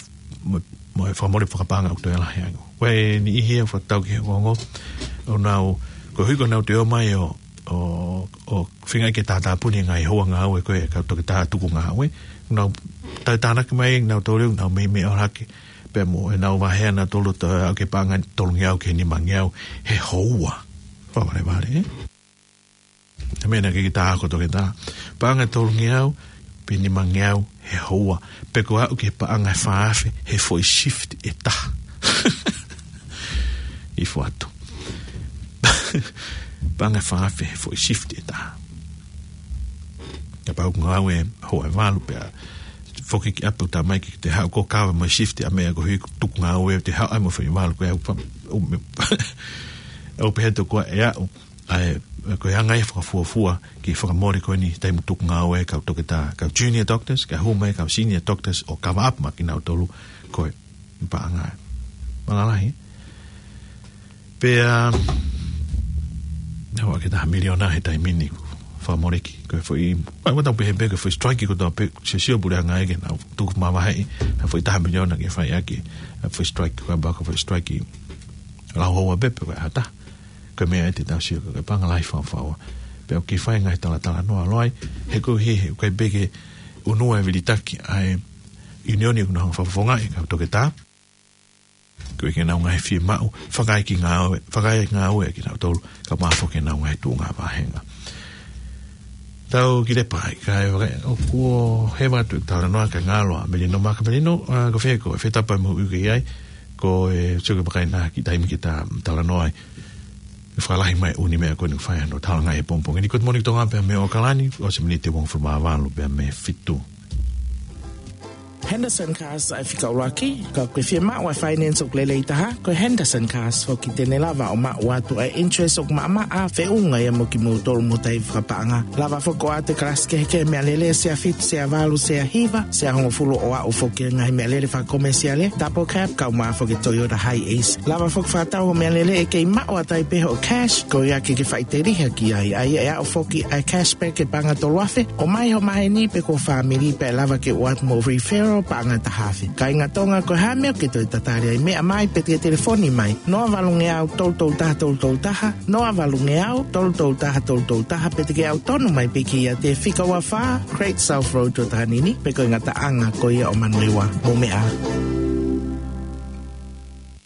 mo, mo e fakamole fakapaʻanga ʻoku toe lahi ange. Ko e niʻihi ia ʻoku fakatau ki he ongoongo, ʻoku nau, koeʻuhi ko ʻenau toe ō mai ʻo, ʻo, ʻo feinga ke tātāpuni e ngaahi houa ngāue ko ē ʻa e kau toketā tukungāue, ʻoku nau tau tānaki mai ʻenau tolu, nau meimei ʻalu hake pea mo ʻenau vahe ʻanautolu ʻo aʻu ki he paʻanga ʻe tolungeau ki he nimangeau he houa. Fakavalevale, ē? He meʻa naʻe ʻikai ke tā ako toketā. Paʻanga ʻe tolungeau pe nimangeau he houa. Pe ko e aʻu ki he paʻanga ʻe fā afe he foʻi shift ʻe taha. ʻIfo atu. Paʻanga ʻe fā afe he foʻi shift ʻe taha. Kapau ʻoku ngāue houa ʻe valu pea foki ki ʻapi ʻo tā mai ke te haʻu ʻo kava mai e shift ʻa e meʻa koeʻuhi ko e tukungāue te haʻu ai mo e foʻi valu ko ē ʻoku fa-, ʻo me-, ʻoku pehē atu ko e aʻu ʻa e, ko e anga ia e fakafuofua ki he fakamole ko eni taimi tukungāue e kau toketā, kau junior doctors, kae hū mai e kau senior doctors ʻo cover up mai kinautolu ko e paʻanga. Mālō lahi. Pea, ʻa, ʻoku ʻikai ke taha miliona he taimi ni ʻoku fakamole ki ai. Ko e foʻi, ʻa, ʻoku tau pehē pē ko e foʻi strike kotoa pē, sio, sio puleʻanga ia ke nau tuku mavaheʻi ha foʻi taha miliona ke fai ʻaki ʻa e foʻi strike, ko e baka foʻi strike lau houa pē pe ko e ʻata. Ko e meʻa ia te tau sio ko e paʻanga lahi fakafaʻahi. Pea ʻoku kei fai e ngaahi talatalanoa ʻo lahi, he koeʻuhi he ʻoku ʻikai pē ke ʻunu e vilitaki ʻa e ʻiunioni ʻoku nau hanga ʻo fakafofongaʻi e kau toketā. Koeʻuhi ko ʻenau ngaahi fiemaʻu fakaekingāue, fakaengāue kinautolu, kae ʻumaʻā foki ʻenau ngaahi tuʻunga vāhenga. Tau kiʻi lepa ai, kae vakai, ʻoku ou hē atu e talanoa kae ngalo ʻa Melino, Maka Melino, ʻa, ko fē koe, fē tapa mo ui ke ai, ko e sio ke vakai na ki he taimi ke ta talanoa ai. Fakalahi mai e ʻū meʻa ko eni ʻoku fai ai hono talanoa he pongipongi ni. Good morning Tonga pea mei ʻAokalani, ʻosi e miniti ʻe uofulu mā valu pea mei he fitu. Henderson Cars ʻa e fika ʻuluaki, ka ʻoku ke fiemaʻu ʻa e finance ʻoku lelei taha, ko e Henderson Cars foki te ne lava ʻo maʻu atu ʻa e interest ʻoku maʻamaʻa, feʻunga ia mo kimoutolu mo e taifi fakapaʻanga. Lava foki ʻo ʻoatu e kalasi kehekehe meʻalele, sea fitu, sea valu, sea hiva, sea hongofulu ʻo aʻu foki ki he ngaahi meʻalele fakakomesiale, double cab, kae ʻumaʻā foki e Toyota Hiace. Lava foki ʻo fakatau hoʻo meʻalele ʻe kei maʻu ʻatā pē hoʻo cash, koeʻuhi ke ke faʻiteliha ki ai, ʻa ia ʻe aʻu foki ʻa e cashback ʻe paʻanga ʻe tolu afe, ʻomai ho maheni pe ko ho fāmili pea ʻe lava ke ʻoatu mo e referral paʻanga ʻe taha afe. Kāinga Tonga, ko e hā e meʻa ʻoku ke toe tatali ai, meʻa mai pe te ke telefoni mai, noa valungeau tolu tolu taha tolu tolu taha, noa valungeau tolu tolu taha tolu tolu taha, pe te ke ʻalu tonu mai pē ki he fika ua fā Great South Road Tuatahanini, pe ko e ngataʻanga ko ia ʻo Manurewa. Mou meʻa ā.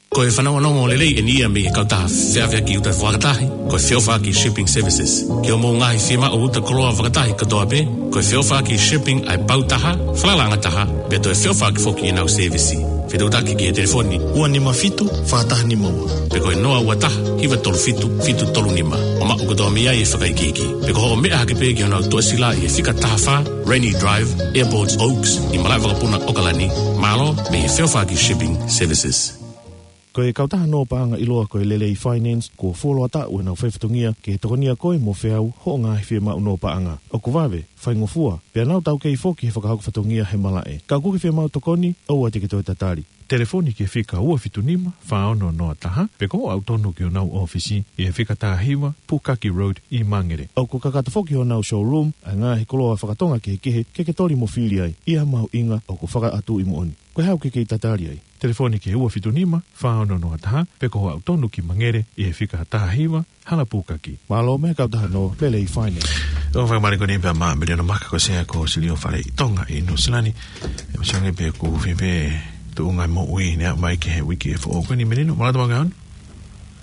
Ko e fanongonongo lelei eni ia mei he kautaha feʻaveʻaki ʻuta fakataha, ko e Feʻofaʻaki Shipping Services. Ki hoʻomou ngaahi fiemaʻu ʻuta koloa fakataha kotoa pē, ko e Feʻofaʻaki Shipping ʻa e pau taha, falalaʻanga taha, pea toe feʻofaʻaki foki ʻenau sēvisi. Fetuʻutaki ki he telefoni ua nima fitu, fā taha nima ua. Pe ko e noa ua taha, hiva tolu fitu, fitu tolu nima. ʻO maʻu kotoa mei ai e fakaikiiki. Pe ko hoʻo meʻa hake pē ki honau tuʻasila ʻi he fika taha fā, Rainy Drive, Airport Oaks, ʻi Malaʻevakapuna, ʻOkalani. Mālō, mei he Feofaki Shipping Services. Ko e kautaha nō paʻanga ʻiloa ko e Lelei Finance, kuo fuoloa taʻu ʻenau faifatongia ke tokonia koe mo feau hoʻo ngaahi fiemaʻu nō paʻanga. ʻOku vave, faingofua, pea nau taukei foki he fakahoko fatongia he malaʻe. Ka ʻoku ke fiemaʻu tokoni, ʻoua te ke toe tatali. Telefoni ki he fika ua fitu nima, fā ono noa taha, pe ko hoʻo aʻu tonu ki honau ʻōfisi ʻi he fika taha hiva, Pukaki Road ʻi Mangere. ʻOku kakato foki honau showroom ʻa e ngaahi koloa fakatonga kehekehe ke ke toli mo fili ai ʻi ha mahuʻinga ʻoku fakaʻatuʻi moʻoni. Ko e hā ʻoku ke kei tatali ai? Telefoni ki he ua fitu nima, fā ono noa taha, pe ko hoʻo aʻu tonu ki Mangere ʻi he fika taha hiva, Hala Pukaki. Mālō mei he kautaha nō Lelei Finance. ʻOku fakamālō ko eni pea mo Meliona Maka, ko e Sea ko e Silio Fale ʻi Tonga ʻi Nuʻusila ni. ʻE masiʻi ange pē ʻoku fie pē tuʻunga moʻui ne aʻu mai ki he uike foʻou ko eni, Meliona, mālō e tau ngāue.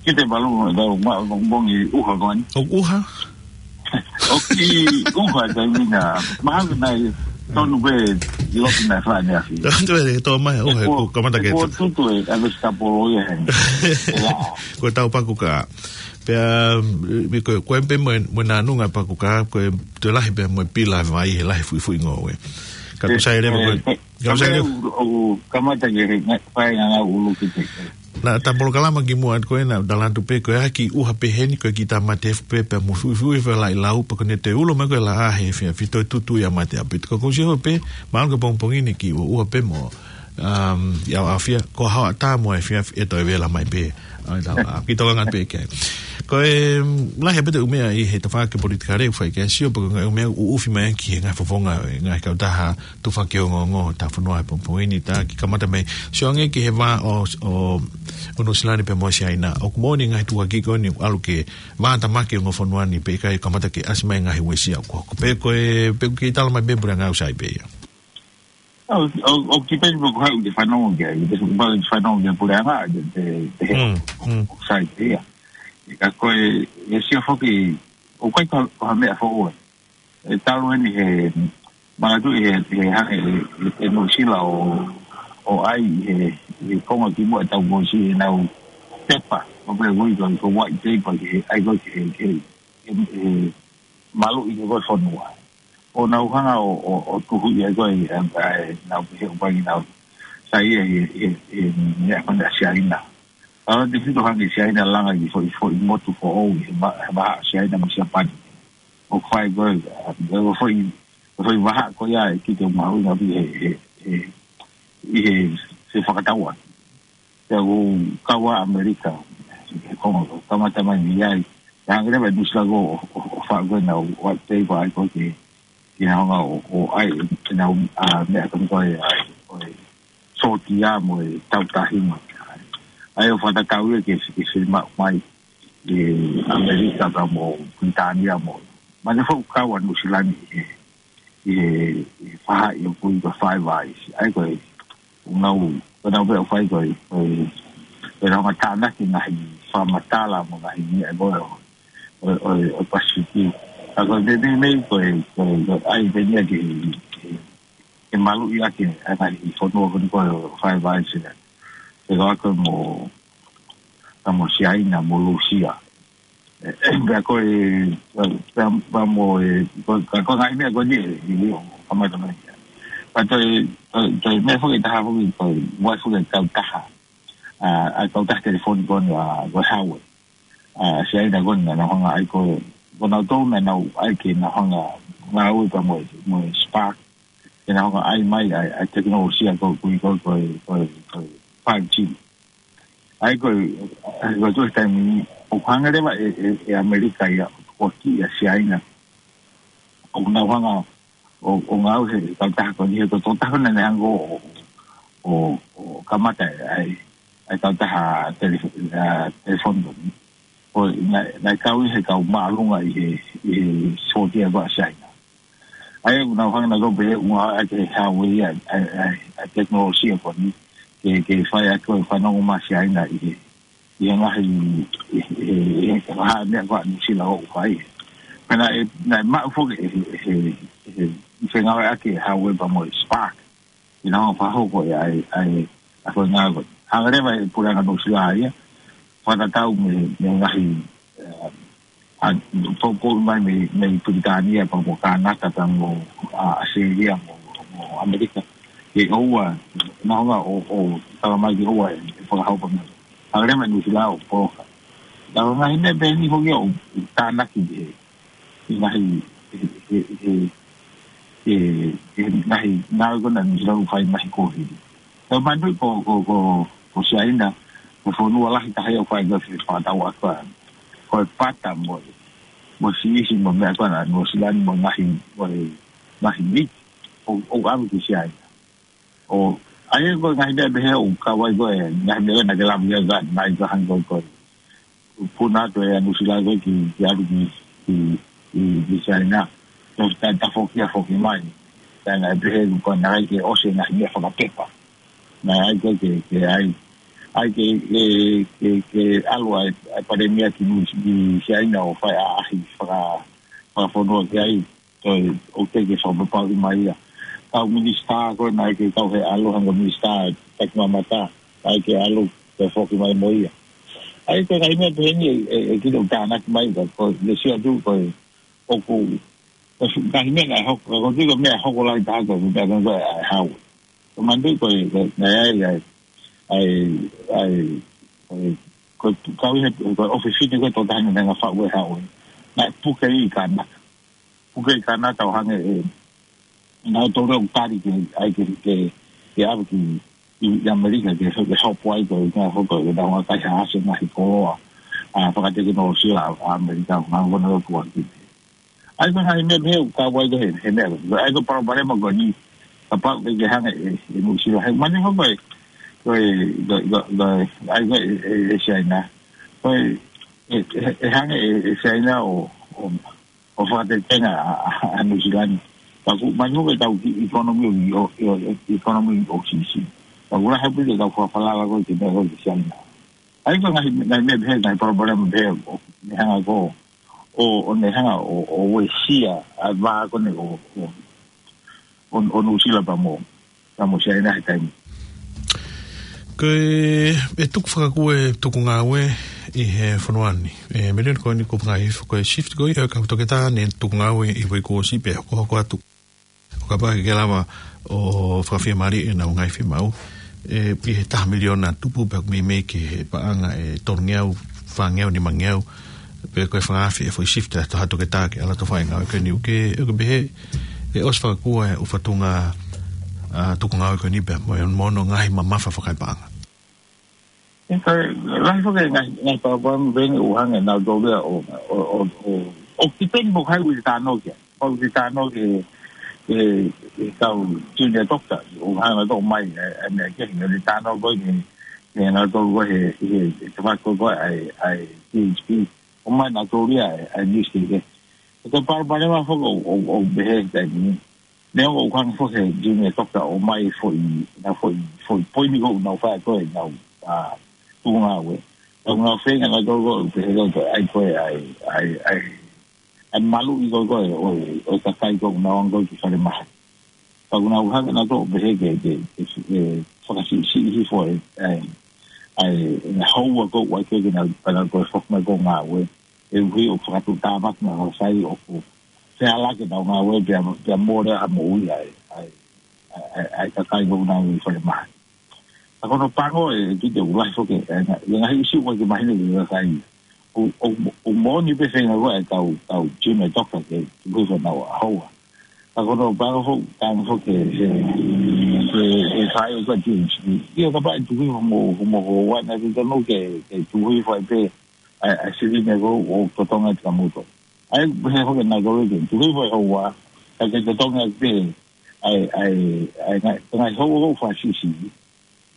Kita balu, tau ma-, bongi ʻuha ko eni. ʻOku ʻuha? ʻOku ʻuha taimi na. Mahalo naʻe tonu pē ʻi loto naʻe fai ʻaneafi. Tonu pē, tō mai ʻuha, ʻoku kamata ke tutu e, ʻa e vegetable ia he. Ko e tau paku ka. Pea, mm, ko, ko e pē mo e, mo e nānunga paku ka, ko e toe lahi pē mo e pila vai he lahi fuifuingoue. Ka ko e, sai leva ko e, eh, ka ko e sai leva. ʻOku kamata ke he, ngai, fai ngā ngā ʻulu ki te. Naʻa ta polokalama kimuʻa ko ena, ta latu pē ko e hā e kiʻi ʻuha pehē ni, ko e kiʻi tāmate efu pē, pea mo fuifui fai laʻi lau, pea ko ʻene toe ulo mai ko e laʻā he efiafi toe tutu ia mate ʻaupito. Ka ko e sio pē, mālō ko e pongipongi ni kiʻi ʻuha, ʻuha pē mo, um, ʻi ʻAfiafi, ko e haʻu ʻatā mo e efiafi ʻe toe vela mai pē. ʻAi, tā, ʻa, kiʻi tokanga pē ki ai. Ko e, um, lahi pē ʻetau meʻa ʻi he tafaʻaki politikale ʻoku fai ki ai, sio pē ko e ngaahi meʻa ʻoku ʻuʻufi mai ki he ngaahi fofonga, ngaahi kautaha tufaki ongoongo ʻo e fonua he pongipongi ni, tā kiʻi kamata mei, sio ange ki he vā ʻo, ʻo, ʻo Nuʻusila ni pea mo Siaina. ʻOku moʻoni e ngaahi tuʻuaki ko eni ʻalu ke vātamaki e ongo fonua ni pea ʻikai kamata ke ʻasi mai e ngaahi uesia ʻoku hoko. Pe ko e, pe ʻoku ke tala mai pē puleʻanga ʻoku sai pē ia. ʻO, ʻo, ʻoku kiʻi pehē pē ko e hā ʻoku ke fanongo ki ai, ʻoku ke fanongo ki he puleʻanga, te, te, te he Mm, mm. ʻoku sai pē ia. Ka ko e, e sio foki, ʻoku ʻikai ko, ko ha meʻa foʻou ē. ʻE talu eni he, manatuʻi he, he hangē ʻe, ʻe, ʻe Nuʻusila ʻo, ʻo ʻai he, he konga kimuʻa ʻetau ngaahi ʻenau pepa, ʻo pehē ko e, ko e white paper ki he, ʻai ko e ki he, ki he, he, he maluʻi ko e fonua. ʻO nau hanga ʻo, ʻo, ʻo tuhuʻi ai ko e, ʻa e, ʻa e, nau pehē ʻoku ʻikai ke nau saiʻia he, he, he, meʻa ko ena ʻa Siaina. ʻAlu atu e fito hangē Siaina langa ki he foʻi, foʻi motu foʻou, he va-, he vahaʻa ʻa Siaina mo Siapani. ʻOku fai ko e, ʻa, ko e foʻi, ko e foʻi vahaʻa ko ia ʻe kite mahuʻinga pē he, he, he, ʻi he, he fakataua. Pea ʻoku kau ʻa ʻAmelika, he konga, kamata mai mei ai. Pea hangē leva ʻe Nuʻusila ko ʻo, ʻo, ʻo faʻu ko ena white paper ʻai ko e ke, ke nau hanga ʻo, ʻo ʻai, ke nau, ʻa, meʻa ko eni ko e, ʻa, ko e, sōtia mo e tau tahi mo. ʻAi ʻo fakatatau ia ke, ke fiemaʻu mai ʻe ʻAmelika pea mo Pilitānia mo. Mahalo foki ʻoku kau ʻa Nuʻusila ni ʻi he, ʻi he, ʻi he faʻahi ʻoku ui ko e Five Eyes. ʻAi ko e, ʻoku nau, ko e nau pē ʻoku fai ko e, ko e, ko e nau hanga tānaki ngaahi fakamatala mo ngaahi meʻa ko ē ʻo, ʻo, ʻo, ʻo Pasifiki. Ka ko e meimei, meimei ko e, ko e, ko e ʻai pē ia ke, ke, ke maluʻi ʻaki ʻa e ngaahi fonua ko eni ko e Five Eyes ia. Ke kau ʻaki mo, ka mo Siaina, mo Lūsia. Pea ko e, pea, pea mo e, ko, ka ko e ngaahi meʻa ko eni ʻe, ʻe, ʻo kamata mai. Ka toe, toe, toe meʻa foki ʻe taha foki, toe ua foki e kautaha. ʻA, ʻa e kautaha telefoni ko eni ʻa, ko e Huawei. ʻA, Siaina ko eni naʻa nau hanga ʻai ko e, ko nautolu naʻa nau ʻai ke nau hanga ngāue pea mo e, mo e Spark. Ke nau hanga ʻai mai ʻa e, ʻa e tekinolosia ko, ko, ko, ko, ko, ko e five G. ʻAi ko e, ʻai ko e tuʻu he taimi ni, ʻoku hanga leva ʻe, ʻe, ʻe ʻAmelika ia ʻo kiʻi ʻa Siaina. ʻOku nau hanga ʻo, ʻo ngāue he kautaha ko eni, he ko e tokotaha naʻa ne hanga ʻo, ʻo, ʻo kamata ʻa e, ʻa e kautaha telef-, ʻa, telefoni ko eni. Ko e, naʻe, naʻe kau ia he kau māʻolunga ʻi he, ʻi he sōtia ko ē ʻa Siaina. ʻAi ʻoku nau hanga nautolu pē ʻo ngāueʻaki ʻe Huawei ʻa e, ʻa e, ʻa e, ʻa e tekinolosia ko eni, ke, ke fai ʻaki ko e fanongo mai ʻa Siaina ʻi he, ʻi he ngaahi, ʻi he, ʻi he, ʻi he ngaahi meʻa ko ē ʻa Nuʻusila ʻoku fai. Pea naʻe, naʻe maʻu foki ʻe he, ʻe he, ʻe he, ʻi he ngāueʻaki ʻe Huawei pea mo e Spark. ʻI he ngaahi fakahoko ʻa e, ʻa e, ʻa ko e ngāue ko ē. Hanga leva ʻe he puleʻanga Nuʻusila ia, fakatatau mo e, mo e ngaahi, ē, ʻa, poupou mai mei, mei Pilitānia, pea mo Kānata, pea mo, ʻa, ʻAositelēlia, mo, mo ʻAmelika. Ke ʻoua, naʻa nau ō, ō, tala mai ke ʻoua ʻe, ʻe fakahoko mai. Hanga leva ʻe Nuʻusila ʻo poloka. Ka ko e ngaahi meʻa pehē ni foki ʻoku tānaki ʻe, ʻe ngaahi, ʻe, ʻe, ʻe, ʻe, ʻe ngaahi ngāue ko ena ʻa Nuʻusila ʻoku fai mei he kohi. Ka manatuʻi ko, ko, ko, ko Siaina, ko e fonua lahi taha ia ʻoku fai ko ē fakatau ʻa ko ē. Ko e pata mo e, mo e siʻisiʻi mo e meʻa ko ena ʻa Nuʻusila mo e ngaahi, mo e ngaahi meat, ʻoku, ʻoku ʻave ki Siaina. ʻO, ʻa ia ko e ngaahi meʻa pehē ʻoku kau ai ko ē, ngaahi meʻa naʻa ke lave ki ai, mai ka hangē ko e, ko e puna atu ʻe Nuʻusila ko ē ki, ki ʻalu ki, ki, ki, ki Siaina. Ko e ta, tafoki ʻa foki mai. Ka naʻe pehē ko ē naʻe ʻikai ke ʻosi e ngaahi meʻa fakapepa. Naʻe ʻai ko ē ke, ke ʻai, ʻai ke, ke, ke, ke ʻalu ʻa e, ʻa e palēmia ki Nuʻu-, ki Siaina ʻo fai ʻaʻahi faka-, fakafonua ki ai. Ko e ʻoku teʻeki ke fakapapauʻi mai ia. Kau minisitā ko ē naʻe ʻikai ke kau he ʻalu hangē ko e minisitā taki mamata, naʻe ʻikai ke ʻalu ke foki mai mo ia. ʻA ia ko e ngaahi meʻa pehē ni ʻe, ʻe, ʻe kilo tānaki mai ka ko e, le sio atu ko e, ʻoku, ko e ngaahi meʻa naʻe hoko, ka ko e tiko meʻa hoko lahi taha ko e, meʻa ko ē ʻa e Hau. Ko e manatuʻi ko e, ko e, naʻe ʻai, ʻai, ʻai, ʻai, ko e, ko e, kau ʻi he, ko e ʻofefine ko e tō taha naʻe ngaahi faʻu ʻe Hau. Naʻe puke ʻi Kānata. Puke ʻi Kānata ʻo hangē ʻe, naʻa nau tō leo tali ke, ʻai ke, ke, ke ʻave ki, ʻi, ʻi ʻAmelika ke, ke hopo ai ko e, ngaahi hoko, ke nau ngaahi kaihaʻasi ngaahi koloa, ʻa, fakatekinolosia ʻa, ʻa ʻAmelika, ngaahi kona lo kuaki. ʻA ia ko e ngaahi meʻa pehē ʻoku kau ai ko ē he, he meʻa. ʻA ia ko e palopalema ko eni, kapau ʻe ʻikai ke hanga ʻe, ʻe Nuʻusila. He mani hoko e, ko e, ko e, ko e, ko e, ʻa ia ko ē ʻe, ʻe, ʻe Siaina. Ko e, ʻe, ʻe, ʻe hanga ʻe, ʻe Siaina ʻo, ʻo, ʻo fakatetenga ʻa, ʻa, ʻa Nuʻusila ni. Ka ʻoku mani hoko e tau ki economy ʻo, ʻo, ʻo, ʻo, economy ʻoku siʻisiʻi. Ka ʻoku lahi pē ʻetau fakafalala ko ē ki he meʻa ko ē ki Siaina. ʻA ia ko e ngaahi, ngaahi meʻa pehē, ngaahi palopalema pehē, ʻo, ne hanga ko, ʻo, ʻo ne hanga ʻo, ʻo uesia ʻa e vā ko eni ʻo, ʻo, ʻo, ʻo Nuʻusila pea mo, pea mo Siaina he taimi. Ko e, ʻe tuku fakakū e tuku ngāue ʻi he fonua ni. ʻE, milioni ko eni kuo ngaahi hifo ko e shift ko ia, ka toketā ne tuku ngāue ʻi he uike kuo ʻosi pea hokohoko atu. ʻO kapau ʻe ke lava ʻo fakafiemālieʻi ʻenau ngaahi fiemaʻu. ʻE, ʻi he taha miliona tupu pea ʻoku meimei ki he paʻanga ʻe tolungeau, fāngeau, nimangeau. Pe ko e fanga afe e foʻi shift ʻa e toha toketā ke ʻalu atu ʻo fai ngāue ko eni ʻoku ke, ʻoku ke pehē, ʻe ʻosi fakakū e ʻū fatunga, ʻa, tuku ngāue ko eni pea mo e, mo hono ngaahi mamafa fakapaʻanga. ʻE, ka, lahi foki e ngaahi, ngaahi palopalema pehē ni ʻoku hanga ʻe nautolu ia ʻo, ʻo, ʻo, ʻo, ʻo kipen mo kai ui tāno kia. ʻO ui tāno ki he, he, he kau junior doctor, ʻoku hanga ʻo mai, ʻe, ʻe, meʻa ke, ui tāno ko ē ki he, ki he nautolu ko ē he, he, he tavako ko ē ʻa e, ʻa e P H P. ʻO mai nautolu ia ʻa e, ʻa e news ke, ke. Ko e palopalema foki ʻoku, ʻoku, ʻoku pehē he taimi ni. Neongo ʻoku hanga foki he junior doctor ʻo mai foʻi, na foʻi, foʻi poini ko ē ʻoku nau fai ko ē ʻenau, ʻa, tuku ngāue. Ka ʻoku nau feinga nautolu ko ē, pehē ko ē, ʻai ko ē, ʻai, ʻai, ʻai, ʻai maluʻi ko ē, ko ē, ʻo, ʻo e kakai ko ē ʻoku nau ō ko ē ki falemahaki. Ka ʻoku nau hanga nautolu ʻo pehē ke, ke, ke, ke fakasiʻisiʻi hifo e, ʻai, ʻai, ʻenau houa ko ē, ʻai ke, ke nau, ka nau ko ē foki mai ko ē ngāue. ʻE ui ʻo fakatuʻutāmaki na ʻo sai ʻoku fehālaaki ʻenau ngāue pea, pea mole ʻa moʻui ʻa e, ʻa e, ʻa e, ʻa e kakai ko ē ʻoku nau ō ʻi falemahaki. Ka ko hono pango ʻe kiʻi ʻoku lahi foki, ʻe, ngaahi, ngaahi ʻisiū ʻoku ʻikai ke mahino ki he kakai. ʻO, ʻo, ʻo moʻoni pē feinga ko ē ʻa e kau, kau junior doctor ke tuku hifo ʻenau houa. Ka ko hono pango foki, tangi foki he, he, he, he fai ʻo ka junior. ʻIo kapau ʻe tuku hifo mo, mo houa naʻe totonu ke, ke tuku hifo ai pē ʻa e, ʻa e silini ko ē ʻoku totongi atu kia moutolu. ʻA ia, pehē foki nautolu ke tuku hifo e houa, ka ke totongi atu pē ʻa e, ʻa e, ʻa e ngaahi, ngaahi houa ko ē ʻoku fakasiʻisiʻi.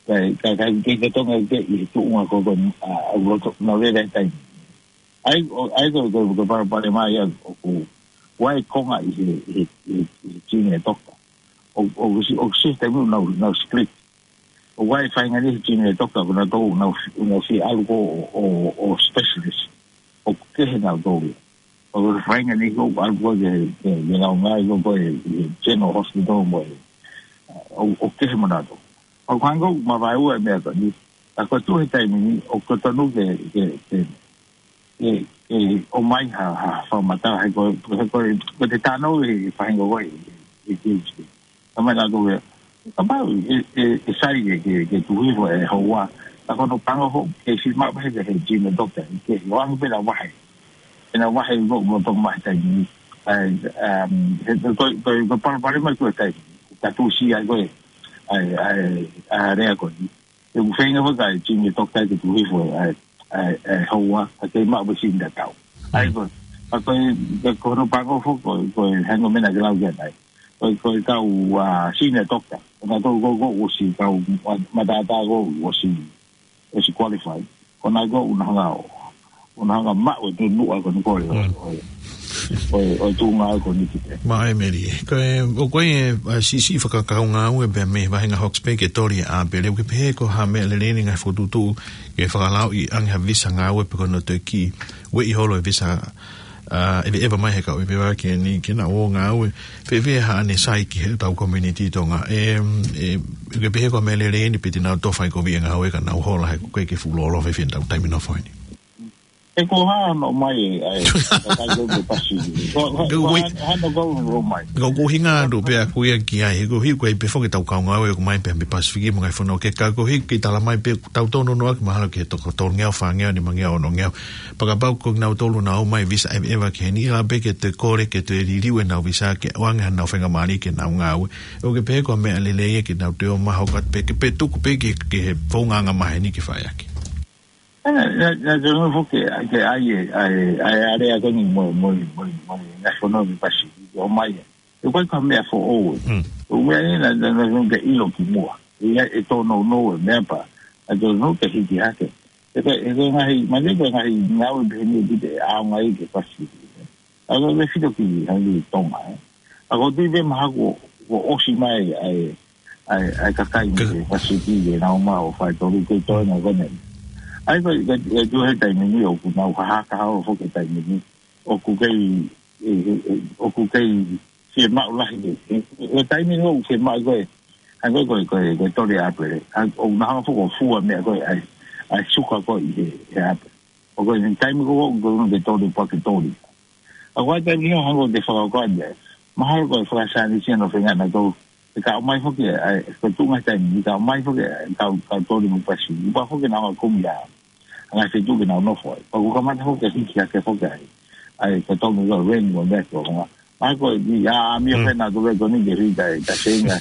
Ka, ka, ka ke totongi atu pē ʻi he tuʻunga ko ē, ʻa, ʻa loto, nau lele he taimi. ʻA ia, ʻo, ʻa ia ko, ko, ko e palopalema ia ʻoku, ʻoku ʻi ai e konga ʻi he, he, he, he junior doctor. ʻO, ʻo, ʻo, ʻo system ʻoku nau, nau split. ʻOku ʻi ai e faʻahinga niʻihi junior doctor, ʻoku nau tō, nau, nau fie ʻalu ko ē ʻo, ʻo, ʻo specialist. ʻOku kehe nautolu ia. ʻOku ʻi ai e faʻahinga niʻihi ʻoku ʻalu ko ē ke, ke, ke nau ngāue ko ē he, he General Hospital mo e, ʻo, ʻoku kehe mo nautolu. ʻOku hangē ʻoku mavaeua e meʻa ko eni. Ka ko e tuʻu he taimi ni, ʻoku totonu ke, ke, ke, ke, ke ʻomai ha, ha fakamatala, he ko, he ko, ko e tatau ʻe he faʻahinga ko ē, ʻe, ʻe, ʻe, ʻe, ka mai la ko e, kapau ʻe, ʻe, ʻe sai ke, ke, ke tuʻu hifo e houa, ka ko hono pango foki, ke si ma he, he, he gym doctor, ke ʻoange pē ʻena vahe. ʻEna vahe ko, ko, ko mai taimi ni. ʻAi, um, he, ko, ko, ko, ko palopalema ko e taimi. Ka tuʻu si ai ko e, ʻai, ʻai, ʻai, lea ko eni. Te u feinga foki ai, gym doctor ke tuʻu hifo, ʻai, ʻai, ʻai, houa, ka kei maʻu pē siʻi tatau. ʻAi ko, ka ko e, ka ko hono pango foki, ko, ko e hangē ko e meʻa naʻa ke lau ki ai. Ko, ko e kau, ʻa, senior doctor. Ko nautolu ko, ko ʻosi kau, ma-, matātā ko ʻosi, ʻosi qualified. Ko nautolu ʻoku nau hanga ʻo, ʻoku nau hanga maʻu e tuʻunga ko eni ko e, Mm. ʻo, ʻo, ʻo tuʻunga ko eni ki te. Maʻa e meli. Ko e, ʻoku ʻi ai e, ʻa, siʻisiʻi fakakaungāue pē mei he vahenga Hawke's Bay ke toli ʻa pele. ʻOku ke pehē ko ha meʻa lelei eni ngaahi fokotuʻutuʻu ke fakalauʻi ange ha visa ngāue pe ko hono toe kiʻi ueʻi holo e visa, ʻa, ʻeveʻeva mai he kau ʻeveʻeva ki heni ke nau ō ngāue. Fēfē haʻane sai ki heʻetau community Tonga. E, e, ʻoku ke pehē ko ha meʻa lelei eni pe te nau toe fai kovi e ngāue ka nau hola he ko e ke fuʻu lōloa fēfē ʻetau taimi nofo heni. ʻE ko e hā hono ʻomai e, ʻai, ka kai ko e Pasifiki. Ko, ko, Ka ko ui- hā, hā hono kau hono ʻomai. Ko e ʻuhinga atu pē ʻaku ia ki ai, he ko e hiki ko e pē foki ʻetau kau ngāue ʻoku ʻomai pē mei Pasifiki mo e ngaahi fonua kehe, ka ko e hiki ke tala mai pē ʻoku tau tōnounou ʻaki mahalo ki he toko tolungeau, fāngeau, nimangeau, onongeau. Pea kapau ko kinautolu naʻa nau ō mai visa ʻeveʻeva ki heni, ʻe lava pē ke toe kole, ke toe liliu ʻenau visa ke ʻoange haʻanau faingamālie ke nau ngāue. ʻOku ke pehē ko ha meʻa lelei ia ke nau toe ō mai ʻo hoko atu pē ke, pē tuku pē ke, ke he founga angamaheni ke fai ʻaki. ʻA, naʻa, naʻa, naʻa te nofo ke, ke ʻai e, ʻai, ʻai e lea ko eni mo, mo, mo, mo, ngaahi fonua mei Pasifiki, ʻomai e. ʻE ko e ko ha meʻa foʻou e. Mm. ʻO meʻa ni naʻa, naʻa, naʻa te ʻilo ki muʻa. ʻE, ʻe tōnounou e meʻa pea. ʻA tōnounou ke hiki hake. ʻE ko, ʻe ko e ngaahi, mani ko e ngaahi ngāue pehē ni ʻoku te ʻaonga ai ki Pasifiki. ʻA ko e fito ki hangē Tonga, ē. ʻA ko e tui pē mahaku ʻo, ʻo ʻosi mai ai, ai, ai kakai Ka- ni ke Pasifiki ke nau ō mai ʻo fai tolu ke toe na kone. ʻAi ko, ko, ko e tuʻu he taimi ni ʻoku nau hahaka hao foki he taimi ni. ʻOku kei, e, e, e, ʻoku kei fiemaʻu lahi ke. E, e, e taimi ni ʻoku fiemaʻu ko e, hangē ko e, ko e, ko e toli ʻapele. ʻA, ʻoku nau hanga foki ʻo fua meʻa ko e, ʻai, ʻai suka ko e ʻi he, he ʻapele. ʻO ko e taimi ko ē ʻoku totonu ke toli pea ke toli. ʻA ko e taimi ni ʻoku hangē ko e te fakakaukau ʻeni. Mahalo ko e fakasaienisi ʻa e nofo ʻa kinautolu. ʻE ka ʻomai foki, ʻa, ko e tuʻunga taimi ni ka ʻomai foki, ʻa, ka, ka toli mo Pasifiki. Pea foki nau hanga kumi ʻa, ʻa e ngaahi feituʻu ke nau nofo ai. Pea ʻoku kamata foki, hiki hake foki ai. ʻAi, ko e tolu ko e reni mo e meʻa ko e ngā. ʻA ko e, ʻi, ʻa, ʻa, mio Mm. pē naʻa tau ko eni ke hiki ai, ka seinga.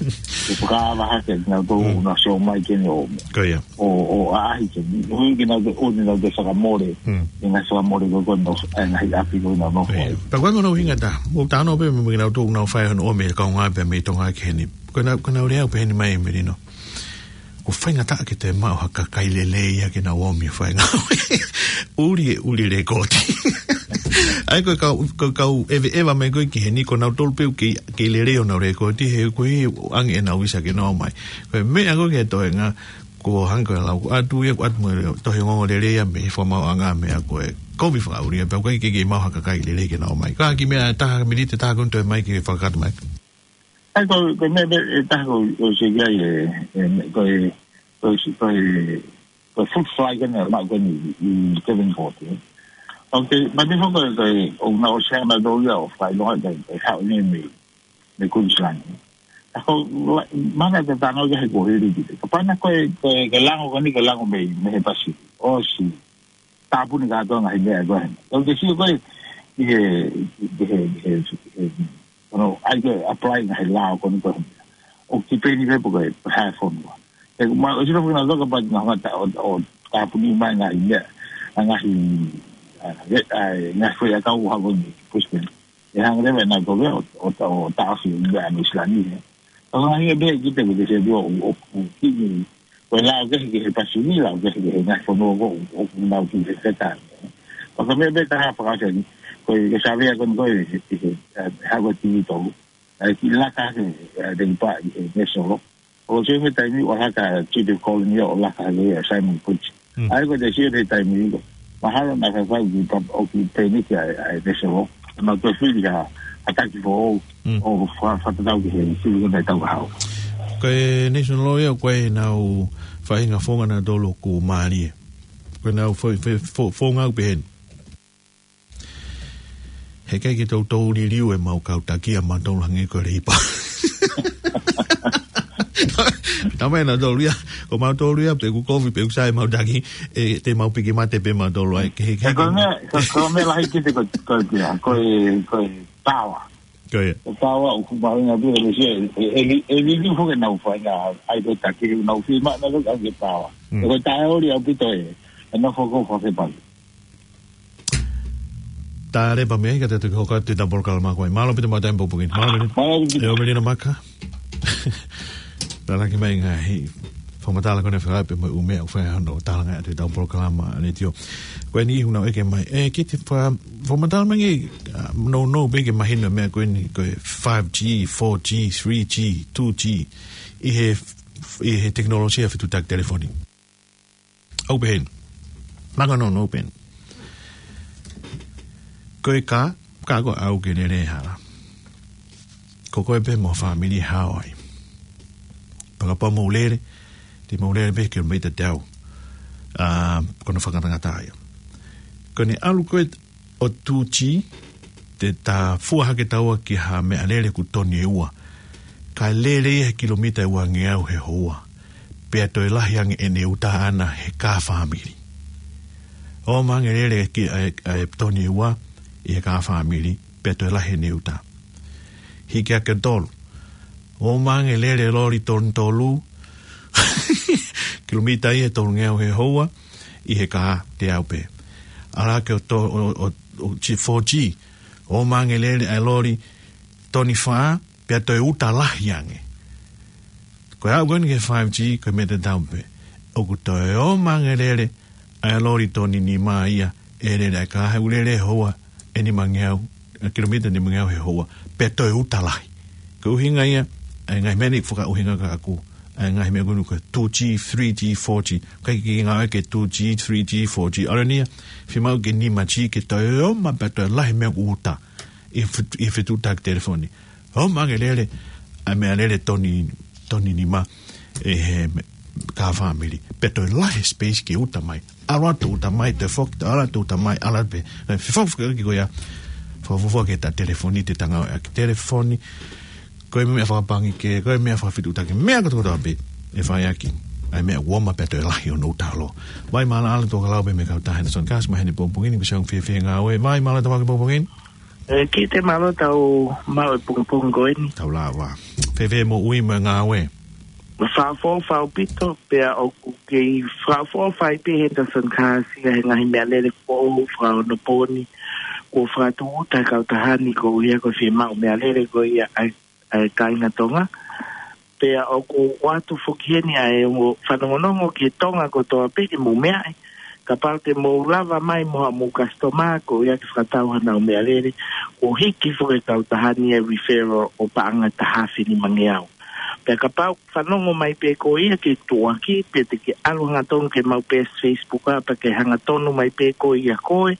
Ke fakaava hake, naʻa tau Mm. na sio mai ke ne o. Ko ia. ʻO, ʻo ʻaʻahi ke ni. Hui ke nau te, ʻo ne nau te fakamole. Mm. Ke ngai fakamole ko ko no, ʻa e ngaahi ʻapi ko nau nofo ai. Ia. Pea ko e ʻuhinga ta, ʻoku tano pē mo kinautolu ʻoku nau fai hono ʻomi e kaungā pē mei Tonga ki heni. Ko ʻenau, ko ʻenau lea pē heni mai Melino. ʻOku faingataʻa ke te maʻu ha kakai lelei ia ke nau ō mai ʻo fai ngāue. ʻUli e, ʻuli e lēkooti. ʻAi ko e kau, ko e kau ʻeveʻeva mai ko ē ki heni ko nautolu pē ʻoku kei, kei lelei honau lēkooti he ko e ʻoange ʻenau visa ke nau ō mai. Ko e meʻa ko ē ki he toenga, ko e hangē ko e lau atu ia, ʻoatu mo e tohi ongoongo lelei ia mei he fakamaauʻanga meʻa ko e kovi fakaʻuli ia, pea ko e kei, kei maʻu ha kakai lelei ke nau ō mai. Ka kiʻi meʻa ʻe taha, miniti ʻe taha ko eni toe mai ke fakakata mai. ʻAi ko, ko e meʻa pē ʻe taha ko, ko se ki ai e, e, ko e, ko e, ko e, ko e fruit fly ko eni, maʻu ko eni ʻi Kevin Port, ē. ʻOku, mani foki ko e, ʻoku nau ʻosi hanga ʻo ia ʻo fakaʻilonga ko e, ko e haʻu eni mei, mei Queensland. ʻA ko, la, mana te tano ia he ko hili ki te. Kapau naʻe ko e, ko e, ko e lango ko eni, ko e lango mei, mei he Pasifiki. ʻOsi. Tāpuni kātoa ngaahi meʻa ko ē. Tau te sio ko ē, ʻi he, ʻi he, ʻi he, ʻi he, ono, ʻai ke apply ngaahi lao ko eni ko ē. ʻOku tipeni pē pe ko e, pe ko e hā e fonua. ʻE, ma, ʻosi nofo kinautolu kapau naʻa nau hanga ʻo, ʻo tāpuni mai ngaahi meʻa, ngaahi, ʻa, ʻe, ʻa, ngaahi foʻi ʻakau ʻoku hoko ʻi Brisbane. ʻE hanga leva ʻe nautolu ʻo, ʻo, ʻo taʻofi ʻa Nuʻu Sila ni, ē. ʻA ko e ngaahi ʻe pehē ki te ko te se dio ʻo, ʻo, ʻo ki ni, ko e lao kehe ki he Pasifiki, lao kehe ki he ngaahi fonua ko ē, ʻoku nau ki he feta. ʻA ko e meʻa pē taha fakaʻosi eni, ko e, ko e savea ko eni ko e, ʻe, ʻe, ʻe, hako tiki tolu. ʻAi ki laka ke, ʻe, te ki pā ʻi he Nesolo. ʻO se he taimi ʻoku laka Chief Colony ʻo laka he ʻa Simon Bridge. Mm. ʻAi ko te sio he taimi ko. Mahalo naʻa faifai ki pa-, ʻo ki peni ki ʻa e, ʻa e Nesolo. Naʻa te fili ha, ha taki foʻou, Mm. ʻo fa-, fakatatau ki he sili ko ē tau ka hau. Ko e National Lottery, ko e nau faʻahinga founga nautolu ʻoku mālie. Ko e nau fo-, fo-, fo-, founga ʻoku pehē ni. He ʻikai ke toutou liliu ʻemau kau taki ʻa mautolu hangē ko e Leipa. Tamai nautolu ia, ko mautolu ia, pe ʻoku kovi, pe ʻoku sai ʻemau taki, ʻe, te mau piki mate pē mautolu ai, ke, ke, Ko e meʻa, ko, ko e meʻa lahi kiate koe, ko e, ko e, ko e power. Ko ia. Ko e power ʻoku mahuʻinga pē, ʻe, ʻe, ʻe, ʻe, ʻe liliu foki ʻenau faʻahinga, ʻai ko e taki, nau fiemaʻu nautolu ke power. Mm. Ko e taʻeoli ʻaupito ē, ʻe nofo ko e fefaki. Tale pē meʻa, ka te toki hoko atu ʻetau polokalama ko ē. Mālō ʻaupito mo e taimi pongipongi ni. Mālō ʻaupito. Mālō ʻaupito. ʻE ʻOmelina Maka. Talaki mai ngaahi fakamatala ko ena fekauʻaki pē mo e ʻū meʻa ʻoku fai hono talanga atu ʻetau polokalama letiō. Ko eni ʻi huna ʻeke mai. ʻE, ki te fa-, fakamatala mai ki, ʻa, nounou pē ke mahino meʻa ko eni ko e five G, four G, three G, two G. ʻI he, ʻi he tekinolosia fetuʻutaki telefoni. ʻOku pehē ni. Maka nounou pē eni. Ko e kā, kā ko e ʻau ke lele hala. Ko koe pē mo e fāmili ʻe hao ai. Pea kapau mou lele, te mou lele pē kilomita teau. ʻA, ko hono fakangatangata ia. Ko ʻene ʻalu ko ē ʻo two G, te ta fua hake taua ki ha meʻalele ʻoku toni ʻe ua. Kae lele ia he kilomita ʻe uangeau he houa. Pea toe lahi ange ʻene uta ʻaʻana he kā fāmili. ʻOmai ange lele ki ʻa e, ʻa e toni ʻe ua ʻi he kā fāmili, pea toe lahi ʻene uta. Hiki hake tolu. ʻOmai ange lele loli toni tolu. Kilomita ia ʻe tolungeau he houa, ʻi he kā teau pē. ʻAlu hake ʻo to-, ʻo, ʻo, ʻo, ʻo, chi-, four G. ʻOmai ange lele ʻa e loli toni fā, pea toe uta lahi ange. Ko e aʻu ko eni ki he five G, ko e meʻa tatau pē. ʻOku toe ʻomai ange lele ʻa e loli toni nima ia, ʻe lele ʻa e kā he ʻū lele houa, ʻe nimangeau, ʻa e kilomita nimangeau he houa, pea toe uta lahi. Ko e ʻuhinga ia, ʻa e ngaahi meʻa ni fakaʻuhinga kiate au, ʻa e ngaahi meʻa ko eni ko e two G, three G, four G. ʻIkai ke ngāue ki he two G, three G, four G. ʻAlu eni ia, fiemaʻu ke nima G ke toe ʻomai pea toe lahi meʻa ʻoku uta. ʻI he fet-, ʻi he fetuʻutaki telefoni. ʻOmai ange lele, ʻa e meʻalele toni, toni nima, ʻi he me-, kā fāmili. Pea toe lahi space ke uta mai. ʻAlu atu uta mai, toe foki, toe ʻalu atu uta mai, ʻalu atu pē. ʻE, fefau fakaʻuki ko ia. Fakafuofua ki he tā telefoni, te ta ngāueʻaki telefoni. Ko e meʻa fakapangi ke, ko e meʻa fakafetuʻutaki, meʻa kotokotoa pē. ʻE fai ʻaki. ʻA e meʻa ʻoku ʻomai pea toe lahi hono uta ʻalu. Vai mālō ʻalu tō ka lau pē mei he kautaha Henderson Gas, mai heni pongipongi ni, ko Siaung Fiefie Ngāue. Vai mālō tau ake pongipongi ni. ʻE, kiate mālō tau maʻu e pongipongi ko eni. Tau lava. Fēfē moʻui mo e ngāue? Fakaʻofoʻofa ʻaupito, pea ʻoku kei fakaʻofoʻofa ai pē Henderson Gas ia he ngaahi meʻalele foʻou fakaonopōni. Kuo fakatūʻuta he kautaha ni koeʻuhi ko e fiemaʻu meʻalele ko ia ʻa e, ʻa e kāinga Tonga. Pea ʻoku ʻoatu foki heni ʻa e ongo fanongonongo ki he Tonga kotoa pē ke mou meaʻi. Kapau te mou lava mai mo haʻamou customer, ko ia ke fakatau hanau meʻalele, kuo hiki foki ʻe he kautaha ni e referral ʻo paʻanga ʻe taha afe nimangeau. Pea kapau fanongo mai pē koe ia ke tuʻuaki, pea te ke ʻalu hangatonu ki heʻemau peesi Facebook ʻa, pea ke hangatonu mai pē koe ia koe,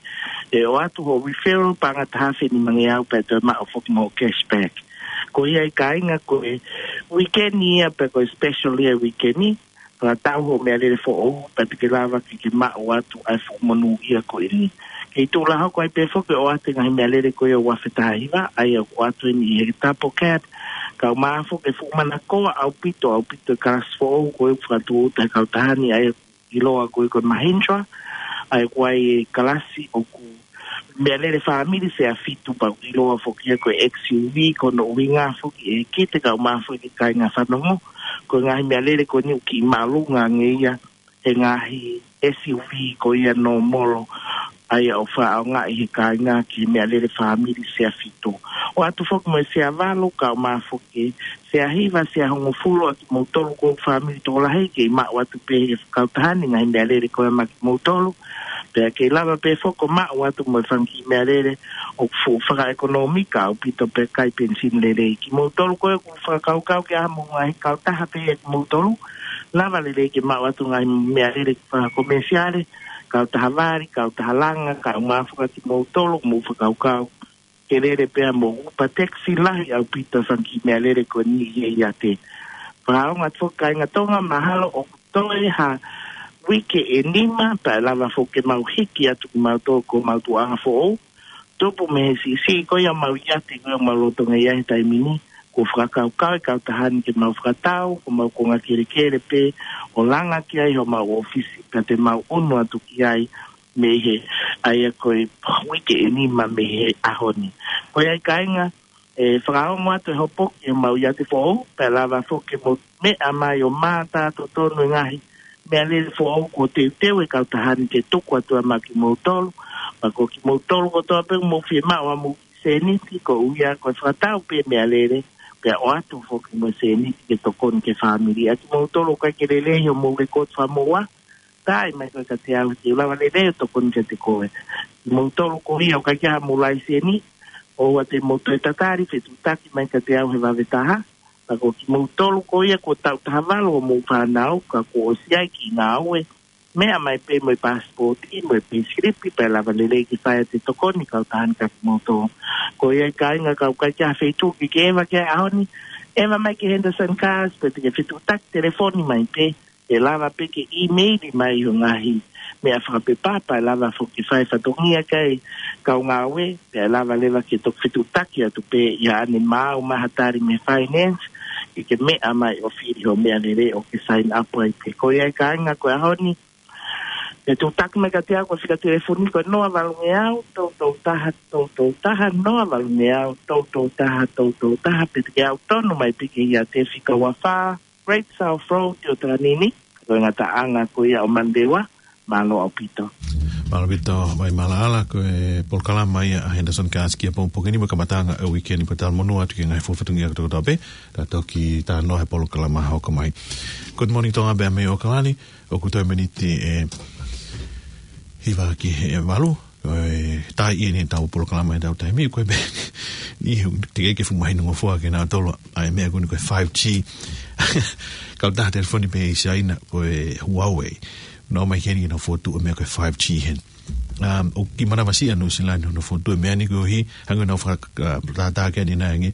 ʻe ʻoatu hoʻo referral paʻanga ʻe taha afe nimangeau, pea toe maʻu foki mo e cashback. Ko ia ʻe kāinga ko e weekend ia pea ko e special ia weekend, fakatau hoʻo meʻalele foʻou, pea te ke lava ke ke maʻu atu ʻa e fuʻu monūʻia ko eni. Kei tuʻu lā hoko ai pē foki ʻo ʻoatu e ngaahi meʻalele ko ia ʻo e uaafe taha hiva, ʻa ia ʻoku ʻoatu eni ʻi he Double Cab, kae ʻumaʻā foki e fuʻu manakoa ʻaupito, ʻaupito e kalasi foʻou ko ē ʻoku fakatūʻuta he kautaha ni, ʻa ia ʻiloa ko ē ko e Mahindra, ʻa ia ʻoku ʻi ai e kalasi ʻoku meʻalele fāmili sea fitu pea ʻiloa foki ia ko e X U V, ko hono ʻuhinga foki ʻe kite kae ʻumaʻā foki e kāinga fanongo, ko e ngaahi meʻalele ko eni ʻoku kiʻi māʻolunga ange ia he ngaahi S U V ko ia nōmolo, ʻa ia ʻoku fakaʻaongaʻi he kāinga ki he meʻalele fāmili sea fitu. ʻOatu foki mo e sea valu kae ʻumaʻā foki sea hiva, sea hongofulu ʻa kimoutolu ko e fāmili tokolahi kei maʻu atu pē he kautaha ni e ngaahi meʻalele ko ia maʻa kimoutolu. Pea kei lava pē foki ʻo maʻu atu mo e fanga kiʻi meʻalele ʻoku fuʻu fakaʻekonōmika ʻaupito pea ʻikai penisini lelei. Kimoutolu ko ē ʻoku fakakaukau ke ʻalu mo e ngaahi kautaha pē ʻa kimoutolu, lava lelei ke maʻu atu e ngaahi meʻalele fakakomesiale, kautaha vali, kautaha langa, kae ʻumaʻā foki ʻa kimoutolu ʻoku mou fakakaukau ke lele pea mo e Uber taxi, lahi ʻaupito e fanga kiʻi meʻalele ko eni ʻi he ʻiate. Fakaongo atu foki kāinga Tonga, mahalo ʻoku toe ha uike ʻe nima, pea lava foki ke mau hiki atu kimautolu ki homau tuʻuʻanga foʻou. Tupu mei he siʻisiʻi ko ia ʻemau iate ko ia ʻoku mau lolotonga ʻi ai he taimi ni, kuo fakakaukau e kautaha ni ke mau fakatau homau konga kelekele pē ʻo langa ki ai homau ʻōfisi, pea te mau ʻunu atu ki ai mei he, ʻa ia ko e uike ʻe nima mei he ʻaho ni. Ko ia ai kāinga, ʻe fakaongo atu e hopo ki homau iate foʻou, pea lava foki ke mou meʻa mai ʻo mātā totonu e ngaahi meʻalele foʻou kuo teuteu e kautaha ni ke tuku atu ai maʻa kimoutolu, pea ko kimoutolu kotoa pē ʻoku mou fiemaʻu haʻamou sēniti, ko ia ko e fakatau pē meʻalele, pea ʻoatu foki mo e sēniti ke tokoni ki he fāmili. ʻA kimoutolu ʻoku ʻikai ke lelei homou lekooti fakamoʻua, tā mai koe kiate au, te u lava lelei ʻo tokoni kiate koe. Kimoutolu ko ia ʻoku ʻikai ke ʻi ai haʻamou laiseni, ʻoua te mou toe tatali, fetuʻutaki mai kiate au he vave taha. Pea ko kimoutolu ko ia kuo taʻu taha valu homou fānau, ka kuo ʻosi ʻi ai e kiʻi ngāue, meʻa mai pē mo e paasipooti mo e peisilipi, pea lava lelei ke fai atu e tokoni e kautaha ni kiate kimoutolu. Ko ia ai kāinga, ka ʻoku ʻikai ke ʻi ai ha feituʻu ke ke ʻeva ki ai he ʻaho ni, ʻeva mai ki he Henderson Cars, pe te ke fetuʻutaki telefoni mai pē, ʻe lava pē ke ʻīmeili mai ho ngaahi meʻa fakapepa, pea lava foki ke fai fatongia ki ai e kau ngāue, pea lava leva ke toki fetuʻutaki atu pē ia ʻanemaau mai ha tali mei he finance, ke ke meʻa mai ʻo fili ho meʻalele ʻo ke sign up ai pē. Ko ia ai kāinga, ko e ʻaho ni, fetuʻutaki mai kiate au, ko e fika telefoni ko e noa valu ngeau, tolu tolu taha, tolu tolu taha, noa valu ngeau, tolu tolu taha, tolu tolu taha, pe te ke aʻu tonu mai pē ki he iate fika ua fā, Great South Road, ʻi ʻOtalanini, ko e ngataʻanga ko ia ʻo Manurewa. Mālō ʻaupito. Mālō ʻaupito, Vaimalaʻala, ko e polokalama ia ʻa Henderson Cars Kia Pongipongi ni mo e kamataʻanga ʻo e uike ni, pea talamonū atu ki he ngaahi fuofua fatongia kotoa pē, ta toki talanoa he polokalama hoko mai. Good morning, Tonga, pea mei ʻAokalani, ʻoku toe miniti ʻe hiva ki he valu, ko e taimi eni ʻetau polokalama ʻi heʻetau taimi, ko e pē, ni he, teʻeki ke fuʻu mahino ngofua kia nautolu ʻa e meʻa ko eni ko e five G. Kautaha telefoni pē ʻi Siaina ko e Huawei. Nau ō mai ki heni ke nau fokotuʻu e meʻa ko e five G heni. Um, ʻoku kiʻi manavasiʻi ʻa Nuʻusila ni hono fokotuʻu e meʻa ni koeʻuhi, hangē ko ʻenau faka-, uh, tātā ki ai ʻanenai ange,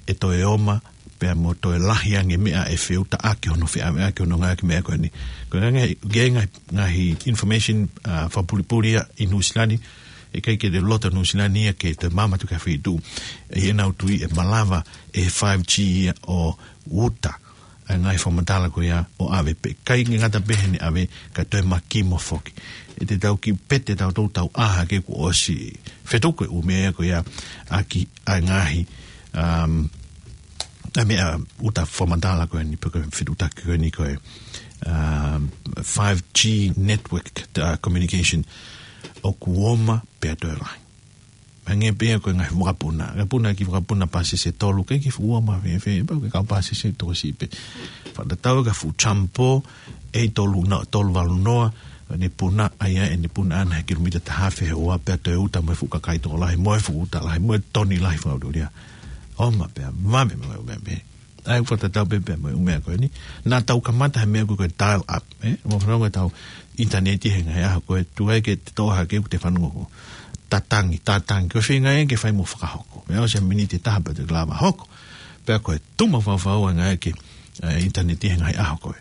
ʻe toe oma, pea mo toe lahi ange meʻa ʻe feʻunga ʻaki hono feʻaveʻaki hono ngāueʻaki e meʻa ko eni. Ko e ngaahi, ngaahi, ngaahi information, uh, fakapulipuli ia ʻi Nuʻusila ni, ʻe ʻikai ke te loto Nuʻusila ni ia ke toe maama atu ki ha feituʻu. ʻI heʻenau tui ʻe malava ʻe he five G ia ʻo uta ʻa e ngaahi fakamatala ko ia ʻo ʻave pē. ʻIkai ke ngata pē heʻene ʻave, ka toe makimo foki. ʻE te tau kiʻi pete tautolu tau ʻā hake kuo ʻosi fetuku e ʻū meʻa ko ia ʻaki ʻa e ngaahi, um, ʻa e meʻa uta fakamatala ko eni pe ko e fetuʻutaki ko eni ko e, um, five G network, uh, communication ʻoku oma pea toe lahi. Hangē pē ia ko e ngaahi vakapuna. Ngaahi puna ki he vakapuna pāsese ʻe tolu, ʻikai ke fuʻu ua ma fēfē, pau ke kau pāsese ʻe toko siʻi pē. Fakatatau ki ha fuʻu Jumbo, ʻe tolu na, tolu valu noa, ʻene puna, ʻa ia ʻene puna ʻana he kilomita taha afe he ua pea toe uta mo e fuʻu kakai tokolahi, mo e fuʻu uta lahi, mo e toni lahi fakaʻuliʻulia. Oma pea, vave mo e ʻū meʻa pehē. ʻA ia ʻoku fakatatau pē pea mo e ʻū meʻa ko eni. Naʻa tau kamata he meʻa ko e dial up, ē? Mo fanongo ʻetau ʻinitaneti he ngaahi ʻaho ko ē, tuku ai ke te toʻo hake ʻoku te fanongo ko. Tatangi, tatangi, ko e feinga ia ke fai mo fakahoko. Meʻa ʻosi ʻa e miniti ʻe taha pea te lava hoko. Pea ko e tuma faufau ʻa e ngaahi ke, ē, ʻinitaneti he ngaahi ʻaho ko ē.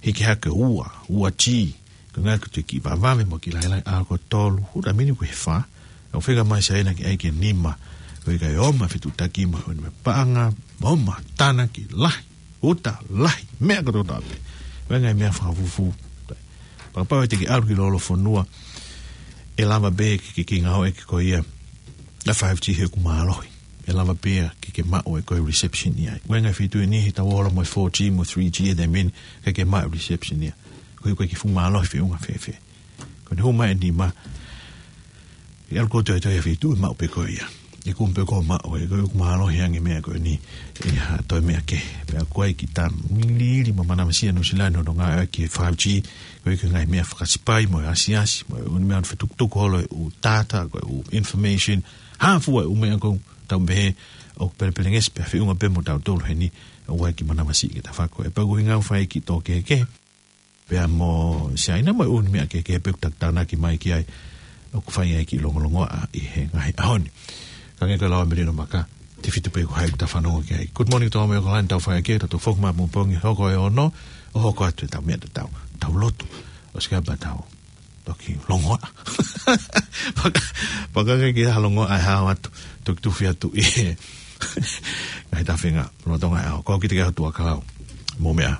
Hiki hake ua, ua G, ko e ngaahi ko e kiʻi vavave mo e kiʻi lahilahi, ʻa ko e tolu, ʻuta mini ko e fā, ʻo fika mai Siaina ki ai ki he nima, ko e ʻikai oma fetuʻutaki mo e paʻanga, oma tānaki lahi, uta lahi, meʻa kotoa pē. Ko e ngaahi meʻa fakafufū. Fakapapauʻi te ke ʻalu ki lolofonua, ʻe lava pē ke, ke, ke ngāueʻaki ko ia ʻa e five G he ʻoku mālohi. ʻE lava pē ia ke, ke maʻu ʻe koe e reception ia. Ko e ngaahi feituʻu eni he tau ola mo e four G mo e three G ʻi he taimi ni, ʻikai ke maʻu e reception ia. Ko e, ko e kiʻi fuʻu mālohi feʻunga fēfē. Ko ʻene hū mai e nima, ʻe ʻalu koe ʻo toetuʻu he feituʻu ʻe maʻu pē koe ia. ʻE kumi pē koe ʻo maʻu, ʻe koe ʻoku mālohi ange e meʻa ko eni, ʻe ha toe meʻa kehe. Pea ko e kiʻi tā mili mo manavasiʻi ʻa Nuʻusila ni hono ngāueʻaki e five G, ko e kiʻi ngaahi meʻa fakasipai mo e asiasi, mo e ʻū meʻa fetukutuku holo e ʻū data, ko e ʻū information, hā fua e ʻū meʻa ko ē tau pehē ʻoku pelepelengesi pea feʻunga pē mo tautolu heni, ʻoku ʻi ai e kiʻi manavasiʻi ke ta fako. ʻE pau ko e ʻuhinga ʻoku fai e kiʻi tō kehekehe pea mo Siaina mo e ʻū meʻa kehekehe pē ʻoku ta tānaki mai ki ai, ʻoku fai ai e kiʻi longolongoaʻa ʻi he ngaahi ʻaho ni. Ka hangē ko e lau ʻa Melino Maka, Tefito pē ko hai ʻoku ta fanongo ki ai. Good morning to all Mea Kalani, tau fai ke, tau foki mai pongipongi, hoko e ono, ʻo hoko atu ʻetau meʻa tatau, tau lotu, ʻosi ko ia pea tau toki longoaʻa. Paka, paka ke kia longoaʻa e hao atu, toki tufi atu ʻi he ngaahi tafinga lolotonga e ʻaho. Ko kita ke atu a kalau. Mou meʻa.